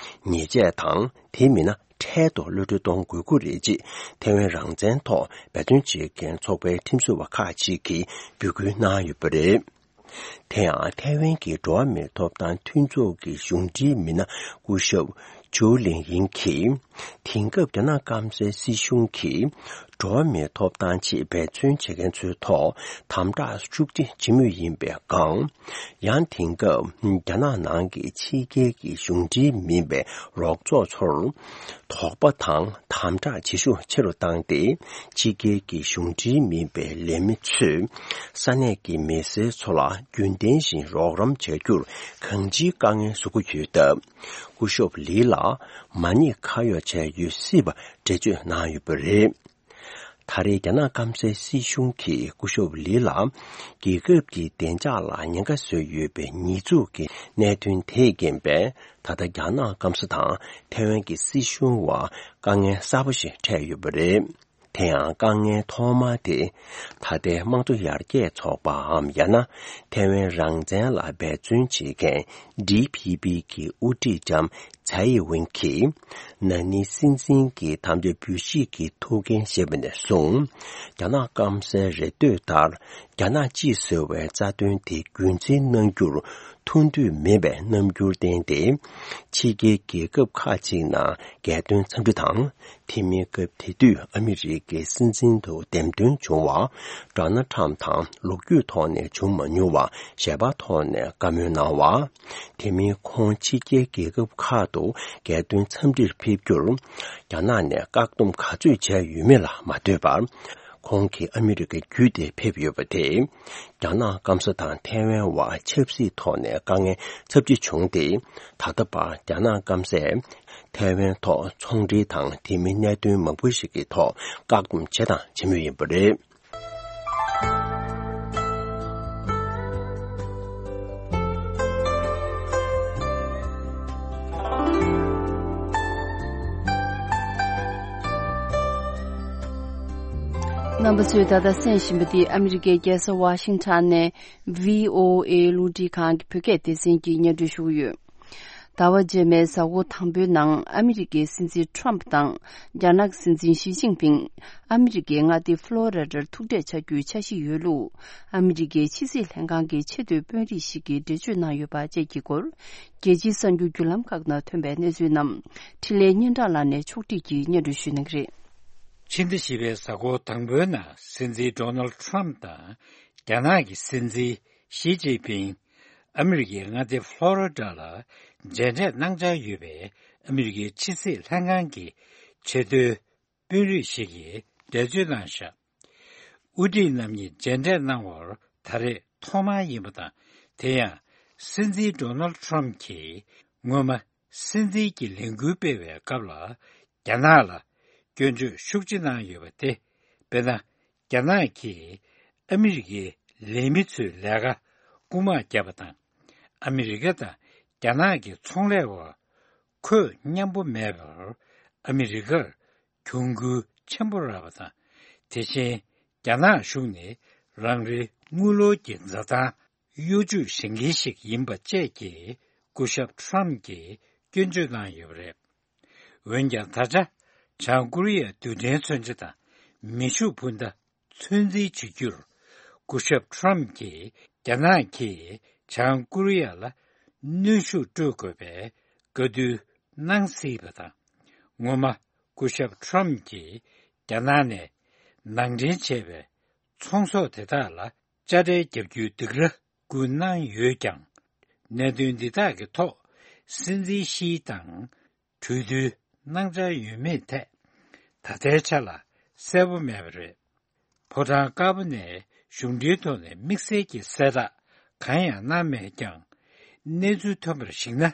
ཉེས་ཆད་དང་། དེ་མིན་ན། འཕྲལ་དུ་གློད་གྲོལ་གཏོང་དགོས་ཀྱི་རེད་ཅེས་ཐའེ་ཝན་རང་བཙན་ཐོག་འབད་བརྩོན་བྱེད་མཁན་ཚོགས་པའི་ཁྲིམས་བཟོ་བ་ཁག་ཅིག་གིས་འབོད་སྐུལ་གནང་ཡོད་པ་རེད། དེ་ཡང་ཐའེ་ཝན་གྱི་འགྲོ་བ་མིའི་ཐོབ་ཐང་མཐུན་ཚོགས་ཀྱི་གཞུང་འབྲེལ་མི་སྣ་སྐུ་ཞབས་ཇོ་ལིང་ཡིང་གིས། དེང་སྐབས་རྒྱ་ནག་སྐམ་སའི་སྲིད་གཞུང་གིས་འགྲོ་བ་མིའི་ཐོབ་ཐང་ཆེད་འབད་བརྩོན་བྱེད་མཁན་ཚོའི་ཐོག་དམ་དྲག་ཤུགས་ཆེ་བྱེད་མུས་ཡིན་པའི་སྒང་། ཡང་དེང་སྐབས་རྒྱ་ནག་ནང་གི་ཕྱི་རྒྱལ་གྱི་གཞུང་འབྲེལ་མིན་པའི་རོགས་ཚོགས་ཚོར་དོགས་པ་དང་དམ་དྲག་བྱེད་ཤུགས་ཆེ་རུ་བཏང་སྟེ། ཕྱི་རྒྱལ་གྱི་གཞུང་འབྲེལ་མིན་པའི་ལས་མི་ཚོས་ས་གནས་ཀྱི་མི་སེར་ཚོ་ལ་རྒྱུན་ལྡན་བཞིན་རོགས་རམ་བྱ་རྒྱུར་གང་ཅིའི་དཀའ་ངལ་བཟོ་གི་ཡོད་སྟབས། སྐུ་ཞབས་ལི་ལ་མ་ཉེས་ཁ་གཡོགས་བྱས་ཡོད་སྲིད་པ་འགྲེལ་བརྗོད་གནང་ཡོད་པ་རེད། ད་རེས་རྒྱ་ནག་སྐམ་སའི་སྲིད་གཞུང་གིས་སྐུ་ཞབས་ལི་ལ་རྒྱལ་ཁབ་ཀྱི་བདེ་འཇགས་ལ་ཉེན་ཁ་བཟོས་ཡོད་པའི་ཉེས་འཛུགས་ཀྱི་གནད་དོན་དེས་རྐྱེན་པས། ད་ལྟ་རྒྱ་ནག་སྐམ་ས་དང་ཐའེ་ཝན་གྱི་སྲིད་གཞུང་བར་དཀའ་ངལ་གསར་པ་ཞིག་འཕྲད་ཡོད་པ་རེད། དེ་ཡང་དཀའ་ངལ་ཐོག་མ་དེ། ད་ལྟའི་དམངས་གཙོ་ཡར་རྒྱས་ཚོགས་པའམ། ཡང་ན་ཐའེ་ཝན་རང་བཙན་ལ་འབད་བརྩོན་བྱེད་མཁན་ཌི་ཕི་པི་གི་དབུ་ཁྲིད་ལྕམ་ཚའེ་ཝེན་གྱིས། ན་ནིང་སྲིད་འཛིན་གྱི་དམ་བཅའ་འབུལ་བཞེས་ཀྱི་ཐུགས་འགན་བཞེས་པ་ནས་བཟུང་། རྒྱ་ནག་སྐམ་སའི་རེ་འདོད་ལྟར། རྒྱ་ནག་གཅིག་ཟེར་བའི་རྩ་དོན་དེ་རྒྱུན་འཛིན་གནང་རྒྱུར་ཐུགས་འདོད་མེད་པའི་རྣམ་འགྱུར་བསྟན་ཏེ། ཕྱི་རྒྱལ་རྒྱལ་ཁབ་ཁག་ཅིག་ནང་རྒྱལ་དོན་འཚམས་འདྲི་དང་། དེ་མིན་སྐབས་དེ་དུས་ཨ་མི་རི་ཀའི་སྲིད་འཛིན་དུ་འདེམས་ཐོན་བྱུང་བ། ཌོ་ནལ་ཁྲམ་དང་ལོ་རྒྱུས་ཐོག་ནས་བྱུང་མ་མྱོང་བ་ཞལ་པར་ཐོག་ནས་བཀའ་མོལ་གནང་བ། དེ་མིན་ཁོང་ཕྱི་རྒྱལ་རྒྱལ་ཁབ་ཁག་ཏུ་རྒྱལ་དོན་འཚམས་འདྲིར་ཕེབས་རྒྱུར། རྒྱ་ནག་ནས་བཀག་སྡོམ་ག་ཚོད་བྱས་ཡོད་མེད་ལ་མ་ལྟོས་པར། ཁོང་གིས་ཨ་མི་རི་ཀ་བརྒྱུད་དེ་ཕེབས་ཡོད་པ་དེས། རྒྱ་ནག་སྐམ་ས་དང་ཐའེ་ཝན་བར་ཆབ་སྲིད་ཐོག་ནས་དཀའ་ངལ་ཚབས་ཆེ་བྱུང་སྟེ། ད་ལྟ་བར་རྒྱ་ནག་སྐམ་སས་ཐའེ་ཝན་ཐོག་ཚོང་འབྲེལ་དང་དེ་མིན་གནད་དོན་མང་པོ་ཞིག་གི་ཐོག་བཀག་སྡོམ་བྱས་དང་བྱེད་མུས་ཡིན་པ་རེད། རྣམ་པ་ཚོས་ད་ལྟ་གསན་བཞིན་པ་འདི་ཨ་མི་རི་ཀའི་རྒྱལ་ས་ཝ་ཤིང་ཊོན་ནས་ཝི་ཨོ་ཨེ་རླུང་འཕྲིན་ཁང་གི་བོད་སྐད་སྡེ་ཚན་གྱིས་སྙན་སྒྲོན་ཞུ་གི་ཡོད། ཟླ་བ་རྗེས་མའི་གཟའ་འཁོར་དང་པོའི་ནང་ཨ་མི་རི་ཀའི་སྲིད་འཛིན་ཁྲོམ་དང་རྒྱ་ནག་སྲིད་འཛིན་ཞི་ཅིན་ཕིང་ཨ་མི་རི་ཀའི་མངའ་སྡེ་ཕློ་རི་ཌར་ཐུག་འཕྲད་བྱ་རྒྱུའི་འཆར་གཞི་ཡོད་ལུགས་ཨ་མི་རི་ཀའི་ཕྱི་སྲིད་ལྷན་ཁང་གི་ཆེས་མཐོའི་དཔོན་རིགས་ཤིག་གིས་འགྲེལ་བརྗོད་གནང་ཡོད་པ་བཅས་ཀྱི་སྐོར། རྒྱལ་སྤྱིའི་གསར་འགྱུར་བརྒྱུད་ལམ་ཁག་ནང་ཐོན་པའི་གནས་ཚུལ་རྣམས་འཕྲིན་ལས་སྙན་གྲགས་ལགས་ནས་ཕྱོགས་སྒྲིག་གིས་སྙན་སྒྲོན་ཞུ་གནང་གི་རེད། ཕྱི་ཟླ་བཞི་པའི་གཟའ་འཁོར་དང་པོའི་ནང་སྲིད་འཛིན་ཌོ་ནལ་ཁྲམ་དང་རྒྱ་ནག་གི་སྲིད་འཛིན་ཞི་ཅིན་ཕིང་ཨ་མི་རི་ཀའི་མངའ་སྡེ་ཕློ་རི་ཌ་ལ་མཇལ་འཕྲད་གནང་འཆར་ཡོད་པའི་ཨ་མི་རི་ཀའི་ཕྱི་སྲིད་ལྷན་ཁང་གི་ཆེས་མཐོའི་དཔོན་རིགས་ཤིག་གིས་འགྲེལ་བརྗོད་གནང་བཞག་དབུ་ཁྲིད་རྣམ་གཉིས་མཇལ་འཕྲད་གནང་བར་ད་རེས་ཐོག་མ་ཡིན་པ་དང་། དེ་ཡང་སྲིད་འཛིན་ཌོ་ནལ་ཁྲམ་གྱིས་སྔོན་མ་སྲིད་འཛིན་གྱི་ལས་འགུལ་སྤེལ་བའི་སྐབས་ལ་རྒྱ་ནག་ལ་སྐྱོན་བརྗོད་ཤུགས་ཆེ་གནང་ཡོད་པ་སྟེ། དཔེར་ན། རྒྱ་ནག་གིས་ཨ་མི་རི་ཀའི་ལས་མི་ཚོའི་ལས་ཀ་རྐུ་མ་བརྒྱབ་པ་དང་། ཨ་མི་རི་ཀ་དང་རྒྱ་ནག་གི་ཚོང་ལས་བར་ཁོད་མཉམ་པོ་མེད་པར་ཨ་མི་རི་ཀར་གྱོང་གུན་ཆེན་པོ་རག་པ་དང་། དེ་བཞིན་རྒྱ་ནག་གཞུང་ནི་རང་རེའི་དངུལ་ལོར་གྱི་འཛའ་ཐང་གཡོ་ཇུས་བྱེད་མཁན་ཞིག་ཡིན་པ་བཅས་ཀྱི་སྐུ་ཞབས་ཁྲམ་གྱིས་སྐྱོན་བརྗོད་གནང་ཡོད་པ་རེད། འོན་ཀྱང་། ད་ཆ་བྱང་ཀོ་རི་ཡའི་རྡུལ་ཕྲན་མཚོན་ཆ་དང་མེ་ཤུགས་འཕུར་མདའ་ཚོད་འཛིན་བྱེད་རྒྱུར་སྐུ་ཞབས་ཁྲམ་གྱིས་རྒྱ་ནག་གིས་བྱང་ཀོ་རི་ཡ་ལ་གནོན་ཤུགས་སྤྲོད་དགོས་པའི་བཀའ་བསྡུར་གནང་སྲིད་པ་དང་། སྔོན་མ་སྐུ་ཞབས་ཁྲམ་གྱིས་རྒྱ་ནག་ནས་ནང་འདྲེན་བྱས་པའི་ཚོང་ཟོག་དེ་དག་ལ་དཔྱ་ཁྲལ་བརྒྱབ་རྒྱུའི་སྡིགས་ར་བསྐུལ་གནང་ཡོད་ཀྱང་། གནད་དོན་འདི་དག་གི་ཐོག་སྲིད་འཛིན་ཞི་དང་གྲོས་བསྡུར་གནང་འཆར་ཡོད་མེད་ཐད་ད་ལྟའི་ཆ་ལ་གསལ་པོ་མེད་པ་རེད། ཕོ་བྲང་དཀར་པོ་ནས་གཞུང་འབྲེལ་ཐོག་ནས་དམིགས་བསལ་གྱི་གསལ་བསྒྲགས་གང་ཡང་གནང་མེད་ཀྱང་། གནས་ཚུལ་ཐོན་པར་གཞིགས་ན།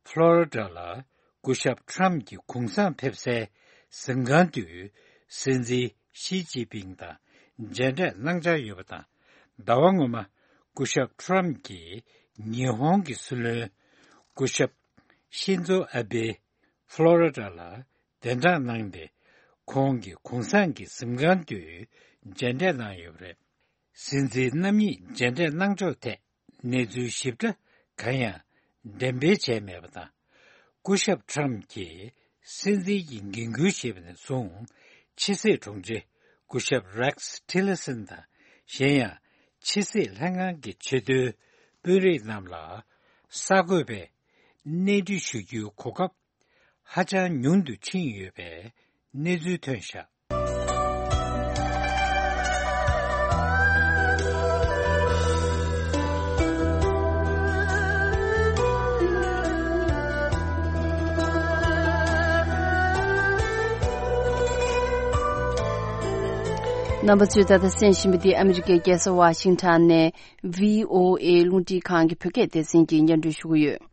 ཕློ་རི་ཌ་ལ་སྐུ་ཞབས་ཁྲམ་གྱི་གུང་སེང་ཕེབས་སའི་གཟིམ་ཁང་དུ་སྲིད་འཛིན་ཞི་ཅིན་ཕིང་དང་མཇལ་འཕྲད་གནང་འཆར་ཡོད་པ་དང་། ཟླ་བ་སྔོན་མ་སྐུ་ཞབས་ཁྲམ་གྱིས་ཉི་ཧོང་གི་སྲིད་བློན་སྐུ་ཞབས་ཤིན་ཛོ་ཨ་བྷེ། ཕློ་རི་ཌ་ལ་གདན་དྲངས་གནང་སྟེ། ཁོང་གིས་གུང་སེང་གི་གཟིམ་ཁང་དུ་མཇལ་འཕྲད་གནང་ཡོད་པ་རེད། སྲིད་འཛིན་རྣམ་གཉིས་མཇལ་འཕྲད་གནང་ཕྱོགས་ཐད་གནས་ཚུལ་ཞིབ་ཕྲ་གང་ཡང་འགྲེམས་སྤེལ་བྱས་མེད་པ་དང་། སྐུ་ཞབས་ཁྲམ་གྱིས་སྲིད་འཛིན་གྱི་འགན་འཁུར་བཞེས་པ་ནས་བཟུང་། ཕྱི་སྲིད་དྲུང་ཆེ་སྐུ་ཞབས་རེག་སི་ཊི་ལར་སན་དང་། གཞན་ཡང་ཕྱི་སྲིད་ལྷན་ཁང་གི་ཆེས་མཐོའི་དཔོན་རིགས་རྣམས་ལ་གསར་འགོད་པས་གནས་འདྲི་ཞུ་རྒྱུའི་གོ་སྐབས་ཧ་ཅང་ཉུང་དུ་ཕྱིན་ཡོད་པའི་གནས་ཚུལ་ཐོན་བཞག་རྣམ་པ་ཚོས་ད་ལྟ་གསན་བཞིན་པ་འདི་ཨ་མི་རི་ཀའི་རྒྱལ་ས་ཝ་ཤིང་ཊོན་ནས་བྷི་ཨོ་ཨེ་རླུང་འཕྲིན་ཁང་གི་བོད་སྐད་སྡེ་ཚན་གྱིས་སྙན་སྒྲོན་ཞུ་གི་ཡོད།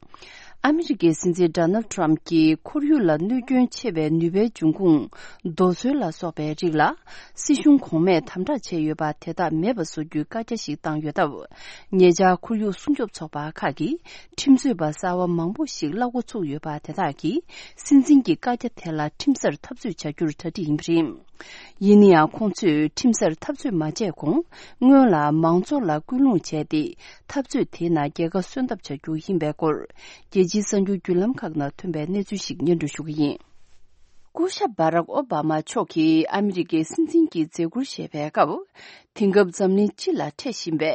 ཨ་མི་རི་ཀའི་སྲིད་འཛིན་ཌོ་ནལ་ཌི་ཊརམ་གྱིས་ཁོར་ཡུག་ལ་གནོད་སྐྱོན་ཆེ་བའི་ནུས་པའི་འབྱུང་ཁུངས་རྡོ་སོལ་ལ་སོགས་པའི་རིགས་ལ་སྲིད་གཞུང་གོང་མས་དམ་དྲག་བྱས་ཡོད་པ་དེ་དག་མེད་པ་བཟོ་རྒྱུའི་བཀའ་རྒྱ་ཞིག་བཏང་ཡོད་སྟབས། ཉེ་ཆར་ཁོར་ཡུག་སྲུང་སྐྱོབ་ཚོགས་པ་ཁག་གིས་ཁྲིམས་རྩོད་པ་གསར་བ་མང་པོ་ཞིག་གླ་འགོ་ཚུགས་ཡོད་པ་དེ་དག་གིས་སྲིད་འཛིན་གྱི་བཀའ་རྒྱ་དེ་ལ་ཁྲིམས་སར་འཐབ་རྩོད་བྱ་རྒྱུར་གྲ་སྒྲིག་ཡིན་པ་རེད། ཡིན་ན་ཡང་། ཁོང་ཚོས་ཁྲིམས་སར་འཐབ་རྩོད་མ་བྱས་གོང་། སྔོན་ལ་མང་ཚོགས་ལ་སྐུལ་སློང་བྱས་ཏེ། འཐབ་རྩོད་དེའི་ནང་རྒྱལ་ཁ་སོན་ཐབས་བྱ་རྒྱུ་ཡིན་པའི་སྐོར། རྒྱལ་སྤྱིའི་གསར་འགྱུར་བརྒྱུད་ལམ་ཁག་ནང་ཐོན་པའི་གནས་ཚུལ་ཞིག་སྙན་སྒྲོན་ཞུ་གི་ཡིན། སྐུ་ཞབས་བྷ་རག་ཨོ་བྷ་མ་མཆོག་གིས་ཨ་མི་རི་ཀའི་སྲིད་འཛིན་གྱི་མཛད་ཁུར་བཞེས་པའི་སྐབས། དེང་སྐབས་འཛམ་གླིང་སྤྱི་ལ་འཕྲད་བཞིན་པའི་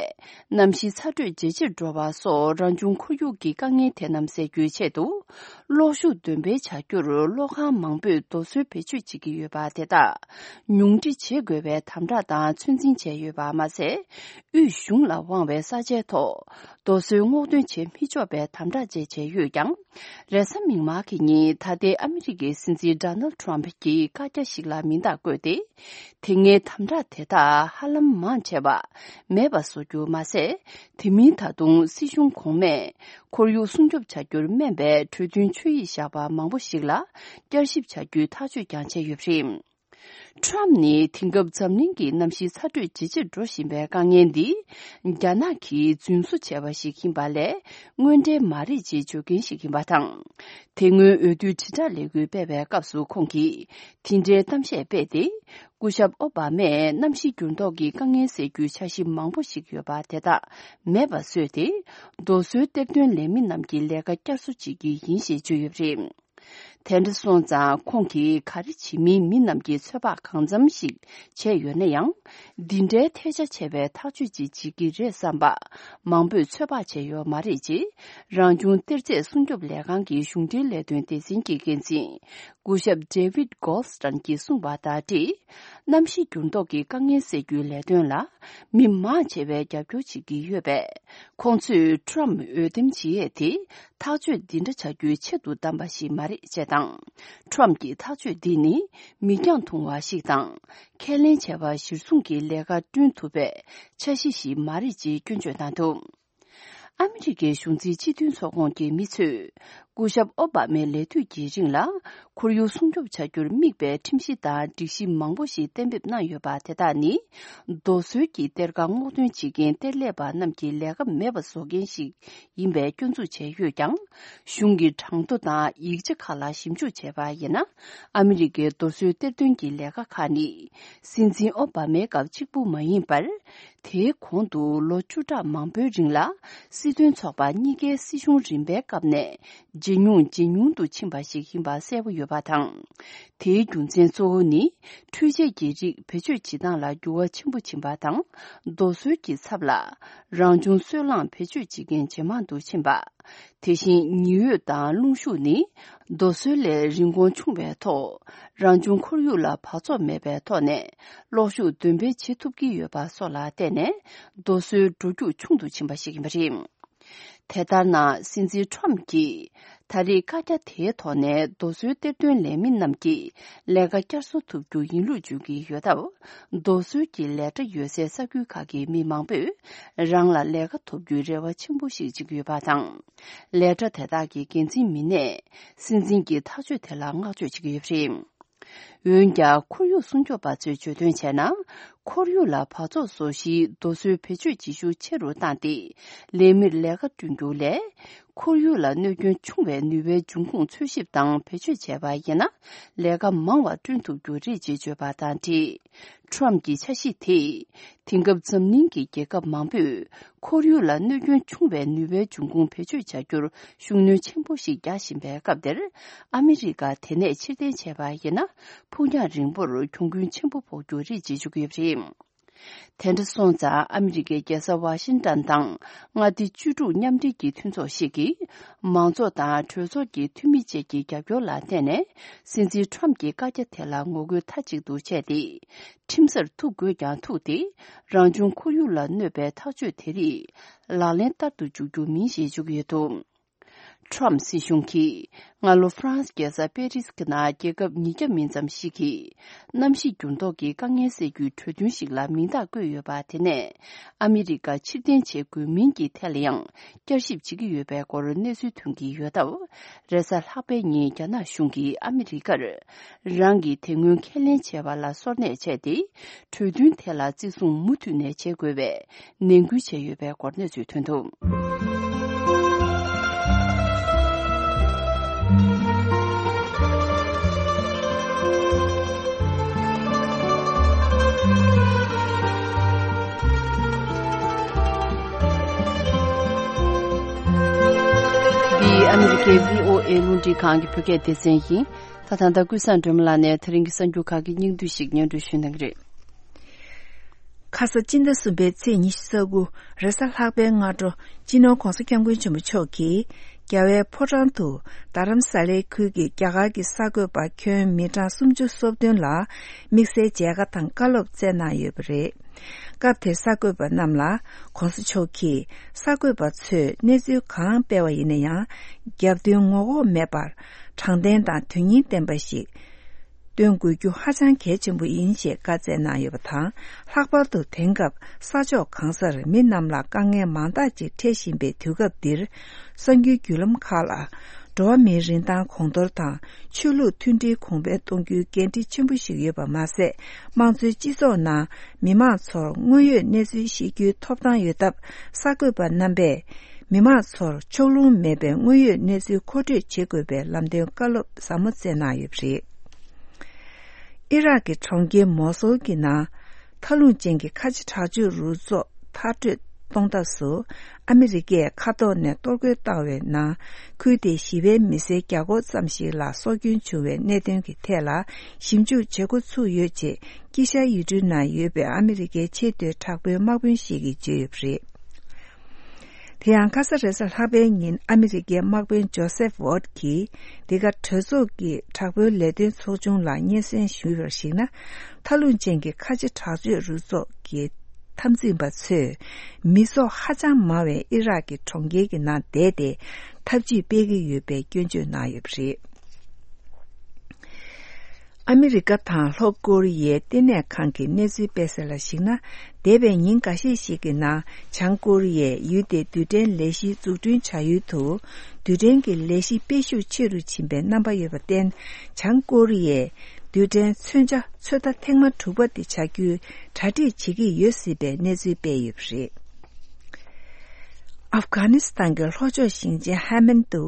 གནམ་གཤིས་ཚ་དྲོད་ཇེ་ཆེར་འགྲོ་བ་སོགས་རང་བྱུང་ཁོར་ཡུག་གི་དཀའ་ངལ་དེ་རྣམས་སེལ་རྒྱུའི་ཆེད་དུ། གློག་ཤུགས་འདོན་སྤེལ་བྱ་རྒྱུར་གློག་ཁང་མང་པོས་རྡོ་སོལ་བེད་སྤྱོད་བྱེད་ཀྱི་ཡོད་པ་དེ་དག་ཉུང་འཕྲི་བྱེད་དགོས་པའི་དམ་དྲག་དང་ཚོད་འཛིན་བྱས་ཡོད་པ་མ་ཟད། དབུས་གཞུང་ལ་དབང་བའི་ས་ཆའི་ཐོག་རྡོ་སོལ་སྔོག་འདོན་བྱེད་མི་ཆོག་པའི་དམ་དྲག་བཅས་བྱས་ཡོད་ཀྱང་། རེས་གཟའ་མིག་དམར་གྱི་ཉིན་ད་ལྟའི་ཨ་མི་རི་ཀའི་སྲིད་འཛིན་ཌོ་ནལ་ཌི་ཊརམ་ཕི་གྱིས་བཀའ་རྒྱ་ཞིག་ལ་མིང་རྟགས་བཀོད་དེ། དེ་སྔའི་དམ་དྲག་དེ་དག་ཧ་ལམ་མང་ཆེ་བ་མེད་པ་བཟོ་རྒྱུ་མ་ཟད། དེ་མིན་ད་དུང་སྲིད་གཞུང་གོང་མས་ཁོར་ཡུག་སྲུང་སྐྱོབ་བྱ་རྒྱུར་སྨན་པའི་གྲོས་མཐུན་ཆོད་ཡིག་བཞག་པ་མང་པོ་ཞིག་ལ་བསྐྱར་ཞིབ་བྱ་རྒྱུའི་ཐག་གཅོད་ཀྱང་བྱས་ཡོད་པ་རེད། ཊརམ་ཕི་ནི་དེང་སྐབས་འཛམ་གླིང་གི་གནམ་གཤིས་ཚ་དྲོད་ཇེ་ཆེར་འགྲོ་བཞིན་པའི་དཀའ་ངལ་འདི། རྒྱ་ནག་གིས་རྫུན་བཟོ་བྱས་པ་ཞིག་ཡིན་པ་ལས་དངོས་འབྲེལ་མ་རེད་ཅེས་བརྗོད་མཁན་ཞིག་ཡིན་པ་དང་། དེ་སྔོན་འོས་བསྡུ་དྲིལ་བསྒྲགས་ལས་འགུལ་སྤེལ་བའི་སྐབས་སུ་ཁོང་གིས་དེ་འདྲའི་གཏམ་བཤད་སྤེལ་ཏེ། སྐུ་ཞབས་ཨོ་བྷ་མས་གནམ་གཤིས་འགྱུར་ལྡོག་གི་དཀའ་ངལ་སེལ་རྒྱུའི་འཆར་གཞི་མང་པོ་ཞིག་ཡོད་པ་དེ་དག་མེད་པ་བཟོས་ཏེ། རྡོ་སོལ་གཏེར་འདོན་ལས་མི་རྣམས་ཀྱི་ལས་ཀ་བསྐྱར་གསོ་བྱེད་ཀྱི་ཡིན་ཞེས་བརྗོད་ཡོད་པ་རེད། དེ་འདྲ་སོང་ཙང་། ཁོང་གིས་ག་རེ་བྱེད་མིན་མི་རྣམས་ཀྱིས་ཚོད་དཔག་གང་འཚམ་ཞིག་བྱས་ཡོད་ན་ཡང་། འདི་འདྲའི་ཐལ་ཆ་ཆེ་བའི་ཐག་གཅོད་ཅིག་བྱེད་ཀྱི་རེད་བསམ་པ། མང་པོས་ཚོད་དཔག་བྱས་ཡོད་མ་རེད་ཅེས། རང་བྱུང་གཏེར་རྫས་སྲུང་སྐྱོབ་ལས་ཁང་གི་གཞུང་འབྲེལ་ལས་དོན་སྡེ་ཚན་གྱི་འགན་འཛིན། སྐུ་ཞབས་David Goldstein་གྱིས་གསུངས་པ་དང་འབྲེལ། གནམ་གཤིས་འགྱུར་ལྡོག་གི་དཀའ་ངལ་སེལ་རྒྱུའི་ལས་དོན་ལ། མི་མང་ཆེ་བས་རྒྱབ་སྐྱོར་བྱེད་ཀྱི་ཡོད་པས། ཁོང་ཚོས་ཊརམ་ཕི་འོས་འདེམས་བྱེད་ཡས་དེ། ཐག་གཅོད་འདི་འདྲ་བྱ་རྒྱུའི་ཆེད་དུ་བདམས་པ་ཞིག་མ་རེད་ཅེས་དང་། ཊརམ་ཕི་གྱི་ཐག་གཅོད་འདི་ནི། མིག་རྒྱང་ཐུང་བ་ཞིག་དང་། ཁས་ལེན་བྱས་པ་གཞིར་བཟུང་གི་ལས་ཀ་བསྐྲུན་ཐུབ་པའི་འཆར་གཞི་ཞིག་མ་རེད་ཅེས་སྐྱོན་བརྗོད་གནང་འདུག་ཨ་མི་རི་ཀའི་གཞུང་འཛིན་སྤྱི་མཐུན་ཚོགས་ཁོངས་ཀྱི་མི་ཚོས། སྐུ་ཞབས་ཨོ་བྷ་མའི་ལས་དུས་ཀྱི་རིང་ལ། ཁོར་ཡུག་སྲུང་སྐྱོབ་བྱ་རྒྱུར་དམིགས་པའི་ཁྲིམས་གཞི་དང་སྒྲིག་གཞི་མང་པོ་ཞིག་གཏན་འབེབས་གནང་ཡོད་པ་དེ་དག་ནི། རྡོ་སོལ་གྱི་གཏེར་ཁ་སྔོག་འདོན་བྱེད་མཁན་གཏེར་ལས་པ་རྣམས་ཀྱི་ལས་ཀ་མེད་པ་བཟོ་མཁན་ཞིག་ཡིན་པའི་སྐྱོན་འཛུགས་བྱས་ཡོད་ཀྱང་། གཞུང་གི་གྲངས་ཐོ་དང་ཡིག་ཆ་ཁག་ལ་ཞིབ་འཇུག་བྱས་པ་ཡིན་ན། ཨ་མི་རི་ཀའི་རྡོ་སོལ་གཏེར་འདོན་གྱི་ལས་ཀ་ཁག་ནི། སྲིད་འཛིན་ཨོ་བྷ་མའི་སྐབས་གཅིག་པུ་མ་ཡིན་པར། དེའི་གོང་དུ་ལོ་བཅུ་ཕྲག་མང་པོའི་རིང་ལ། སྲིད་དོན་ཚོགས་པ་གཉིས་ཀའི་སྲིད་གཞུང་རིམ་པའི་སྐབས་ནས། ཇེ་ཉུང་ཇེ་ཉུང་དུ་ཕྱིན་པ་ཞིག་ཡིན་པ་གསལ་པོ་ཡོད་པ་དང་། དེའི་རྒྱུ་མཚན་གཙོ་བོ་ནི། འཕྲུལ་ཆས་ཀྱི་རིགས་བེད་སྤྱོད་བྱེད་སྟངས་ལ་འགྱུར་བ་ཆེན་པོ་ཕྱིན་པ་དང་། རྡོ་སོལ་གྱི་ཚབ་ལ། རང་བྱུང་སོལ་རླངས་བེད་སྤྱོད་བྱེད་མཁན་ཇེ་མང་དུ་ཕྱིན་པ། དེ་བཞིན་ཉི་འོད་དང་རླུང་ཤུགས་ནི། རྡོ་སོལ་ལས་རིན་གོང་ཆུང་བའི་ཐོག་རང་བྱུང་ཁོར་ཡུག་ལ་འབག་བཙོག་མེད་པའི་ཐོག་ནས། གློག་ཤུགས་འདོན་སྤེལ་བྱེད་ཐུབ་ཀྱི་ཡོད་པ་སོགས་ལ་བརྟེན་ནས། རྡོ་སོལ་འགྲོ་རྒྱུག་ཆུང་དུ་ཕྱིན་པ་ཞིག་ཡིན་པ་རེད། དེ་ལྟར་ན། སྲིད་འཛིན་ཊརམ་ཕི་གྱིས། ད་རེས་བཀའ་རྒྱ་དེའི་ཐོག་ནས། རྡོ་སོལ་གཏེར་འདོན་ལས་མི་རྣམས་ཀྱི་ལས་ཀ་བསྐྱར་གསོ་ཐུབ་རྒྱུ་ཡིན་ལུགས་བརྗོད་ཀྱི་ཡོད་སྟབས། རྡོ་སོལ་གྱི་ལས་གྲྭ་ཡོད་སའི་ས་ཁུལ་ཁག་གི་མི་མང་པོས། རང་ལ་ལས་ཀ་ཐོབ་རྒྱུའི་རེ་བ་ཆེན་པོ་ཞིག་བྱེད་ཀྱི་ཡོད་པ་དང་། ལས་གྲྭ་དེ་དག་གི་འགན་འཛིན་མི་སྣས། སྲིད་འཛིན་གྱི་ཐག་གཅོད་དེ་ལ་བསྔགས་བརྗོད་བྱེད་ཀྱི་ཡོད་པ་རེད། འོན་ཀྱང་། ཁོར་ཡུག་སྲུང་སྐྱོབ་པ་ཚོས་བརྗོད་དོན་བྱས་ན། ཁོར་ཡུག་ལ་འབག་བཙོག་བཟོ་གཞིའི་རྡོ་སོལ་བེད་སྤྱོད་བྱེད་ཤུགས་ཆེ་རུ་བཏང་སྟེ། ལས་མིར་ལས་ཀ་བསྐྲུན་རྒྱུ་ལས། ཁོར་ཡུག་ལ་གནོད་སྐྱོན་ཆུང་བའི་ནུས་པའི་འབྱུང་ཁུངས་འཚོལ་ཞིབ་དང་བེད་སྤྱོད་བྱས་པ་ཡིན་ན། ལས་ཀ་མང་བ་བསྐྲུན་ཐུབ་རྒྱུ་རེད་ཅེས་བརྗོད་པ་དང་འབྲེལ། ཁྲོམ་གྱི་འཆར་གཞི་དེས། དེང་སྐབས་འཛམ་གླིང་གི་རྒྱལ་ཁབ་མང་པོས། ཁོར་ཡུག་ལ་གནོད་སྐྱོན་ཆུང་བའི་ནུས་པའི་འབྱུང་ཁུངས་བེད་སྤྱོད་བྱ་རྒྱུར། ཤུགས་སྣོན་ཆེན་པོ་ཞིག་རྒྱག་བཞིན་པའི་སྐབས་འདིར། ཨ་མི་རི་ཀ་དེ་ནས་ཕྱིར་འཐེན་བྱས་པ་ཡིན་ན། ཕུགས་རྒྱང་རིང་པོར་གྱོང་གུན་ཆེན་པོ་ཕོག་རྒྱུ་རེད་ཅེས་བརྗོད་ཀྱི་ཡོད་པ་རེད། དེ་འདྲ་སོང་ཙང་ཨ་མི་རི་ཀའི་རྒྱལ་ས་ཝ་ཤིང་ཏན་དང་མངའ་སྡེ་བཅུ་དྲུག་མཉམ་འབྲེལ་གྱི་མཐུན་ཚོགས་ཤིག་གིས། མང་ཚོགས་དང་གྲོས་ཚོགས་ཀྱི་འཐུས་མི་བཅས་ཀྱི་རྒྱབ་སྐྱོར་ལ་བརྟེན་ནས། སྲིད་འཛིན་ཁྲོམ་གྱི་བཀའ་རྒྱ་དེ་ལ་ངོ་རྒོལ་མཐའ་གཅིག་ཏུ་བྱས་ཏེ། ཁྲིམས་སར་ཐུག་དགོས་ཀྱང་ཐུག་སྟེ། རང་བྱུང་ཁོར་ཡུག་ལ་གནོད་པའི་ཐག་གཅོད་དེ་རིགས་ལག་ལེན་བསྟར་དུ་འཇུག་རྒྱུ་མིན་ཞེས་བརྗོད་ཀྱི་ཡོད་འདུག་ཁྲོམ་སྲིད་གཞུང་གིས་སྔ་ལོ་ཧྥ་རན་སི་རྒྱལ་ས་པེ་རིས་ཀྱི་ནང་རྒྱལ་ཁབ་ཉིས་བརྒྱ་མིན་ཙམ་ཞིག་གིས་གནམ་གཤིས་འགྱུར་ལྡོག་གི་དཀའ་ངལ་སེལ་རྒྱུའི་གྲོས་མཐུན་ཞིག་ལ་མིང་རྟགས་བཀོད་ཡོད་པ་དེ་ནས་ཨ་མི་རི་ཀ་ཕྱིར་འཐེན་བྱེད་དགོས་མིན་གྱི་ཐད་ལ་ཡང་བསྐྱར་ཞིབ་བྱེད་ཀྱི་ཡོད་པའི་སྐོར་གནས་ཚུལ་ཐོན་གྱི་ཡོད་སྟབས། རེས་གཟའ་ལྷག་པའི་ཉིན་རྒྱ་ནག་གཞུང་གིས་ཨ་མི་རི་ཀར་རང་གིས་དེ་སྔོན་ཁས་ལེན་བྱས་པ་ལ་སོར་གནས་བྱས་ཏེ། གྲོས་མཐུན་དེ་ལ་བརྩི་སྲུང་མུ་མཐུད་ནས་བྱེད་དགོས་པའི་ནན་སྐུལ་བྱས་ཡོད་པའི་སྐོར་གནས་ཚུལ་ཐོན་འདུག་འདི་ཨ་མི་རི་ཀའི་བྷི་ཨོ་ཨེ་རླུང་འཕྲིན་ཁང་གི་བོད་སྐད་སྡེ་ཚན་ཡིན། ད་ད་ལྟ་ཀུན་བཟང་སྒྲོལ་མ་ལགས་ནས་དེ་རིང་གི་གསར་འགྱུར་ཁག་གི་སྙིང་བསྡུས་ཤིག་སྙན་སྒྲོན་ཞུ་གནང་གི་རེད། ཁ་ས་སྤྱི་ཟླ་གསུམ་པའི་ཚེས་ཉི་ཤུ་རྩ་དགུ་རེས་གཟའ་ལྷག་པའི་སྔ་དྲོ། སྤྱི་ནོར་༧གོང་ས་༧སྐྱབས་མགོན་ཆེན་པོ་མཆོག་གིས་རྒྱལ་བའི་ཕོ་བྲང་དུ་རྡ་རམ་ས་ལའི་ཁུལ་གྱི་རྒྱ་གར་གྱི་གསར་འགོད་པ་ཁྱོན་མི་གྲངས་སུམ་ཅུ་སོ་བདུན་ལ་དམིགས་བསལ་མཇལ་ཁ་དང་བཀའ་སློབ་སྩལ་གནང་ཡོད་པ་རེད། སྐབས་དེར་གསར་འགོད་པ་རྣམས་ལ་༧གོང་ས་མཆོག་གིས་གསར་འགོད་པ་ཚོས་གནས་ཚུལ་གང་སྤེལ་བ་ཡིན་ན་ཡང་རྒྱབ་མདུན་ངོ་ལྐོག་མེད་པར་དྲང་བདེན་དང་དོན་སྙིང་ལྡན་པ་ཞིག་སྟོན་དགོས་རྒྱུ་ཧ་ཅང་གལ་ཆེན་པོ་ཡིན་ཞེས་བཀའ་སྩལ་གནང་ཡོད་པ་དང་། ལྷག་པར་དུ་དེང་སྐབས་ས་ཕྱོགས་གང་སར་མི་རྣམས་ལ་དཀའ་ངལ་མང་དག་ཅིག་འཕྲད་བཞིན་པའི་དུས་སྐབས་འདིར། གསར་འགྱུར་བརྒྱུད་ལམ་ཁག་ལ། འགྲོ་བ་མིའི་རིན་ཐང་གོང་མཐོར་དང་། ཆོས་ལུགས་མཐུན་སྒྲིལ་གོང་འཕེལ་གཏོང་རྒྱུའི་འགན་འཁྲི་ཆེན་པོ་ཞིག་ཡོད་པ་མ་ཟད། དམངས་གཙོའི་སྤྱི་ཚོགས་ནང་མི་མང་ཚོར་དངོས་ཡོད་གནས་ཚུལ་ཤེས་རྒྱུའི་ཐོབ་ཐང་ཡོད་སྟབས། གསར་འགོད་པ་རྣམ་པས་མི་མང་ཚོར་ཕྱོགས་ལྷུང་མེད་པའི་དངོས་ཡོད་གནས་ཚུལ་མཁོ་སྤྲོད་བྱེད་དགོས་པའི་ལམ་སྟོན་བཀའ་སློབ་ཟབ་མོ་སྩལ་གནང་ཡོད་པ་རེད། ཨི་རག་གི་གྲོང་ཁྱེར་མོ་སོལ་གྱི་ནང་། མཐའ་ལྷུང་ཅན་གྱི་ཁ་ཆེ་དྲག་སྤྱོད་རུ་ཚོགས་མཐར་སྐྲོད་གཏོང་ཐབས་སུ། ཨ་མི་རི་ཀས་མཁའ་ཐོག་ནས་གཏོར་རྒོལ་བཏང་བའི་ནང་། ཁུལ་དེའི་ཞི་བའི་མི་སེར་བརྒྱ་སྐོར་ཙམ་ཞིག་ལ་སྲོག་སྐྱོན་བྱུང་བའི་གནད་དོན་གྱི་ཐད་ལ་ཞིབ་འཇུག་བྱེད་འགོ་ཚུགས་ཡོད་ཅེས། དཀྱིལ་ཤར་ཡུལ་གྲུའི་ནང་ཡོད་པའི་ཨ་མི་རི་ཀའི་ཆེས་མཐོའི་དྲག་པོའི་དམག་དཔོན་ཞིག་གིས་བརྗོད་ཡོད་པ་རེད། དེ་ཡང་ཁ་ས་རེས་གཟའ་ལྷག་པའི་ཉིན་ཨ་མི་རི་ཀའི་དམག་དཔོན་ཇོ་སེབ་ཝོརྡ་གྱིས། འདི་ག་གྲོས་ཚོགས་ཀྱི་དྲག་པོའི་ལས་དོན་ཚོགས་ཆུང་ལ་སྙན་སེང་ཞུས་པར་གཞིགས་ན། མཐའ་ལྷུང་ཅན་གྱི་ཁ་ཆེ་དྲག་སྤྱོད་རུ་ཚོགས་ཀྱི་འཐབ་འཛིང་པ་ཚོས། མི་ཚོགས་ཧ་ཅང་མང་བའི་ཨི་རག་གི་གྲོང་ཁྱེར་གྱི་ནང་བསྡད་དེ། འཐབ་ཇུས་སྤེལ་གྱི་ཡོད་པའི་སྐྱོན་བརྗོད་གནང་ཡོད་པ་རེད། ཨ་མི་རི་ཀ་དང་ལྷོ་ཀོ་རི་ཡའི་ལྟེ་གནས་ཁང་གིས་གནས་ཚུལ་སྤེལ་གསལ་ལ་གཞིགས་ན། འདས་པའི་ཉིན་འགའ་ཤས་ཤིག་གི་ནང་། བྱང་ཀོ་རི་ཡས་ཡུལ་དེའི་རྡུལ་ཕྲན་ལས་གཞི་འཛུགས་སྐྲུན་བྱ་ཡུལ་དུ། རྡུལ་ཕྲན་གྱི་ལས་གཞི་སྤེལ་ཤུགས་ཆེ་རུ་ཕྱིན་པའི་རྣམ་པ་ཡོད་པར་བརྟེན། བྱང་ཀོ་རི་ཡས་རྡུལ་ཕྲན་མཚོན་ཆ་ཚོད་ལྟ་ཐེངས་མ་དྲུག་པ་དེ་བྱ་རྒྱུའི་གྲ་སྒྲིག་བྱེད་ཀྱི་ཡོད་སྲིད་པའི་གནས་ཚུལ་སྤེལ་ཡོད་པ་རེད། ཨབ་གྷ་ནི་སི་ཐན་གྱི་ལྷོ་ཕྱོགས་ཞིང་ཆེན་ཧ་མན་དུ་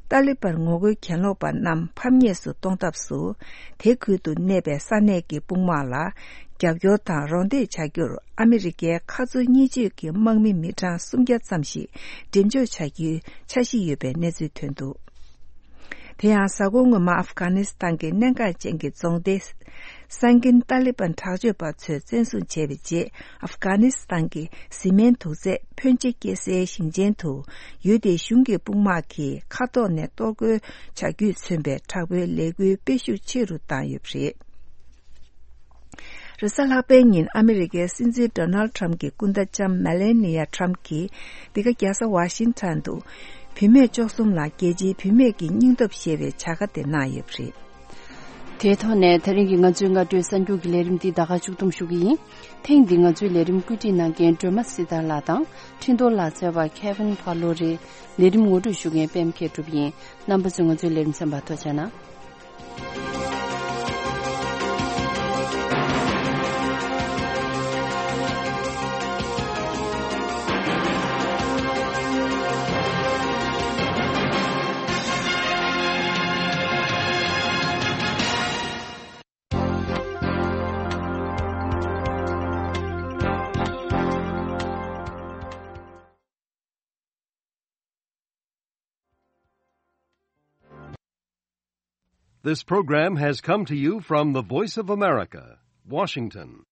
ཏཱ་ལི་བན་ངོ་རྒོལ་གྱེན་ལོག་པ་རྣམས་ཕམ་ཉེས་སུ་གཏོང་ཐབས་སུ། དེ་ཁུལ་དུ་གནས་པའི་ས་གནས་ཀྱི་དཔུང་དམག་ལ་རྒྱབ་སྐྱོར་དང་རོགས་འདེགས་བྱ་རྒྱུར་ཨ་མི་རི་ཀའི་མཁའ་མཚོ་གཉིས་སྤྱོད་ཀྱི་དམག་མི་མི་གྲངས་སུམ་བརྒྱ་ཙམ་ཞིག་འགྲེམས་འཇོག་བྱ་རྒྱུའི་འཆར་གཞི་ཡོད་པའི་གནས་ཚུལ་ཐོན་འདུག་དེ་ཡང་གཟའ་འཁོར་སྔོན་མ་ཨབ་གྷ་ནི་སི་ཐན་གྱི་གནད་འགག་ཅན་གྱི་རྫོང་སྡེ་སན་ཀིན་ཏཱ་ལི་བན་དྲག་སྤྱོད་པ་ཚོས་བཙན་བཟུང་བྱས་པའི་རྗེས། ཨབ་གྷ་ནི་སི་ཐན་གྱི་བཟི་སྨན་དུག་རྫས་ཕོན་ཆེ་སྐྱེ་སའི་ཞིང་ཆེན་དུ་ཡུལ་དེའི་གཞུང་གི་དཔུང་དམག་གིས་མཁའ་ཐོག་ནས་གཏོར་རྒོལ་བྱ་རྒྱུས་མཚོན་པའི་དྲག་པོའི་ལས་འགུལ་སྤེལ་ཤུགས་ཆེ་རུ་བཏང་ཡོད་པ་རེད། རེས་གཟའ་ལྷག་པའི་ཉིན་ཨ་མི་རི་ཀའི་སྲིད་འཛིན་ཌོ་ནལ་ཊམ་གྱི་སྐུ་ཟླ་ལྕམ་མེ་ལེ་ནི་ཡ་ཊམ་གྱིས་འདི་ག་རྒྱལ་ས་ཝ་ཤིང་ཊོན་དུ་བུད་མེད་བཅུ་གསུམ་ལ་རྒྱལ་སྤྱིའི་བུད་མེད་ཀྱི་སྙིང་སྟོབས་ཞེས་པའི་བྱ་དགའ་དེ་གནང་ཡོད་པ་རེད། དེའི་ཐོག་ནས་དེ་རིང་གི་ང་ཚོའི་སྔ་དྲོའི་གསར་འགྱུར་གྱི་ལས་རིམ་འདི་ད་ག་མཇུག་བསྡོམས་ཞུ་གི་ཡིན། ཐེངས་འདི་ང་ཚོའི་ལས་རིམ་བཀོད་སྒྲིག་གནང་མཁན་སྒྲོལ་མ་སྲི་ཐར་ལགས་དང་འཕྲིན་གཏོང་ལག་རྩལ་བ་ཁེ་ཝིན་ཕ་ལོ་རེད། ལས་རིམ་ངོ་སྤྲོད་ཞུ་མཁན་པད་མ་མཁས་གྲུབ་ཡིན། རྣམ་པ་ཚོས་ང་ཚོའི་ལས་རིམ་གསན་པར་ཐུགས་རྗེ་གནང་། This program has come to you from the Voice of America, Washington.